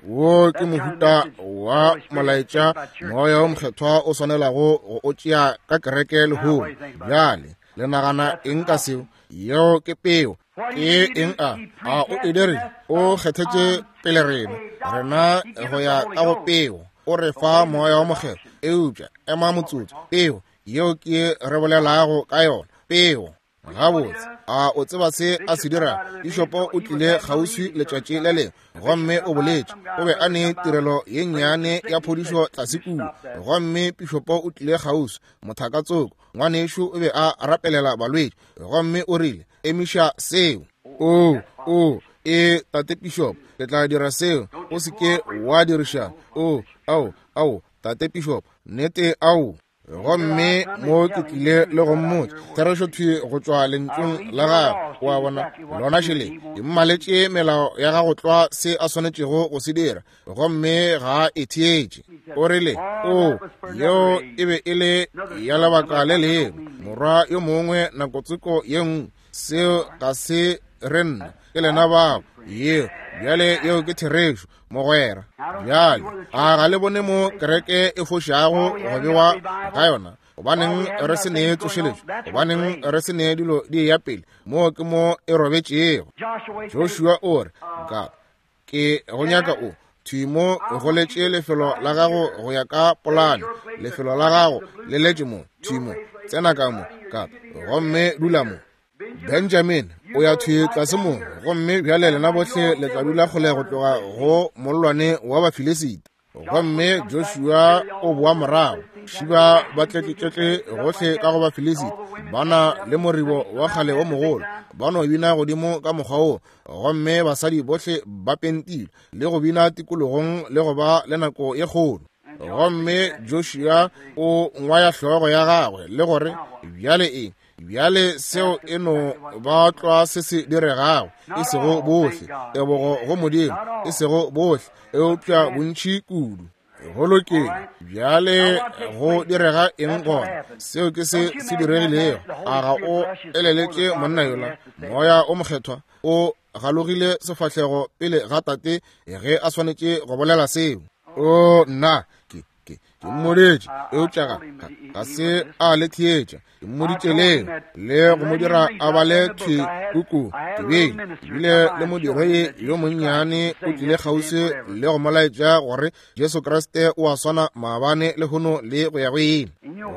wo ke mohuta wa molaetša Moya wo Mokgethwa o swanelago go o tšea ka kereke lehono. Bjale, le nagana eng ka seo? Yeo ke peo. Ke eng a? A o e dirile? O kgethetše pele rena, rena go ya ka go peo. O re fa Moya wo Mokgethwa. Eupša ema motsotso, peo yeo ke re bolelago ka yona, peo. Gabotse, a o tseba se a se dira? Pišopo o tlile kgauswi letšatši le lengwe gomme o boletše. O be a ne tirelo ye nnyane ya phodišo tlase kua, gomme pišopo o tlile kgauswi, mothakatsoko, ngwanešu o be a rapelela balwetši, gomme o rile, Emiša seo. O, o, e, tate pišopo, ke tla dira seo. O se ke wa diriša. O, ao, ao, tate pišopo, nnete, ao. Gomme mo ke tlile le go mmotša therešo thwi go tšwa lentšung la gagwe. O a bona, lona šele ke mmaletše melao ya gago tlwa se a swanetšego go se dira, gomme ga a e theetše. O rile, O, yeo e be e le ya lebaka le lengwe, morwa yo mongwe nakotsoko ye nngwe. Seo ga se re nna, ke lena bao. Yeo, bjale yeo ke therešo, mogwera. Bjale, a ga le bone mo kereke e fošago go bewa ga yona? Gobaneng re se ne tsošeletšo? Gobaneng re se ne dilo di eya pele? Moo ke mo e robetšego. Joshua o re, Ka, ke go nyaka o thwi mo go letše lefelo la gago go ya ka polane. Lefelo la gago le letše mo, thwi mo. Tsena ka mo, ka, gomme dula mo. Benjamin, o ya thwi tlase mo, gomme bjale lena bohle le tla dula kgole go tloga go mollwane wa Bafilisita. Gomme Joshua o boa morago, šiba ba tletletletle gohle ka go Bafilisita, ba na le moribo wa kgale wo mogolo, ba no bina godimo ka mokgwa wo, gomme basadi bohle ba pentilwe le go bina tikologong le go ba le nako ye kgolo. Gomme Joshua o ngwaya hlogo ya gagwe le gore, Bjale eng? Bjale seo e no ba tlwa se se diregago, e sego bohle, tebogo go Modimo, e sego bohle, eupša bontši kudu. Go lokile, bjale go direga eng gona? Seo ke se se diregilego. A ga o eleletše monna yola? Moya o Mokgethwa o galogile sefahlego pele ga Tate ge a swanetše go bolela seo. O nna, ke ke ke mmoditše, eupša ga, ga, ga se a le theetša. Ke mmoditše leo le go mo dira a bale thwi puku. Ke be bile le modiredi yo monnyane o tlile kgauswi le go mo laetša gore Jesu Kriste o a swana maabane, lehono le go ya go ile.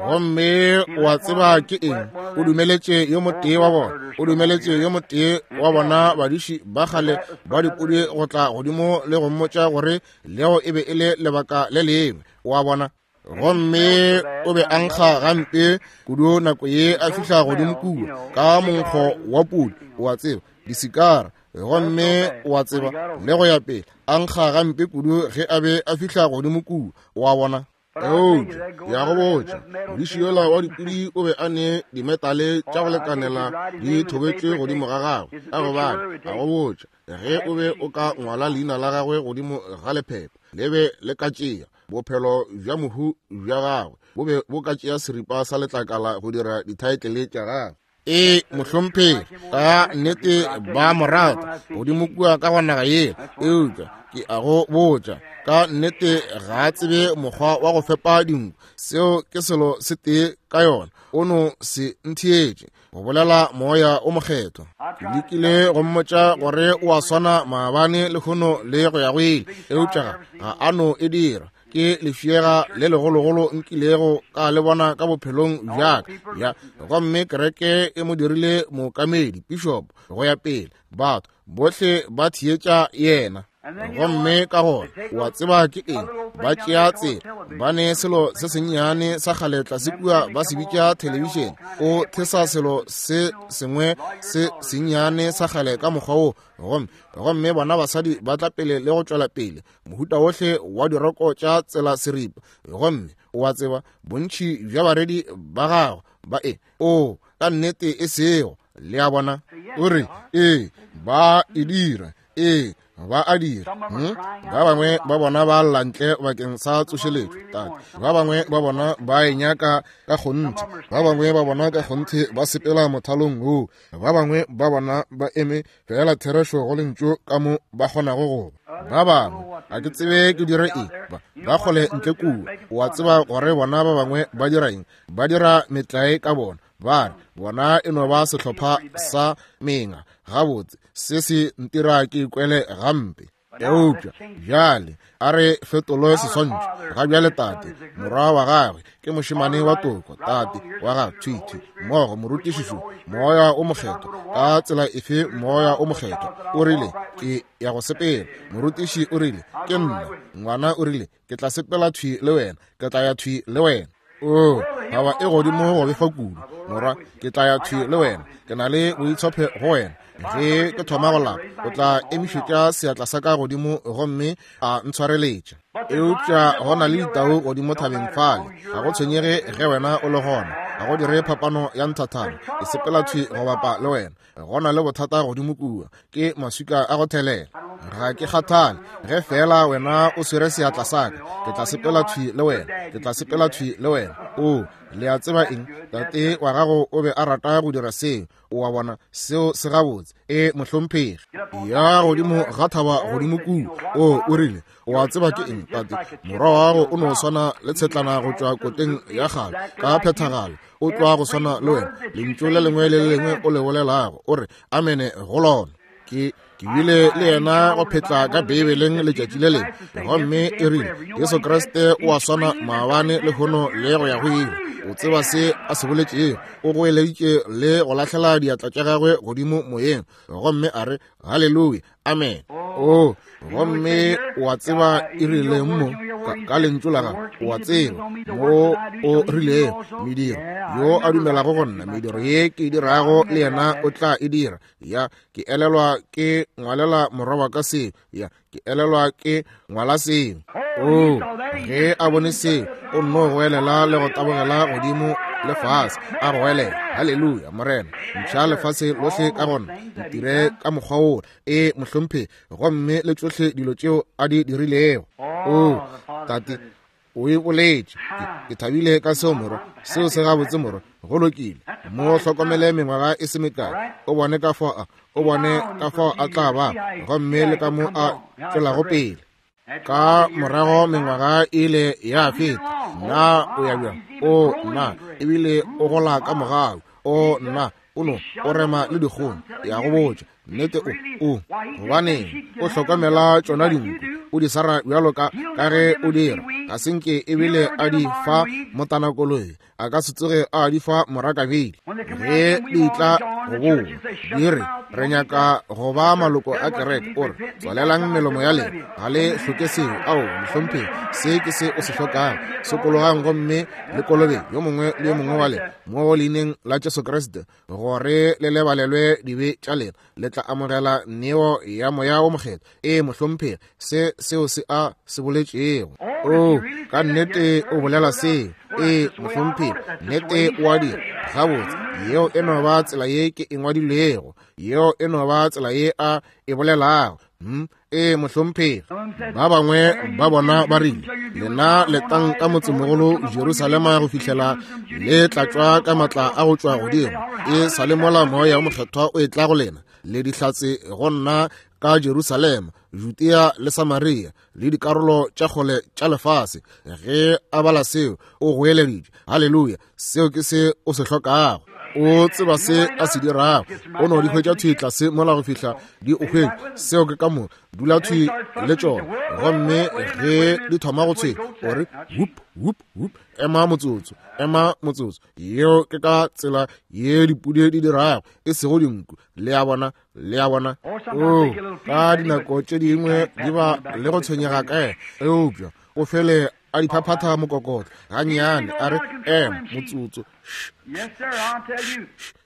Gomme o a tseba ke eng? O dumeletše yo motee wa bona, o dumeletše yo motee wa bona badiši ba kgale ba dipudi go tla godimo le go mmotša gore leo e be e le lebaka le lengwe. O a bona? Gomme o be a nkga gampe kudu nako ye a fihla godimo kua ka monkgo wa pudi, o a tseba, disikara, gomme o a tseba, le go ya pele, a nkga gampe kudu ge a be a fihla godimo kua, o a bona. Eupša ke ya go botša, modiši yola wa dipudi o be a ne dimetale tša go lekanela di thobetšwe godimo ga gagwe, ka gobane a go botša, ge o be o ka ngwala leina la gagwe godimo ga lephepha, le be le ka tšea bophelo bja mohu bja gagwe, bo be bo ka tšea seripa sa letlakala go dira dithaetlele tša gagwe. Ee, mohlomphegi, ka nnete ba mo rata godimo kua ka go naga yela, eupša ke a go botša, ka nnete ga a tsebe mokgwa wa go fepa dinku. Seo ke selo se tee ka yona, o no se ntheetše, go bolela Moya o Mokgethwa. Ke lekile go mmotša gore o a swana maabane, lehono le go ya go ile, eupša ga a no e dira. Ke lefšega le legologolo nkilego ka le bona ka bophelong bja ka. Ya, gomme kereke e mo dirile mookamedi, bishop, go ya pele. Batho bohle ba theetša yena. Gomme ka gona, o a tseba ke eng, ba tšea tsela, ba ne selo se sennyane sa kgale tlase kua ba se bitša thelebišene. O thesa selo se sengwe se sennyane sa kgale ka mokgwa wo, gomme, gomme bona basadi ba tla pele le go tšwela pele, mohuta wohle wa diroko tša tsela seripa. Gomme o a tseba, bontši bja baredi ba gago ba e, o, ka nnete e sego, le a bona. O re, ee, ba e dira. Ee, ba a dira. Hmm? Ba bangwe ba bona ba lla ntle bakeng sa tsošeletšo, tate. Ba bangwe ba bona ba e nyaka ka kgonthe. Ba bangwe ba bona ka kgonthe ba sepela mothalong woo. Ba bangwe ba bona ba eme feela therešo go lentšu ka mo ba kgonago go ba. Ba bangwe, ga ke tsebe ke dire eng, ba, ba kgole ntle kua. O a tseba gore bona ba bangwe ba dira eng? Ba dira metlae ka bona. Ba re, bona e no ba sehlopha sa menga. Gabotse, se se ntira ke ikwele gampe. Eupša bjale a re fetolwe seswantšho. Ga bjale tate, morwa wa gagwe, ke mošemane wa toko, tate wa gagwe, thwi, thwi, mmogo, morutišišo, Moya o Mokgethwa. Ka tsela efe Moya o Mokgethwa? O rile, Ke ya go sepela. Morutiši o rile, Ke nna. Ngwana o rile, Ke tla sepela thwi le wena. Ke tla ya thwi le wena. O, thaba e godimo go befa kudu. Morwa, ke tla ya thwi le wena. Ke na le boitshophe go wena. Ge ke thoma go lapa, o tla emišetša seatla sa ka godimo gomme a ntshwareletša. Eupša go na le ditau godimo thabeng fale. Ga go tshwenyege ge wena o le gona. Ga go dire phapano ya nthathana. Ke sepela thwi go bapa le wena. Go na le bothata godimo kua. Ke maswika a go thelela. Ga ke kgathale. Ge feela wena o swere seatla sa ka, ke tla sepela thwi le wena. Ke tla sepela thwi le wena. O, le a tseba eng? Tate wa gago o be a rata go dira seo. O a bona, seo se gabotse. E, mohlomphegi. Ya godimo ga thaba godimo kua. O, o rile, O a tseba ke eng, tate? Morwa wa gago o no swana le tshetlana go tšwa koteng ya kgale, ka phethagalo. O tloga go swana le wena. Lentšu le lengwe le le lengwe o le bolelago, o re amene go lona. Ke, ke bile le yena go phetla ka Beibeleng letšatši le lengwe, gomme e rile, Jesu Kriste o a swana maabane, lehono, le go ya go ile. O tseba se a se boletšego. O goeleditše le go lahlela diatla tša gagwe godimo moyeng, gomme a re, Haleluya, amen. O, gomme o a tseba e rileng mo, ka, ka lentšu la gago, o a tseba mo o rilego, mediro, yo a dumelago go nna, mediro ye ke e dirago le yena o tla e dira. Ya, ke elelwa ke ngwalela morwa wa ka seo. Ya, ke elelwa ke ngwala seo. O, ge a bone seo, o nno goelela le go tabogela godimo le fase, a goelela, Haleluya, Morena, ntšha lefase lohle ka gona, ntire ka mokgwa wola. E, mohlomphegi, gomme le tšohle dilo tšeo a di dirilego. O, tate, o e boletše. Ke, ke thabile ka seo, morwa. Seo se gabotse, morwa. Go lokile. Mo hlokomele mengwaga e se mekae, o bone ka fao a, o bone ka fao a tla ba, gomme le ka mo a tšwelago pele. Ka morago mengwaga e ile ya feta. Na o ya bjang? O, nna, ebile o gola ka mogau. O, nna, o no o rema le dikgong. Ya go botša nnete, o, o, gobaneng o hlokomela tšona dinku, o di swara bjalo ka, ka ge o dira. Ga se nke ebile a di fa motanakoloi, a ka se tsoge a di fa morakabedi. Ge di tla go boa, di re, re nyaka go ba maloko a kereke. O re, tswalelang melomo ya lena, ga le hloke seo. Ao, mohlomphegi, se ke se o se hlokago. Sokologang gomme le kolobe yo mongwe le yo mongwe wa lena mo leineng la Jesu Kriste, gore le lebalelwe dibe tša lena, le tla amogela neo ya Moya wo Mokgethwa. Ee, mohlomphegi, se seo se a se boletšego. O, ka nnete o bolela seo. Ee, mohlomphegi, nnete o a dira. Gabotse, yeo e no ba tsela ye ke e ngwadilwego. Yeo e no ba tsela ye a e bolelago. Hmm? Ee, mohlomphegi. Ba bangwe ba bona ba rile, lena letang ka motsemogolo Jerusalema go fihlela le tlatšwa ka matla a go tšwa godimo. E sa le mola Moya wo Mokgethwa o etla go lena, le dihlatse go nna ka Jerusalema, Judea le Samaria, le dikarolo tša kgole tša lefase. Ge a bala seo, o goeleditše, Haleluya, seo ke se o se hlokago. O tseba se a se dirago. O no di hwetša thwi tlase mola go fihla di o hwetša. Seo ke ka moka. Dula thwi le tšona. Gomme ge di thoma go tshwenya, o re, Whoop, whoop, whoop. Ema motsotso, ema motsotso. Yeo ke ka tsela ye dipudi di dirago, e sego dinku. Le a bona? Le a bona? Oo, ka dinako tše dingwe di ba le go tshwenyega ka yena, eupša o fele a di phaphatha mokokotlo gannyane, a re, Ema motsotso.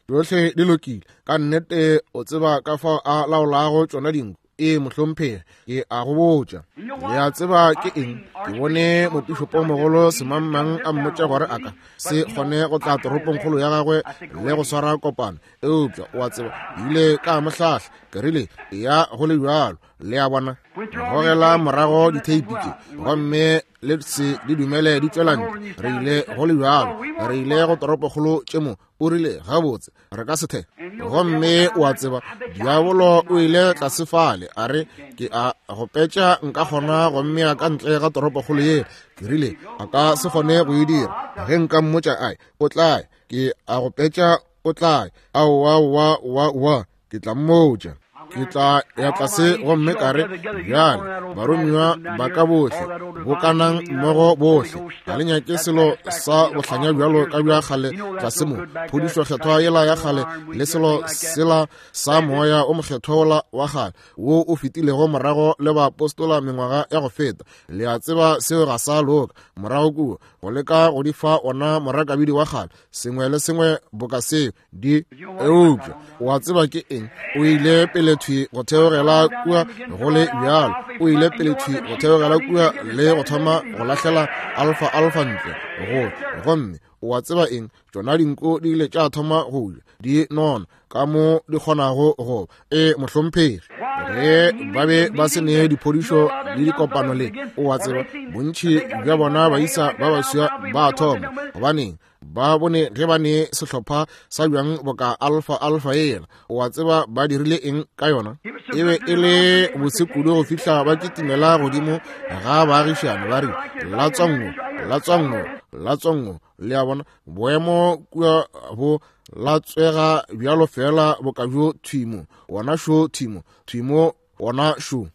Tšohle di lokile. Ka nnete o tseba ka fao a laolago tšona dinku. Ee, mohlomphegi, ke a go botša. Le a tseba ke eng? Ke bone mopišopomogolo semangmang a mmotša gore a ka se kgone go tla toropongkgolo ya gagwe le go swara kopano. Eupša, o a tseba, ke ile ka mo hlahla. Ke rile, Eya go le bjalo. Le a bona? Gogela morago ditheipi tše, gomme le se di dumele di tšwela ntle. Re ile go le bjalo. Re ile go toropokgolo tše mo. O rile, Gabotse, re ka se the. Gomme o a tseba, diabolo o ile tlase fale, a re, Ke a go petša nka kgona go mmea ka ntle ga toropokgolo ye. Ke rile, A ka se kgone go e dira. Ge nka mmotša ae, o tla ya. Ke a go petša o tla ya. Aowa, aowa, aowa, aowa. Ke tla mmotša. Ke tla ya tlase gomme ka re, Bjale, baromiwa ba ka bohle, bokanang mmogo bohle. Ga le nyake selo sa bohlanya bjalo ka bja kgale tlase mo, phodišo kgethwa yela ya kgale le selo sela sa Moya o Mokgethwa wola wa kgale wo o fetilego morago le baapostola mengwaga ya go feta. Le a tseba seo ga sa loka. Morago kua, go leka go di fa ona morakabidi wa kgale, sengwe le sengwe boka seo, di eupša o a tseba ke eng? O ile pele thwi go theogela kua go le bjalo. O ile pele thwi go theogela kua le go thoma go lahlela alfa alfa ntle go, gomme o a tseba eng? Tšona dinko di ile tša thoma go ja, di nona ka mo di kgonago go. E, mohlomphegi, ge ba be ba se ne diphodišo le dikopano le, o a tseba, bontši bja bona baisa ba baswa ba thoma. Gobaneng? Ba bone ge ba ne sehlopha sa bjang boka alfa alfa yela. O a tseba ba dirile eng ka yona? E be e le bose kudu go fihla ba kitimela godimo ga baagišane ba re, Latswango, latswango, latswango. Le a bona, boemo kua bo latswega bjalo feela boka bjo thwimo. Wona šo thwimo, thwimo Wona šo.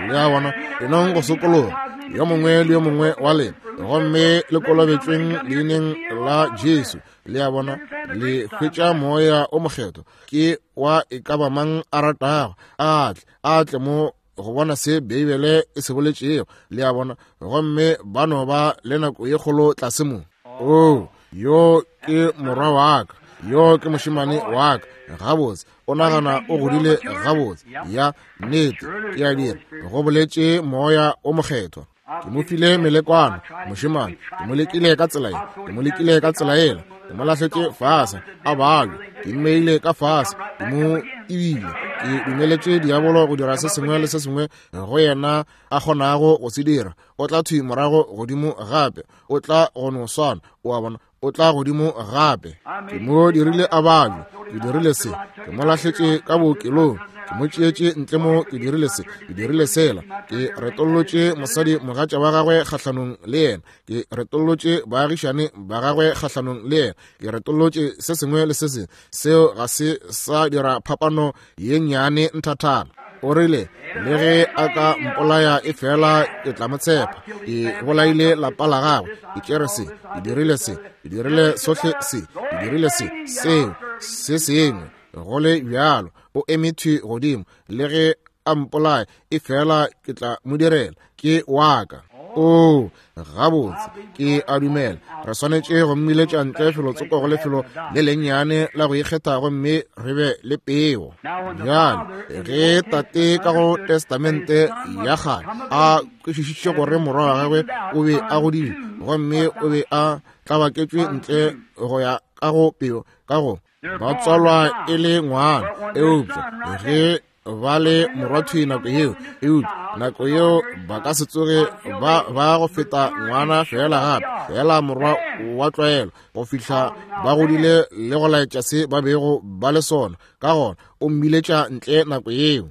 Le a bona, enong go sokologa, yo mongwe le yo mongwe wa lena, gomme le kolobetšweng leineng la Jesu. Le a bona, le hwetša Moya o Mokgethwa. Ke wa e ka ba mang a ratago, a tle, a tle mo go bona se Beibele e se boletšego. Le a bona, gomme ba no ba le nako ye kgolo tlase mo. Oo, yo ke morwa wa ka, yo ke mošemane wa ka. Gabotse, o nagana o godile gabotse. Ya, nnete, ke a dira, go boletše Moya o Mokgethwa. Ke mo file melekwana, mošemane, ke mo lekile ka tsela ye, ke mo lekile ka tsela yela, ke mo lahletše fase, a babja, ke mmeile ka fase, ke mo ebile, ke dumeletše diabolo go dira se sengwe le se sengwe go yena a kgonago go se dira. O tla thwi morago godimo gape, o tla go no swana, o a bona, o tla godimo gape. Ke mo dirile a babje, ke dirile se, ke mo lahletše ka bookelong, ke mo tšeetše ntle mo, ke dirile se, ke dirile sela, ke retollotše mosadi mogatša wa gagwe kgahlanong le yena, ke retollotše baagišane ba gagwe kgahlanong le yena, ke retollotše se sengwe le se sengwe. Seo ga se sa dira phapano ye nnyane nthathana. O rile, le ge a ka mpolaya e fela ke tla mo tshepa. Ke bolaile lapa la gagwe, ke tšere se, ke dirile se, ke dirile sohle se, ke dirile se, seo, se sengwe. Go le bjalo, o eme thwi godimo, le ge a mpolaya e fela ke tla mo direla, ke wa ka. Oo, gabotse, ke a dumela re swanetše go mmiletša ntle felotsoko go lefelo le lennyane la go ikgetha gomme re be le peo. Bjale ge tate ka go Testamente ya Kgale a kwešišitše gore morwa wa gagwe o be a godile gomme o be a tlabaketšwe ntle go ya ka go peo, ka go ba tswalwa e le ngwana, eupša ge ba le morwathwi nako yeo, eupša nako yeo ba ka se tsoge ba ba go feta ngwana feela gape, feela morwa wa tlwaelo, go fihla ba godile le go laetša se ba bego ba le sona. Ka gona o mmiletša ntle nako yeo.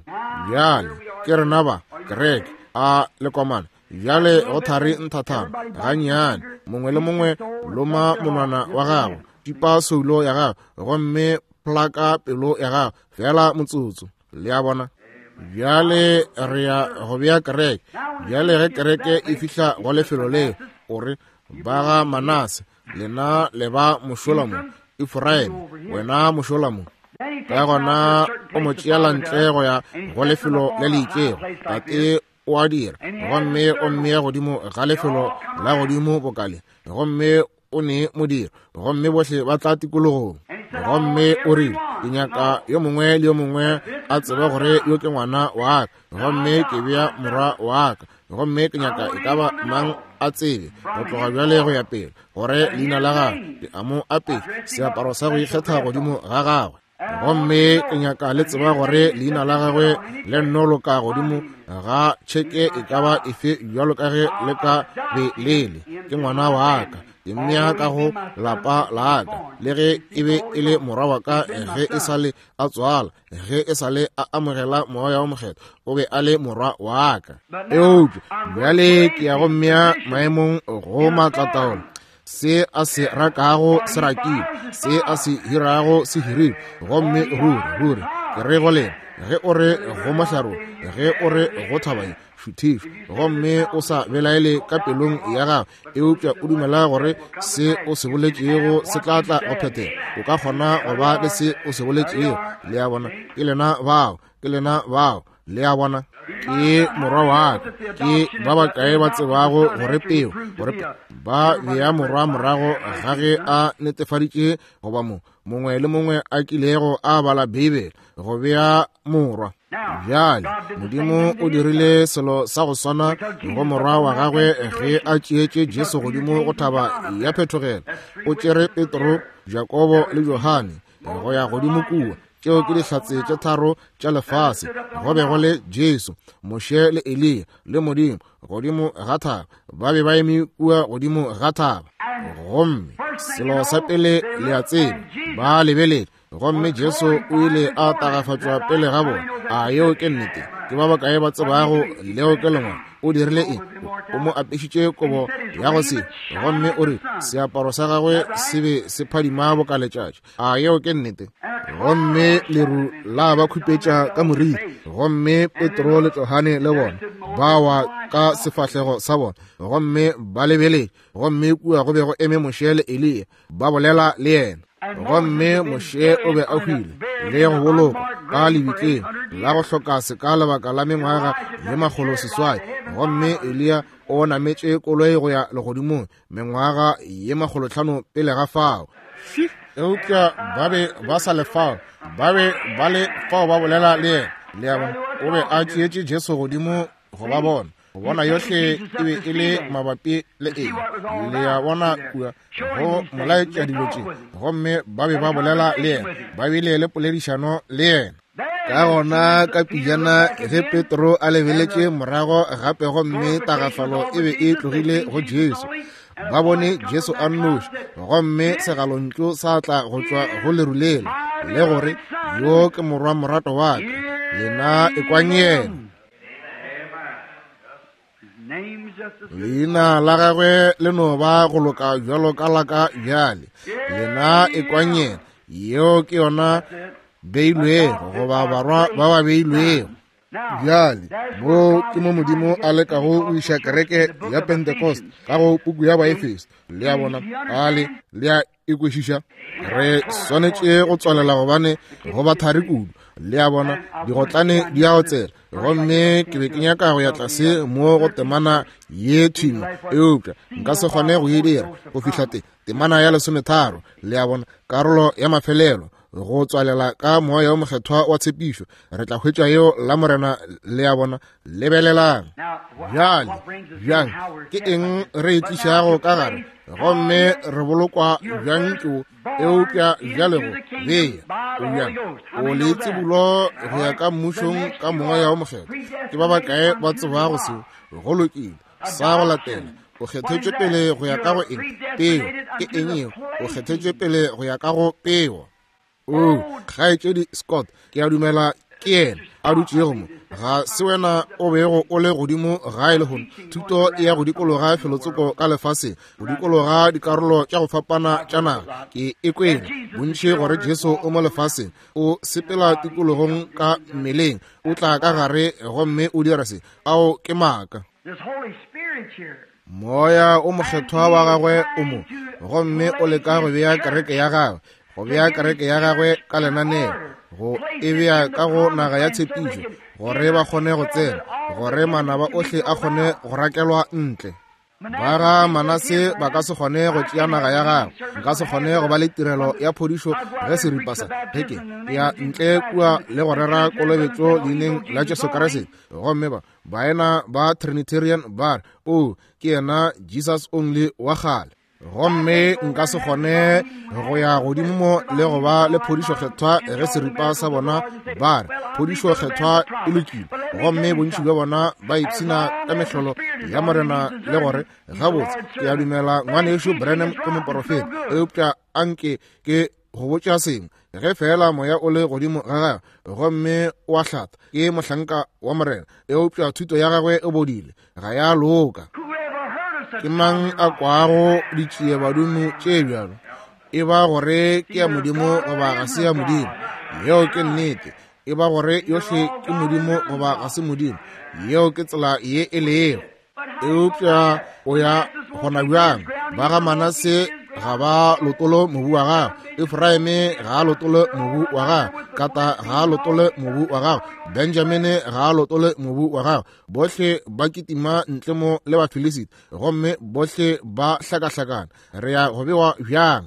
Bjale ke rena ba kereke a lekomana. Bjale go thari nthathana gannyane, mongwe le mongwe loma monwana wa gago. Tipa soulo ya gago gomme plaka pelo ya gago feela motsotso. Le a bona? Bjale re ya go bea kereke. Bjale ge kereke e fihla go lefelo leo, o re, ba ga Manase, lena le ba mošola mo, Efraime, wena mošola mo. Ka gona o mo tšeela ntle go ya go lefelo le le itšego. Tate o a dira, gomme o mmea godimo ga lefelo la godimo bokale, gomme o ne modiro, gomme bohle ba tla tikologong. Gomme o rile, ke nyaka yo mongwe le yo mongwe a tsebe gore yo ke ngwana wa ka, gomme ke bea morwa wa ka, gomme ke nyaka e ka ba mang a tsebe go tloga bjale go ya pele gore leina la gagwe ke a mo apeša seaparo sa go ikgetha godimo ga gagwe. Gomme ke nyaka le tseba gore leina la gagwe le nno loka godimo ga tšheke e ka ba efe bjalo ka ge le ka be lele. Ke ngwana wa ka, ke mmea ka go lapa la ka, le ge e be e le morwa wa ka ge e sa le a tswala, ge e sa le a amogela moya wa mokgethwa, o be a le morwa wa ka. Eupša bjale ke ya go mmea maemong go maatlataolo. Se a se rakago se rakile, se a se hirago se hirile. Gomme ruri, ruri, ke re go lena, ge o re go mohlare, ge o re go thaba ye, šuthišwa, gomme o sa belaele ka pelong ya gago, eupša o dumela gore se o se boletšego se tla tla go phethega, o ka kgona go ba le se o se boletšego. Le a bona? Ke lena bao, ke lena bao. Le a bona? Ke morwa wa ka. Ke ba bakae ba tsebago gore peo, gore ba bea morwa morago ga ge a netefaditše goba mo mongwe le mongwe a kilego a bala Beibele, go bea morwa. Bjale, Modimo o dirile selo sa go swana go morwa wa gagwe ge a tšeetše Jesu godimo go thaba ya phethogelo. O tšere Petro, Jakobo le Johane go ya godimo kua. Tšeo ke dihlatse tše tharo tša lefase. Go be go le Jesu, Moshe le Eliya le Modimo godimo ga thaba. Ba be ba eme kua godimo ga thaba. Gomme selo sa pele le a tseba, ba lebeletše, gomme Jesu o ile a tagafatšwa pele ga bona. A yeo ke nnete? Ke ba bakae ba tsebago leo ke lengwalo? O dirile eng? O mo apešitše kobo ya go se, gomme o re seaparo sa gagwe se be se phadima boka letšatši. A yeo ke nnete? Gomme leru la ba khupetša ka moriri, gomme Petro le Johane le bona ba wa ka sefahlego sa bona, gomme ba lebeletše, gomme kua go be go eme Moshe le Eliya ba bolela le yena. Gomme Moshe o be a hwile le go bolokwa ka lebitleng la go hloka seka lebaka la mengwaga ye 600, gomme Eliya o nametše koloi go ya legodimong mengwaga ye 500 pele ga fao. Eupša ba be ba sa le fao, ba be ba le fao ba bolela le yena. Le a bona? O be a tšeetše Jesu godimo go ba bona, go bona yohle e be e le mabapi le eng. Le a bona kua go molaetša dilo tše, gomme ba be ba bolela le yena, ba bile le poledišano le yena. Ka gona ka pijana ge Petro a lebeletše morago gape, gomme tagafalo e be e tlogile go Jesu, ba bone Jesu a nnoši, gomme segalontšu sa tla go tšwa go leru lela, le gore, Yo ke morwa morato wa ka, lena ekwang yena. Leina la gagwe le no ba go loka bjalo ka la ka bjale, lena ekwang yena. Yeo ke yona beilwego, goba barwa ba ba beilwego. Bjale, mo ke mo Modimo a lekago go iša kereke ya Pentecost ka go puku ya Baefeso. Le a bona? A le, le a e kwešiša? Re swanetše go tswalela gobane go ba thari kudu. Le a bona? Digotlane di a otsela. Gomme ke be ke nyaka go ya tlase mo go temana ye thimo, eupša nka se kgone go e dira go fihla te temana ya 13. Le a bona? Karolo ya mafelelo, go tswalela ka Moya wo Mokgethwa wa tshepišo. Re tla hwetša yeo la Morena. Le a bona? Lebelelang bjale, bjang ke eng re e tlišago ka gare, gomme re bolokwa bjang ke eupša bjale go bea o bjang o le tsebulo go ya ka mmušong ka Moya wo Mokgethwa. Ke ba bakae ba tsebago seo? Go lokile. Sa go latela, o kgethetšwe pele go ya ka go eng? Peo. Ke eng yeo? O kgethetšwe pele go ya ka go peo. O, kgaetšedi Scott, ke a dumela ke yena. a dutšego mo. Ga se wena o bego o le godimo gae lehono. Thuto e ya go dikologa felotsoko ka lefaseng, go dikologa dikarolo tša go fapana tša naga. Ke e kwele bontši gore Jesu o mo lefaseng, o sepela tikologong ka mmeleng, o tla ka gare gomme o dira se. Ao ke maaka. Moya o Mokgethwa wa gagwe o mo, gomme o leka go bea kereke ya gagwe, go bea kereke ya gagwe ka lenaneo, go e bea ka go naga ya tshepišo, gore ba kgone go tsena, gore manaba ohle a kgone go rakelwa ntle. Ba ga Manase ba ka se kgone go tšea naga ya gagwe. Nka se kgone go ba le tirelo ya phodišo ge seripa sa ge ke ya ntle kua le go rera kolobetšo leineng la Jesu Kriste. Gomme ba baena ba Trinitarian ba re, O, ke yena Jesus Only wa kgale. Gomme nka se kgone go ya godimo mo le go ba le phodišo kgethwa ge seripa sa bona ba re phodišo kgethwa e lokile. Gomme bontši bja bona ba ipshina ka mehlolo ya Morena le gore, Gabotse, ke a dumela Ngwanešu Branham ke moporofeta, eupša anke ke go botša sengwe. Ge feela moya o le godimo ga gagwe gomme o a hlatha, ke mohlanka wa Morena, eupša thuto ya gagwe e bodile, ga ya loka. Ke mang a kwago ditšiebadumo tše bjalo? E ba gore ke ya Modimo goba ga se ya Modimo. Yeo ke nnete. E ba gore yohle ke Modimo goba ga se Modimo. Yeo ke tsela ye e lego. Eupša o ya gona bjang? Ba ga Manase ga ba lotole mobu wa gagwe, Efraime ga a lotole mobu wa gagwe, Kata ga a lotole mobu wa gagwe, Benjamine ga a lotole mobu wa gagwe. Bohle ba kitima ntle mo le Bafilisita, gomme bohle ba hlakahlakana. Re ya go bewa bjang?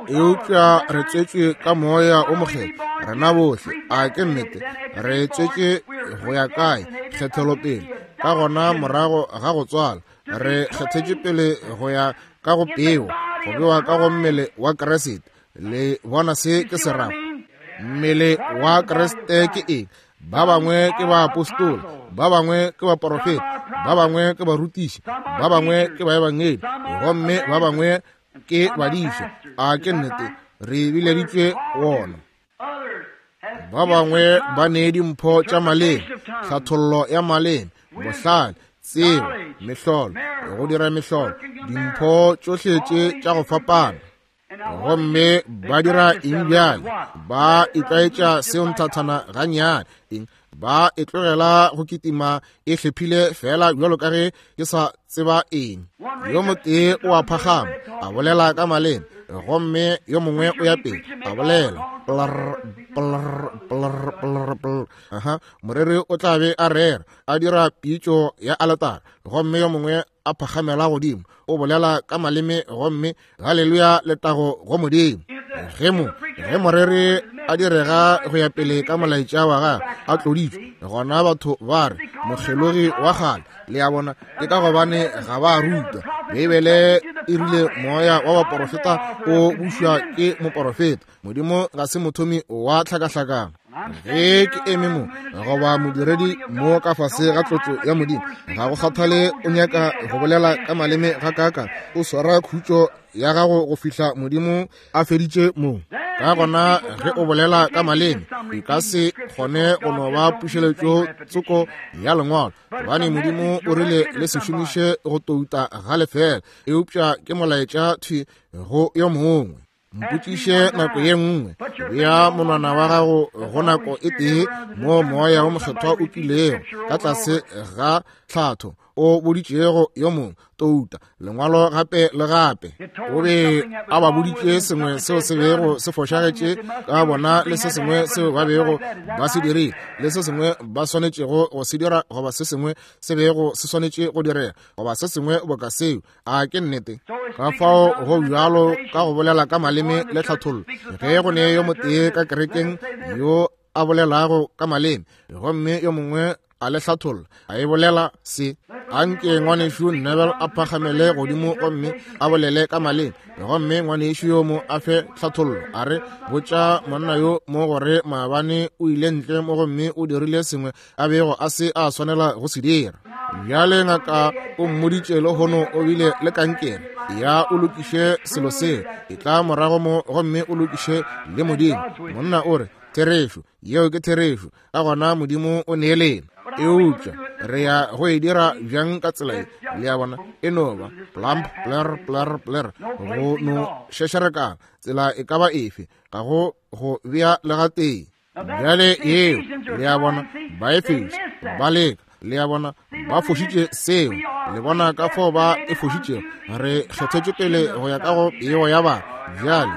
Eupša re tswetšwe ka Moya o Mokgethwa, rena bohle. A ke nnete? Re tswetšwe go ya kae? Kgethelopele. Ka gona morago ga go tswala, re kgethetšwe pele go ya ka go peo, go bewa ka go mmele wa Kriste. Le bona se ke se rago? Mmele wa Kriste ke eng? Ba bangwe ke baapostola, ba bangwe ke baporofeta, ba bangwe ke barutiši, ba bangwe ke baebangedi, gomme ba bangwe ke badiša. A ke nnete? Re bileditšwe wona. Ba bangwe ba nee dimpho tša maleme, tlhathollo ya maleme, bohlale, tsebo, mehlolo, go dira mehlolo, dimpho tšohle tše tša go fapana. Gomme ba dira eng bjale? Ba itlwaetša seo nthathana gannyane. Eng? Ba e tlogela go kitima e hlephile feela bjalo ka ge ke sa tseba eng. Yo motee o a phagama, a bolela ka maleme, gomme yo mongwe o ya pele, a bolela plr, plr, plr, plr, plr. Aha, moreri o tla be a rera, a dira pitšo ya aletara, gomme yo mongwe a phagamela godimo, o bolela ka maleme, gomme haleluya, letago go Modimo. Ge mo, ge moreri a direga go ya pele ka molaetša wa gagwe a tloditšwe, gona batho ba re mokgelogi wa kgale. Le a bona, ke ka gobane ga ba rutwa. Beibele e rile moya wa baporofeta o bušwa ke moporofeta. Modimo ga se mothomi wa tlhakahlakano. Ge ke eme mo goba modiredi mo ka fase ga tlotso ya Modimo, ga go kgathale o nyaka go bolela ka maleme ga kaka, o swara khutšo ya gago go fihla Modimo a feditše mo. Ka gona ge o bolela ka maleme, e ka se kgone go no ba pušeletšo tsoko ya Lengwalo, gobane Modimo o rile le se šomiše go touta ga lefela, eupša ke molaetša thwi go yo mongwe. Mpotšiše nako ye nngwe, bea monwana wa gago go nako e tee mo Moya wo Mokgethwa o kilego ka tlase ga tlhatho o boditšego yo mongwe touta lengwalo gape le gape. O be a ba boditše sengwe seo se bego se fošagetše ka bona le se sengwe seo ba bego ba se dirile le se sengwe ba swanetšego go se dira goba se sengwe se bego se swanetše go direga goba se sengwe boka seo. A ke nnete? Ka fao go bjalo ka go bolela ka maleme le tlhathollo. Ge go ne yo motee ka kerekeng yo a bolelago ka maleme gomme yo mongwe a le hlatholla, a e bolela se, anke ngwanešu Neville a phagamele godimo gomme a bolele ka maleme, gomme ngwanešu yo mo a fe tlhathollo, a re botša monna yo mo gore maabane o ile ntle mo gomme o dirile sengwe a bego a se a swanela go se dira. Bjale ngaka o mmoditše lehono o bile le kankere. Ya o lokiše selo seo. Etla morago mo gomme o lokiše le Modimo. Monna o re, Therešo, yeo ke therešo. Ka gona Modimo o nee lena. Eupša re ya go e dira bjang ka tsela ye? Le a bona, e no ba plump, pler, pler, pler, go no šešerekana, tsela e ka ba efe, ga go go bea le gatee. Bjale yeo, le a bona, ba Efeso ba leka, le a bona, ba fošitše seo. Le bona ka fao ba e fošitšego. Re kgethetšwe pele go ya ka go peo ya batho. Bjale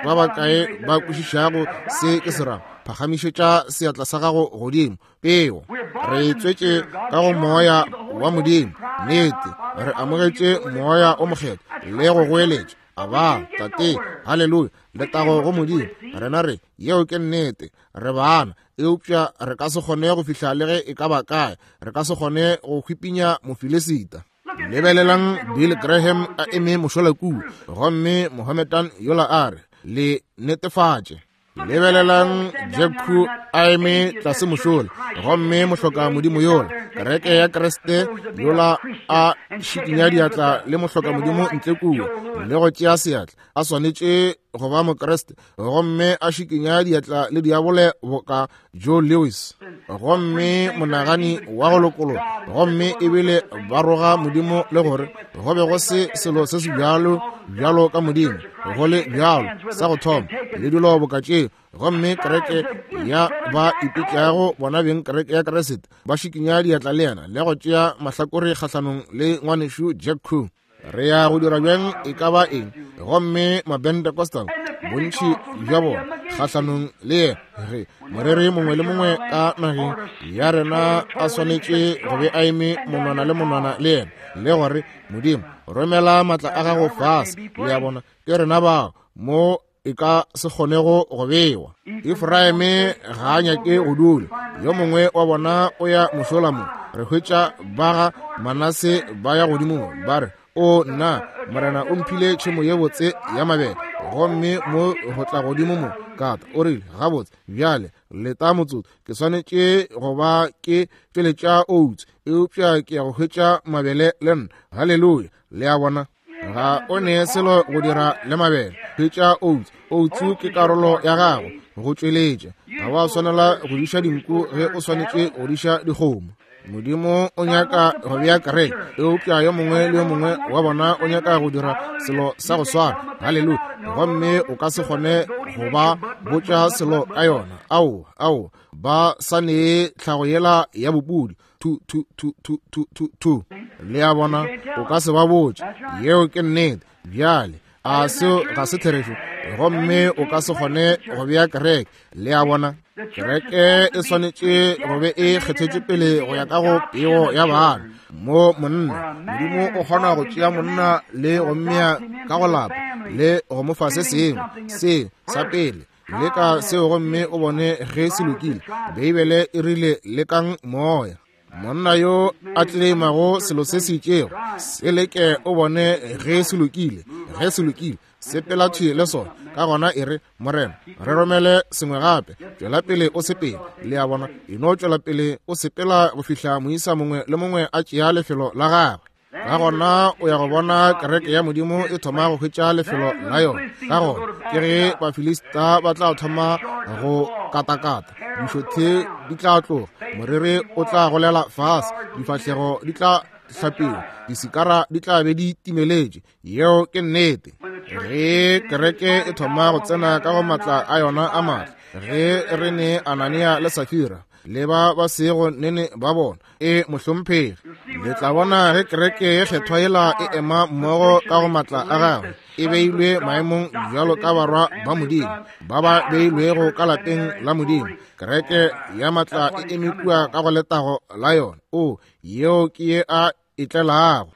ba bakae ba kwešišago se ke se rago? Phagamišetša seatla sa gago godimo. Peo, re tswetše ka go Moya wa Modimo. Nnete, re amogetše Moya o Mokgethwa le go goeletša, Aba, Tate, haleluya, letago go Modimo. Rena re, yeo ke nnete, re bana, eupša re ka se kgone go fihla le ge e ka ba kae. Re ka se kgone go hwipinya Mofilisita. Lebelelang Bill Graham a eme mošola kua, gomme Mohammedan yola a re, Le netefatše. Lebelelang Jack a eme tlase mošola, gomme mohloka modimo yola, kereke ya Kriste yola a šikinya diatla le mohloka modimo ntle kua, le go tšea seatla, a swanetše go ba Mokriste, gomme a šikinya diatla le diabole boka Joe Lewis, gomme monagani wa go lokologa, gomme ebile ba roga Modimo le gore go be go se selo se se bjalo bjalo ka Modimo, go le bjalo sa go thoma le dilo boka tšeo, gomme kereke ya ba ipitšago bona beng kereke ya Kriste ba šikinya diatla le yena le go tšea mahlakore kgahlanong le ngwanešu Jack Coe. Re ya go dira bjang e ka ba eng? Gomme Mapentecostal, bontši bja bona kgahlanong le yena, ge moreri mongwe le mongwe ka nageng ya rena a swanetše go be a eme monwana le monwana le yena, le gore Modimo romela maatla a gago fase. Le a bona, ke rena bao mo e ka se kgonego go bewa. Efraime ga a nyake go dula, yo mongwe wa bona o ya mošola mo. Re hwetša ba ga Manase ba ya godimo mo, ba re, O nna, Morena o mphile tšhemo ye botse ya mabele, gomme mo go tla godimo mo kata. O rile, Gabotse, bjale, leta motsotso, ke swanetše go ba ke tšweletša oats, eupša ke ya go hwetša mabele le nna. Haleluya! Le a bona? Ga o ne selo go dira le mabele. Hwetša oats. Oats ke karolo ya gago go tšweletša. Ga wa swanela go diša dinku ge o swanetše go diša dikgomo. Modimo o nyaka go bea kereke, eupša yo mongwe le yo mongwe wa bona o nyaka go dira selo sa go swana. Haleluya! Gomme o ka se kgone go ba botša selo ka yona. Aowa, aowa, ba sa nee tlhago yela ya bopudi. Thu, thu, thu, thu, thu, thu, thu. Le a bona, o ka se ba botše. Yeo ke nnete. Bjale, a seo ga se therešo? Gomme o ka se kgone go bea kereke. Le a bona, kereke e swanetše go be e kgethetšwe pele go ya ka go peo ya bana. Mo monna, Modimo o kgona go tšea monna le go mmea ka go lapa le go mo fa se sengwe, se sa pele. Leka seo gomme o bone ge se lokile. Beibele e rile, Lekang moya. Monna yo a tleleimago selo se se itšego, se leke o bone ge se lokile. Ge se lokile, sepela thwi le sona. Ka gona e re, Morena, re romele sengwe gape. Tšwela pele o sepela. Le a bona, e no tšwela pele o sepela go fihla moisa mongwe le mongwe a tšea lefelo la gagwe. Ka gona o ya go bona kereke ya Modimo e thoma go hwetša lefelo la yona. Ka gona ke ge Bafilista ba tla thoma go katakata, dišothe di tla tloga, moriri o tla golela fase, difahlego di tla hlapiwa, disikara di tla be di timeletše. Yeo ke nnete. Ge kereke e thoma go tsena ka go matla a yona a matla, ge re ne Anania le Safira le ba ba sego nene ba bona, e mohlomphegi, le tla bona ge kereke ye kgethwa yela e ema mmogo ka go matla a gagwe, e beilwe maemong bjalo ka barwa ba Modimo, ba ba beilwego ka lapeng la Modimo. Kereke ya matla e eme kua ka go letago la yona. O, yeo ke ye a e tlelago.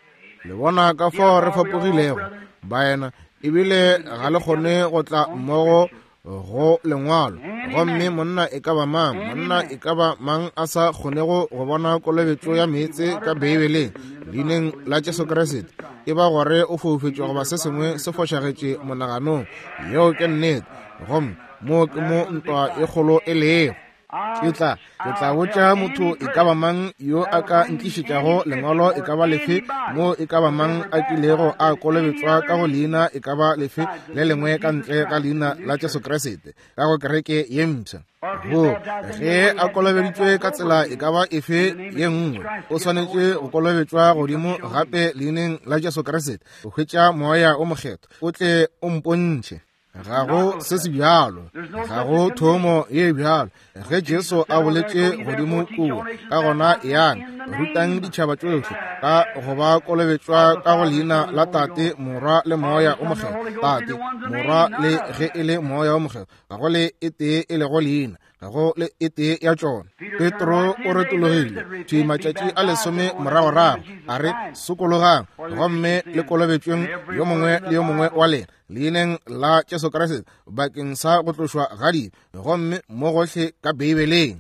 Le bona ka fao re fapogilego, baena, ebile ga le kgone go tla mmogo go lengwalo. Gomme monna e ka ba mang, monna e ka ba mang a sa kgonego go bona kolobetšo ya meetse ka Beibeleng, leineng la Jesu Kriste, e ba gore o foufetšwe goba se sengwe se fošagetše monaganong. Yeo ke nnete. Gomme mo ke mo ntwa e kgolo e lego. Ke tla, ke tla botša motho e ka ba mang yo a ka ntlišetšago lengwalo e ka ba lefe mo e ka ba mang a kilego a kolobetšwa ka go leina e ka ba lefe le lengwe ka ntle ga leina la Jesu Kriste ka go kereke ye mpsha. Go ge a kolobeditšwe ka tsela e ka ba efe ye nngwe, o swanetše go kolobetšwa godimo gape leineng la Jesu Kriste go hwetša Moya o Mokgethwa. O tle o mpontšhe. Ga go se se bjalo, ga go thomo ye bjalo. Ge Jesu a boletše godimo kua, ka gona yang rutang ditšhaba tšohle ka go ba kolobetšwa ka go leina la Tate, Morwa le Moya o Mokgethwa. Tate, Morwa le ge e le Moya o Mokgethwa, ga go le e tee e lego leina, ga go le e tee ya tšona. Petro o retologile thwi matšatši a lesome moragorago, a re, Sokologang gomme le kolobetšweng yo mongwe le yo mongwe wa lena leineng la Jesu Kriste bakeng sa go tlošwa ga dibe, gomme mo gohle ka Beibeleng.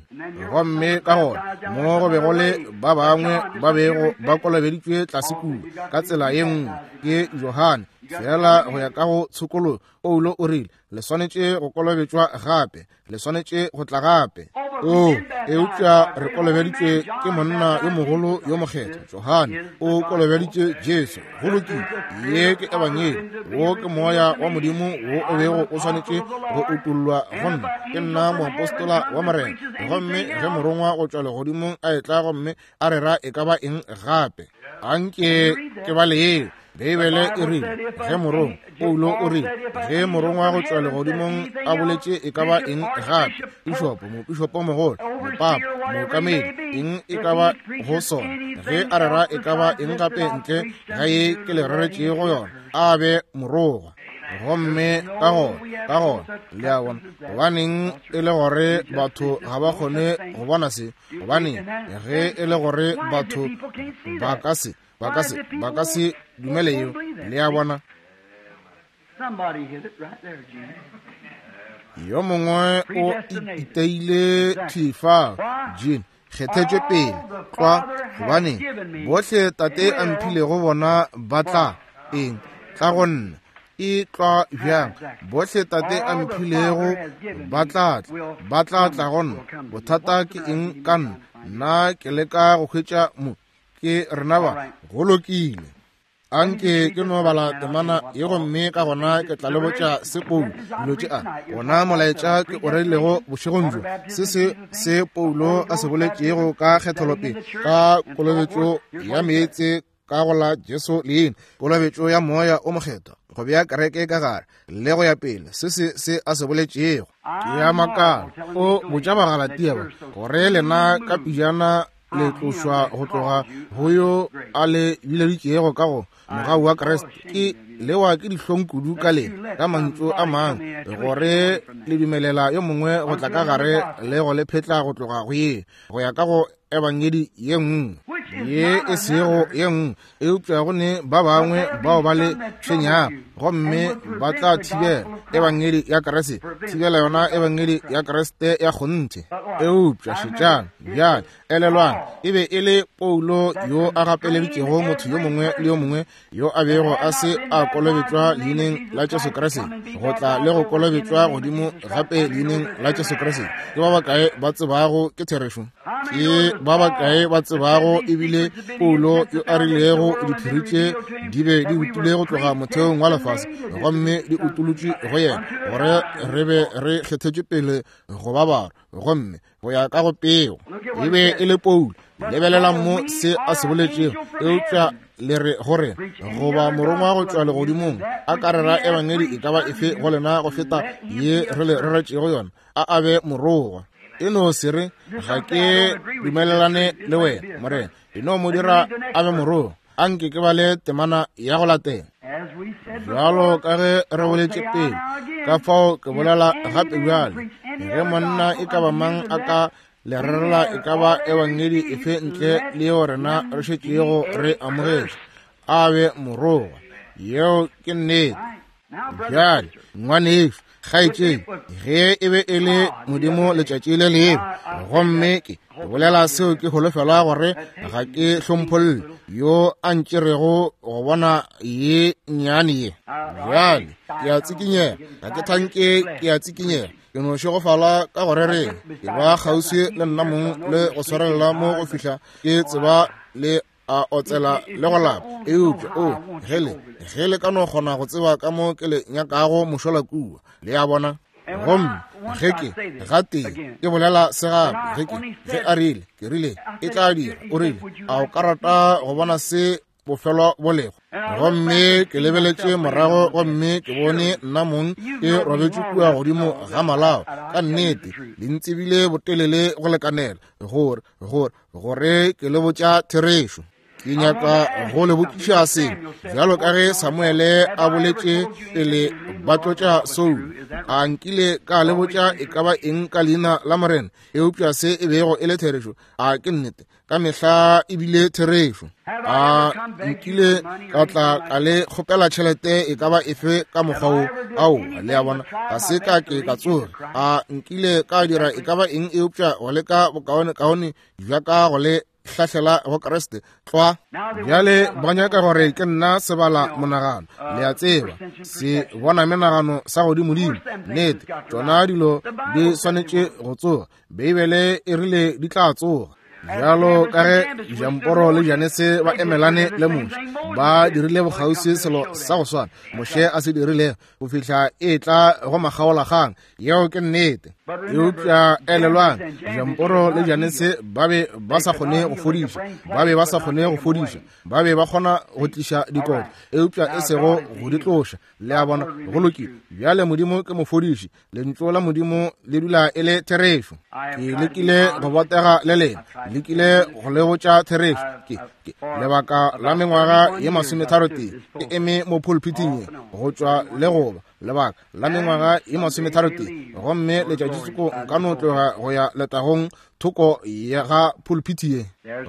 Gomme ka gona mo go be go le ba bangwe ba bego ba kolobeditšwe tlase kua ka tsela ye nngwe ke Johane, fela go ya ka go tshokologo. Paulo o rile, Le swanetše go kolobetšwa gape, le swanetše go tla gape. O, eupša re kolobeditšwe ke monna yo mogolo yo mokgethwa, Johane, o kolobeditše Jesu. Go lokile, ye ke ebangedi, wo ke Moya wa Modimo wo o bego o swanetše go utollwa go nna. Ke nna moapostola wa Morena. Gomme ge morongwa go tšwa legodimong a etla gomme a rera e ka ba eng gape, anke ke bale yeo. Beibele e rile, ge morongwa, Paulo o rile, ge morongwa go tšwa legodimong a boletše e ka ba eng gape, pišopo, mopišopo mogolo, mopapa, mookamedi, eng e ka ba go sona, ge a rera e ka ba eng gape ntle ga ye ke le reretšego yona, a be morogwa. Gomme ka gona, ka gona, le a bona, gobaneng e le gore batho ga ba kgone go bona se? Gobaneng ge e le gore batho ba ka se ba ka se ba ka se dumele yeo? Le a bona? Yo mongwe o iteile thwi fa, Gene, kgethetšwe pele tlwa. Gobaneng, bohle Tate a mphilego bona ba tla eng? Tla go nna. E tlwa bjang? Bohle Tate a mphilego ba tla tla, ba tla tla go nna. Bothata ke eng ka nna? Nna ke leka go hwetša mo. Ke rena ba. Go lokile. Anke ke no bala temana ye gomme ka gona ke tla le botša se Paulo dilo tše a gona molaetša ke o rerilego bošegong bjo, se se se Paulo a se boletšego ka kgetholopele ka kolobetšo ya meetse ka go la Jesu leina, kolobetšo ya Moya o Mokgethwa, go bea kereke ka gare le go ya pele, se se se a se boletšego. Ke a makala, o botša Bagalatia ba gore lena ka pejana le tlošwa go tloga go yo a le bileditšego ka go mogau wa Kriste. Ke lewa ke dihlong kudu ka lena, ka mantšu a mangwe, gore le dumelela yo mongwe go tla ka gare le go le phetla go tloga go ye go ya ka go ebangedi ye nngwe ye e sego ye nngwe. Eupša go ne ba bangwe bao ba le tshwenyago, gomme ba tla thibela ebangedi ya Kriste, thibela yona ebangedi ya Kriste ya kgonthe. Eupša šetšang bjale, elelwang, e be e le Paulo yo a gapeleditšego motho yo mongwe le yo mongwe yo a bego a se a kolobetšwa leineng la Jesu Kriste go tla le go kolobetšwa godimo gape leineng la Jesu Kriste. Ke ba bakae ba tsebago ke therešo? Ke ba bakae ba tsebago ebile Paulo yo a rilego diphiri tše di be di utile go tloga motheong wa lefase gomme di utolotšwe go yena gore re be re kgethetšwe pele go ba barwa gomme go ya ka go peo? E be e le Paulo. Lebelelang mo se a se boletšego. Eupša le re go rena, goba morongwa go tšwa legodimong a ka rera ebangedi e ka ba efe go lena go feta ye re le reretšego yona, a a be morogwa. E no se re, ga ke dumelelane le wena, Morena. E no mo dira a be morogwa. A nke ke bale temana ya go latela. Bjalo ka ge re boletše pele, ka fao ke bolela gape bjale, ge monna e ka ba mang a ka le rerela e ka ba ebangedi efe ntle le yeo rena re šetšego re amogetše, a be morogwa. Yeo ke nnete. Bjale, ngwanešu, kgaetšedi, ge e be e le Modimo letšatši le lengwe, gomme ke bolela seo ke holofela gore ga ke hlompholle yo a ntšerego go bona ye nnyane ye. Bjale, ke a tsikinyega, ga ke thanke ke a tsikinyega. Ke no šegofala ka go rereng. Ke ba kgauswi le nna mong le go swarelela mo go fihla ke tseba le a otsela le go lapa. Eupša, o, ge le, ge le ka no kgona go tseba ka mo ke le nyakago mošola kua. Le a bona? Gomme ge ke, gatee, ke bolela se gape, ge ke, ge a rile, ke rile, e tla dira, o rile, a o ka rata go bona se bofelo bo lego? Gomme ke lebeletše morago gomme ke bone nna mong ke robetše kua godimo ga malao. Ka nnete, le ntsebile botelele go lekanela gore, gore, gore ke le botša therešo. Ke nyaka go le botšiša sengwe. Bjalo ka ge Samuele a boletše pele ba tlotša Saulo, a nkile ka le botša e ka ba eng ka leina la Morena, eupša se e bego e le therešo? A ke nnete? Ka mehla e bile therešo. A nkile ka tla ka le kgopela tšhelete e ka ba efe ka mokgwa wo? Aowa, le a bona, ga se ka ke ka tsoge. A nkile ka dira e ka ba eng eupša go leka bokaonekaone bja ka go le hlahlela go Kriste tlwa? Bjale ba nyaka gore ke nna sebala monagano, le a tseba, se bona menagano sa godimodimo. Nnete, tšona dilo di swanetše go tsoga. Beibele e rile di tla tsoga. Bjalo ka ge Jamporo le Janese ba emelane le Moshe, ba dirile bokgauswi selo sa go swana Moshe a se dirilego go fihla e tla go makgaolakgang. Yeo ke nnete. Eupša elelwang, Jamporo le Janese ba be ba sa kgone go fodiša, ba be ba sa kgone go fodiša, ba be ba kgona go tliša dikotlo, eupša e sego go di tloša. Le a bona? Go lokile. Bjale Modimo ke mofodiši. Lentšu la Modimo le dula e le therešo. Ke lekile go botega le lena, lekile go le botša therešo. Ke, ke lebaka la mengwaga ye masometharotee ke eme mo pulpiting ye, go tšwa le goba lebaka la mengwaga ye masometharotee, gomme letšatšitsoko nka no tloga go ya letagong thoko ya ga pulpiti ye.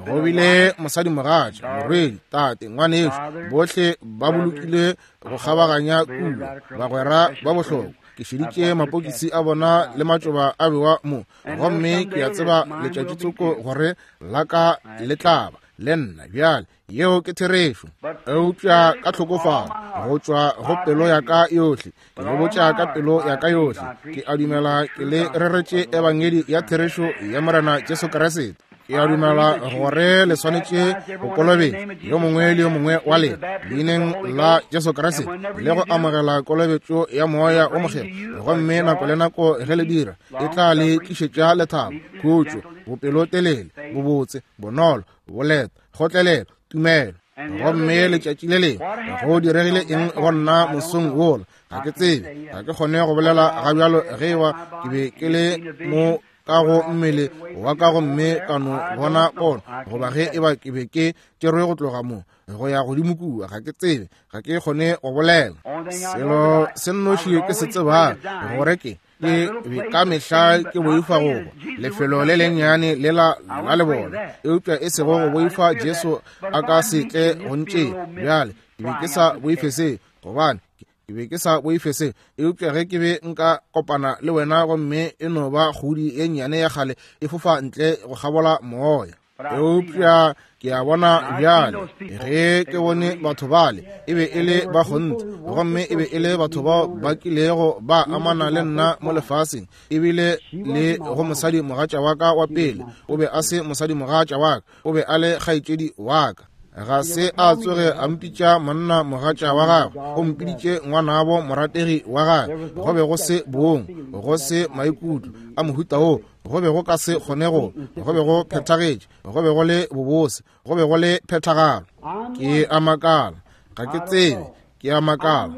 Go bile mosadimogatša, morwedi, tate, ngwanešu, bohle ba bolokile go kgabaganya kua, bagwera ba bohlokwa. Ke šeditše mapokisi a bona le matšoba a bewa mo, gomme ke a tseba letšatšitsoko gore la ka le tla ba le nna bjale. Yeo ke therešo. Eupša ka tlhokofalo go tšwa go pelo ya ka yohle, ke le botša ka pelo ya ka yohle, ke a dumela ke le reretše ebangedi ya therešo ya Morena Jesu Kriste. Ke a dumela gore le swanetše go kolobetšwa, yo mongwe le yo mongwe wa lena, leineng la Jesu Kriste, le go amogela kolobetšo ya Moya wo Mokgethwa. Gomme nako le nako ge le dira, e tla le tlišetša lethabo, khutšo, bopelotelele, bobotse, bonolo, boleta, kgotlelelo, tumelo. Gomme letšatši le lengwe go diregile eng go nna mosong wola? Ga ke tsebe, ga ke kgone go bolela ga bjalo ge eba ke be ke le mo ka go mmele wa ka gomme ka no bona pono, goba ge eba ke be ke tšerwe go tloga mo go ya godimo kua. Ga ke tsebe, ga ke kgone go bolela. Selo se nnoši ke se tsebago gore ke ke be ka mehla ke boifa go hwa, lefelo le lennyane lela la lebola, eupša e sego go boifa Jesu a ka se tle go ntšea. Bjale ke be ke sa boife se, gobane ke be ke sa boife se, eupša ge ke be nka kopana le wena gomme e no ba kgudi ye nnyane ya kgale e fofa ntle go kgabola moya. Eupša ke a bona bjale, ge ke bone batho bale, e be e le ba kgonthe, gomme e be e le batho bao ba kilego ba amana le nna mo lefaseng, ebile le go mosadi mogatša wa ka wa pele. O be a se mosadi mogatša wa ka, o be a le kgaetšedi wa ka. Ga se a tsoge a mpitša monna mogatša wa gagwe, o mpiditše ngwanabo morategi wa gagwe. Go be go se bong, go se maikutlo a mohuta wo, go be go ka se kgone go, go be go phethagetše, go be go le bobose, go be go le phethagalo. Ke a makala, ga ke tsebe, ke a makala,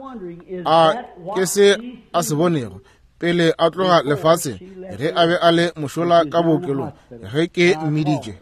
a ke se a se bonego pele a tloga lefaseng, ge a be a le mošola ka bookelong, ge ke mmiditše.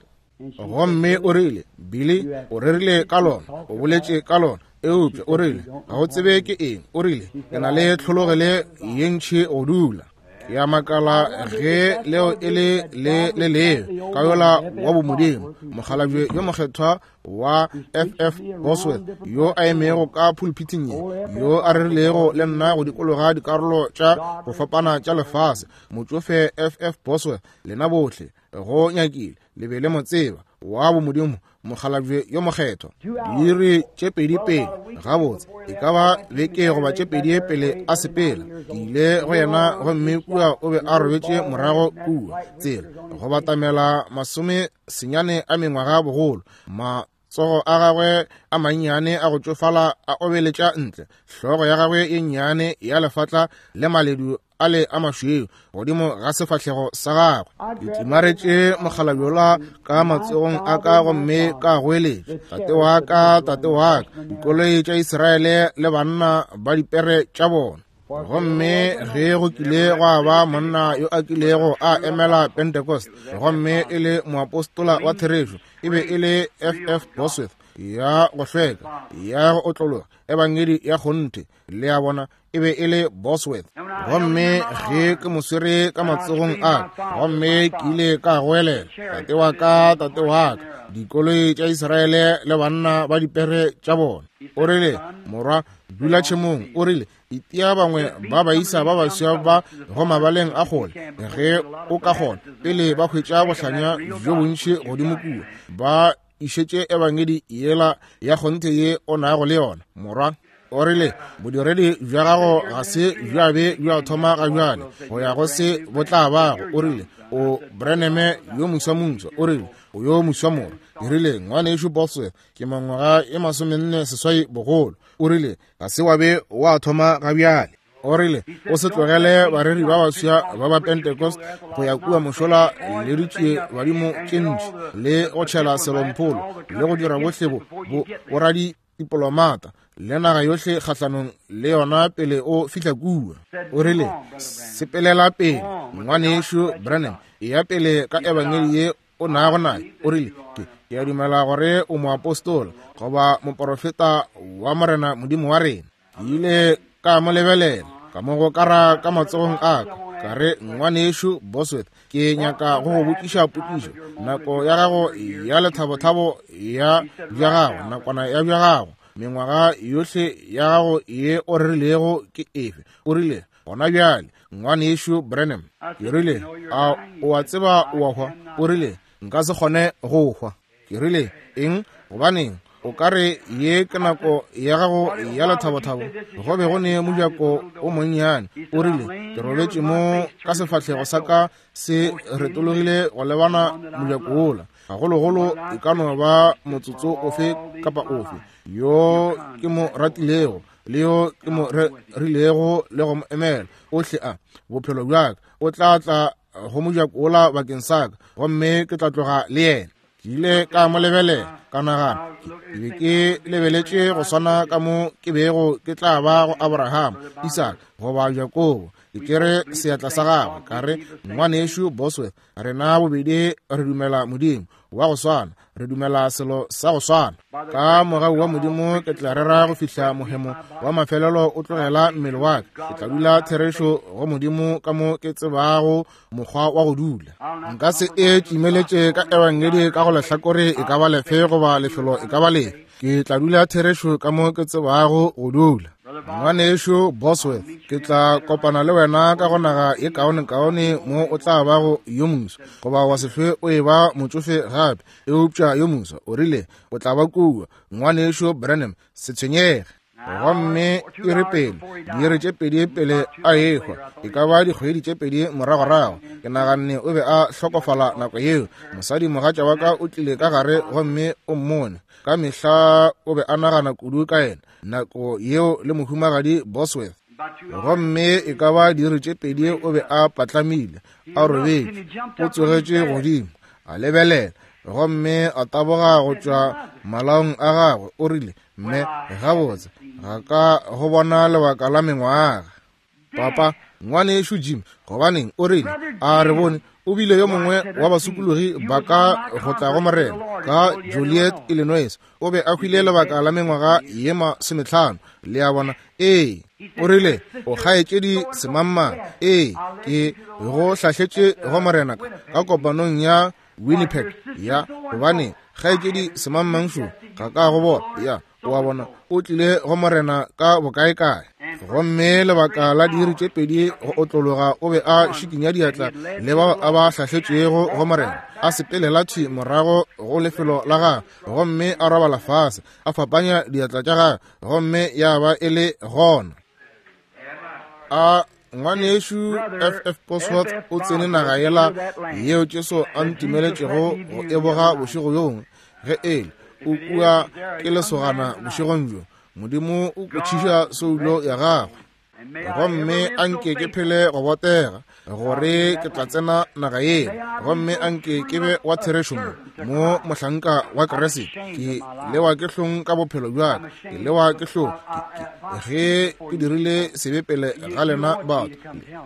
Gomme o rile, Billy, o rerile ka lona, o boletše ka lona, eupša o rile, ga o tsebe ke eng. O rile, ke na le tlhologele ye ntši go dula. Ke a makala ge leo e le le le leo ka yola wa bomodimo, mokgalabje yo mokgethwa wa FF Bosworth, yo a emego ka pulpiting ye, yo a rerilego le nna go dikologa dikarolo tša go fapana tša lefase, motšofe FF Bosworth, lena bohle go nyakile le be le mo tseba. wa bomodimo, mokgalabje yo mokgethwa. Diiri tše pedi pele, gabotse, e ka ba beke goba tše pedi pele a sepela, ke ile go yena, gomme kua o be a robetše morago kua, tsela go batamela 90 a mengwaga bogolo, matsogo a gagwe a mannyane a go tšofala a obeletša ntle, hlogo ya gagwe ye nnyane ya lefatla le maledu a le a mašweu godimo ga sefahlego sa gagwe. Ke tlimaretše mokgalabjola ka matsogong a ka gomme ka goeletša, Tate wa ka, tate wa ka, dikoloi tša Israele le banna ba dipere tša bona. Gomme ge go kile gwa ba monna yo a kilego a emela Pentecost, gomme e le moapostola wa therešo, e be e le F.F. Bosworth, ya go hlweka, ya go otlologa, ebangedi ya kgonthe, le a bona, e be e le Bosworth. Gomme ge ke mo swere ka matsogong a ka, gomme ke ile ka goelela, Tate wa ka, tate wa ka, dikoloi tša Israele le banna ba dipere tša bona. O rile, Morwa, dula tšhemong. O rile, Itia bangwe ba baisa ba baswa ba go mabaleng a kgole, ge o ka kgona, pele ba hwetša bohlanya bjo bontši godimo kua, ba išetše ebangedi yela ya kgonthe ye o nago le yona, morwa. O rile, Bodiredi bja gago ga se bja be bja thoma ga bjale, go ya go se bo tla bago. O rile, O Branham yo moswa-moswa. O rile, O yo moswa, morwa. Ke rile, Ngwanešu Bosworth, ke mengwaga e 48 bogolo. O rile, Ga se wa be wa thoma ga bjale. O rile, O se tlogele bareri ba baswa ba ba Pentecost go ya kua mošola le ditšie badimo tše ntši, le go tšhela selompholo, le go dira bohle bo, bo, boradipolomata, le naga yohle kgahlanong le yona pele o fihla kua. O rile, Sepelela pele, Ngwanešu Branham, eya pele ka ebangedi ye o nago naye. O rile, Ke, ke a dumela gore o moapostola goba moporofeta wa Morena Modimo wa rena. Ke ile ka mo lebelela, ka mo gokara ka matsogong a ka, ka re, Ngwanešu Bosworth, ke nyaka go go botšiša potšišo. Nako ya gago ya lethabothabo ya bja gago, nakwana ya bja gago, mengwaga yohle ya gago ye o rerilego ke efe? O rile, Gona bjale, Ngwanešu Branham. Ke rile, A o a tseba o a hwa? O rile, Nka se kgone go hwa. Ke rile, Eng? Gobaneng, o ka re ye ke nako ya gago ya lethabothabo. Go be go ne mojako o monnyane. O rile, Ke robetše mo ka sefahlego sa ka se retologile go lebana mojako wola. Gagologolo e ka no ba motsotso ofe kapa ofe yo ke mo ratilego le yo ke mo rilego le go mo emela ohle a bophelo bja ka, o tla tla go mojako wola bakeng sa ka, gomme ke tla tloga le yena. Ke ile ka mo lebelela, ka nagana, ke be ke lebeletše go swana ka mo ke bego ke tla ba go Abraham, Isaka, goba Jakobo. Ke tšere seatla sa gagwe, ka re, Ngwanešu Bosworth, rena bobedi re dumela Modimo wa go swana, re dumela selo sa go swana. Ka mogau wa Modimo ke tla rera go fihla mohemo wa mafelelo o tlogela mmele wa ka. Ke tla dula therešo go Modimo ka mo ke tsebago mokgwa wa go dula. Nka se e tšimeletše ka ebangedi ka go lehlakore e ka ba lefe goba lefelo e ka ba lefe. Ke tla dula therešo ka mo ke tsebago go dula. Ngwanešu Bosworth, ke tla kopana le wena ka go naga ye kaonekaone mo o tla bago yo moswa, goba wa se hlwe o eba motšofe gape, eupša yo moswa. O rile, O tla ba kua, Ngwanešu Branham, se tshwenyege. Gomme iri pele, diiri tše pedi pele a ehwa, e ka ba dikgwedi tše pedi moragorago, ke naganne o be a hlokofala nako yeo. Mosadimogatša wa ka o tlile ka gare gomme o mmone. Ka mehla o be a nagana kudu ka yena nako yeo le mohumagadi Bosworth. Gomme e ka ba diiri tše pedi o be a patlamile, a robetše, o tsogetše godimo, a lebelela, gomme a taboga go tšwa malaong a gagwe. O rile, Mme, gabotse, ga ka go bona lebaka la mengwaga. Papa, ngwanešu Jim, gobaneng, o rile, a re bone, o bile yo mongwe wa basokologi ba ka go tla go Morena ka Joliet, Illinois. O be a hwile lebaka la mengwaga ye 50. Le a bona? Ee. O rile, O kgaetšedi semangmang. Ee, ke go hlahletše go Morena ka kopanong ya Winnipeg. Ya, gobane kgaetšedi semangmang šo ga ka go bona. Ya, o a bona, o tlile go Morena ka bokaekae. Gomme lebaka la diiri tše pedi go otlologa o be a šikinya diatla le bao a ba hlahletšego go Morena, a sepelela thwi morago go lefelo la gagwe gomme a robala fase, a fapanya diatla tša gagwe, gomme ya ba e le gona. A ngwanešu FF Bosworth o tsene naga yela yeo Jesu a ntumeletšego go e boga bošego bjo ge ele o kua ke lesogana bošegong bjo. Modimo o kwešiša soulo ya gagwe. Gomme a nke ke phele go botega gore ke tla tsena naga yeo, gomme a nke ke be wa therešo mo, mo mohlanka wa Kriste. Ke lewa ke hlong ka bophelo bja ka, ke lewa ke hlong ge ke dirile sebe pele ga lena batho.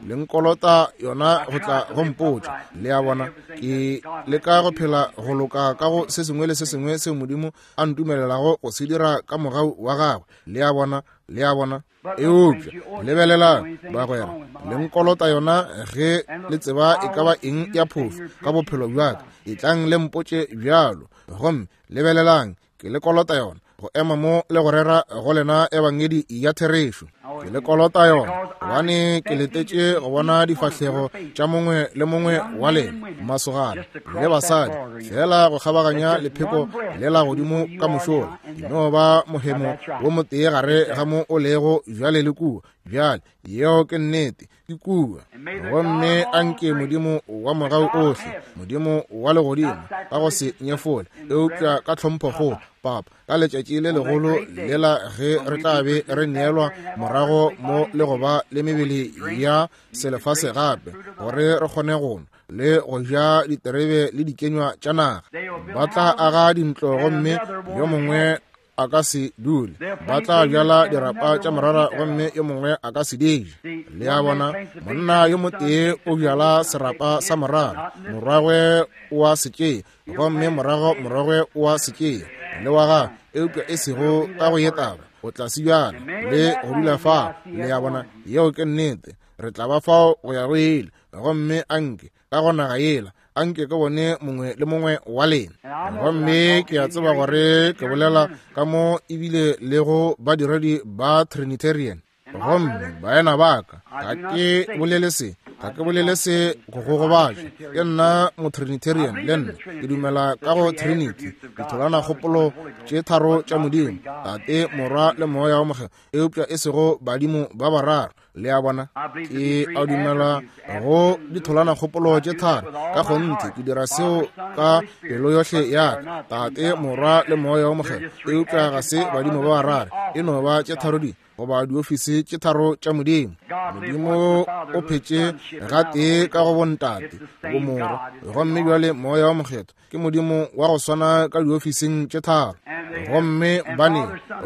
Le nkolota yona go tla go mpotša. Le a bona, ke leka go phela go loka ka go se sengwe le se sengwe seo Modimo a ntumelelago go se dira ka mogau wa gagwe. Le a bona, le a bona. Eupša lebelelang, bagwera, le nkolota yona ge le tseba e ka ba eng ya phošo ka bophelo bja ka. Etlang le mpotše bjalo. Gomme lebelelang, ke le kolota yona go ema mo le go rera go lena ebangedi ya therešo. Ke le kolota yona gobane ke letetše go bona difahlego tša mongwe le mongwe wa lena, masogana le basadi, fela go kgabaganya lepheko le la godimo ka mošola. Di no ba mohemo wo motee gare ga mo o lego bjale le kua. Bjale, yeo ke nnete, ke kua. Gomme a nke Modimo wa mogau ohle, Modimo wa legodimo, ka go se nyefole, eupša ka tlhomphokgolo, Papa, ka letšatši le legolo lela ge re tla be re neelwa morago mo le go ba le mebele ya selefase gape, gore re kgone go nwa le go ja diterebe le dikenywa tša naga. Ba tla aga dintlo gomme yo mongwe a ka se dule, ba tla bjala dirapa tša morara gomme yo mongwe a ka se di je. Le a bona, monna yo motee o bjala serapa sa morara, morwagwe o a se tšea, gomme morago morwagwe o a se tšea le wa gagwe, eupša e sego ka go ye taba, o tla se bjala le go dula fao. Le a bona, yeo ke nnete. Re tla ba fao go ya go ile. Gomme anke ka go naga yela, anke ke bone mongwe le mongwe wa lena. Gomme ke a tseba gore ke bolela ka mo ebile le go badiredi ba Trinitarian. Gomme baena ba ka, ga ke bolele se, ga ke bolele se go go gobatša. Ke nna Motrinitarian le nna, ke dumela ka go Trinity, ditholwanakgopolo tše tharo tša Modimo, Tate, Morwa le Moya wo Mokgethwa, eupša e sego badimo ba bararo. Le a bona, ke a dumela go ditholwanakgopolo tše tharo. Ka kgonthe ke dira seo ka pelo yohle ya ka, Tate, Morwa le Moya wo Mokgethwa, eupša ga se badimo ba bararo, e no ba tše tharo di goba diofisi tše tharo tša Modimo. Modimo o phetše gatee ka go bontate, bomorwa, gomme bjale Moya wo Mokgethwa ke Modimo wa go swana ka diofising tše tharo. Gomme bane,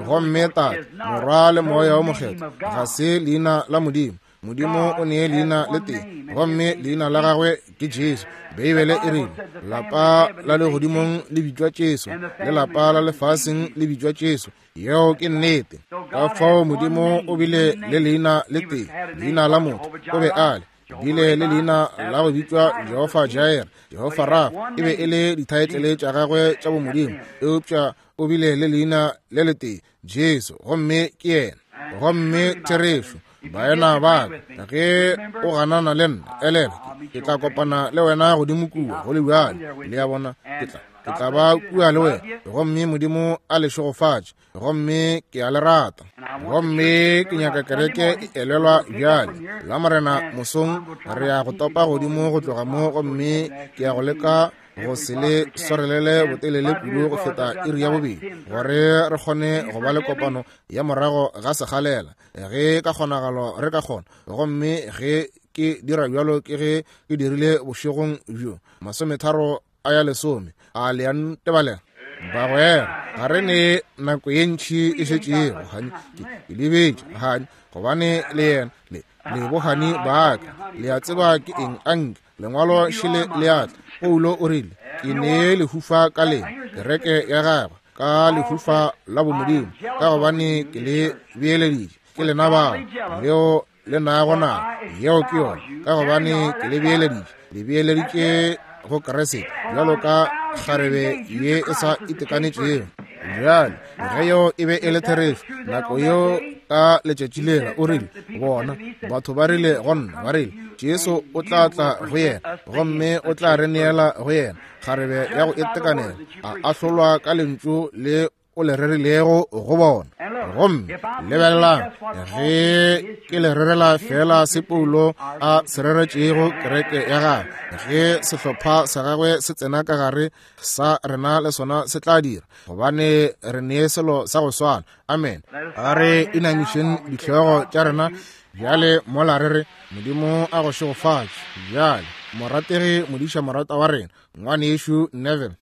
gomme Tate, Morwa le Moya wo Mokgethwa ga se leina la Modimo. Modimo o nee leina le tee, gomme leina la gagwe ke Jesu. Beibele e rile, lapa la legodimong le bitšwa Jesu, le lapa la lefaseng le bitšwa Jesu. Yeo ke nnete. Ka fao Modimo o bile le leina le tee, leina la motho o be a le bile le leina la go bitšwa Jehofa Jair, Jehofa Rafa, e be e le dithaetlele tša gagwe tša bomodimo, eupša o bile le leina le letee, Jesu, gomme ke yena. Gomme therešo, baena ba ka, ge o ganana le nna, elelwa, ke tla kopana le wena godimo kua, go le bjalo. Le a bona, ke tla ba kua le wena, gomme Modimo a le šegofatše. Gomme ke a le rata. Gomme ke nyaka kereke e elelwa bjale. La Morena mosong re ya go topa godimo go tloga mo, gomme ke ya go leka go se le swarelele botelele kudu go feta iri ya bobedi, gore re kgone go ba le kopano ya morago ga sekgalela, ge ka kgonagalo re ka kgona. Gomme ge ke dira bjalo, ke ge ke dirile bošegong bjo 30 a ya lesome. A le a ntebalela? Bagwera, ga re ne nako ye ntši e šetšego, hani, ke lebetše, hani, gobane le yena, le, le bohani ba ka, le a tseba ke eng, anke lengwalo šele le a tla. Paulo o rile, ke ne lehufa ka lena, kereke ya gagwe, ka lehufa la bomodimo, ka gobane ke le beeleditše, ke lena bao, leo le nago na, yeo ke yona, ka gobane ke le beeleditše, le beeleditše go Kriste, bjalo ka kgarebe ye e sa itekanetšego. Bjale, ge yeo e be e le therešo, nako yeo Ka letšatši lela o rile, Bona, batho ba rile go nna, ba rile, Jesu o tla tla go yena, gomme o tla re neela go yena, kgarebe ya go itekanela, a ahlolwa ka lentšu le o le rerilego go bona. Gomme lebelelang, ge ke le rerela feela se Paulo a se reretšego kereke ya gagwe, ge sehlopha sa gagwe se tsena ka gare, sa rena le sona se tla dira, gobane re nee selo sa go swana. Amen. A re inamišeng dihlogo tša rena bjale mola re re, Modimo a go šegofatše. Bjale, morategi modiša morata wa rena, Ngwanešu Neville.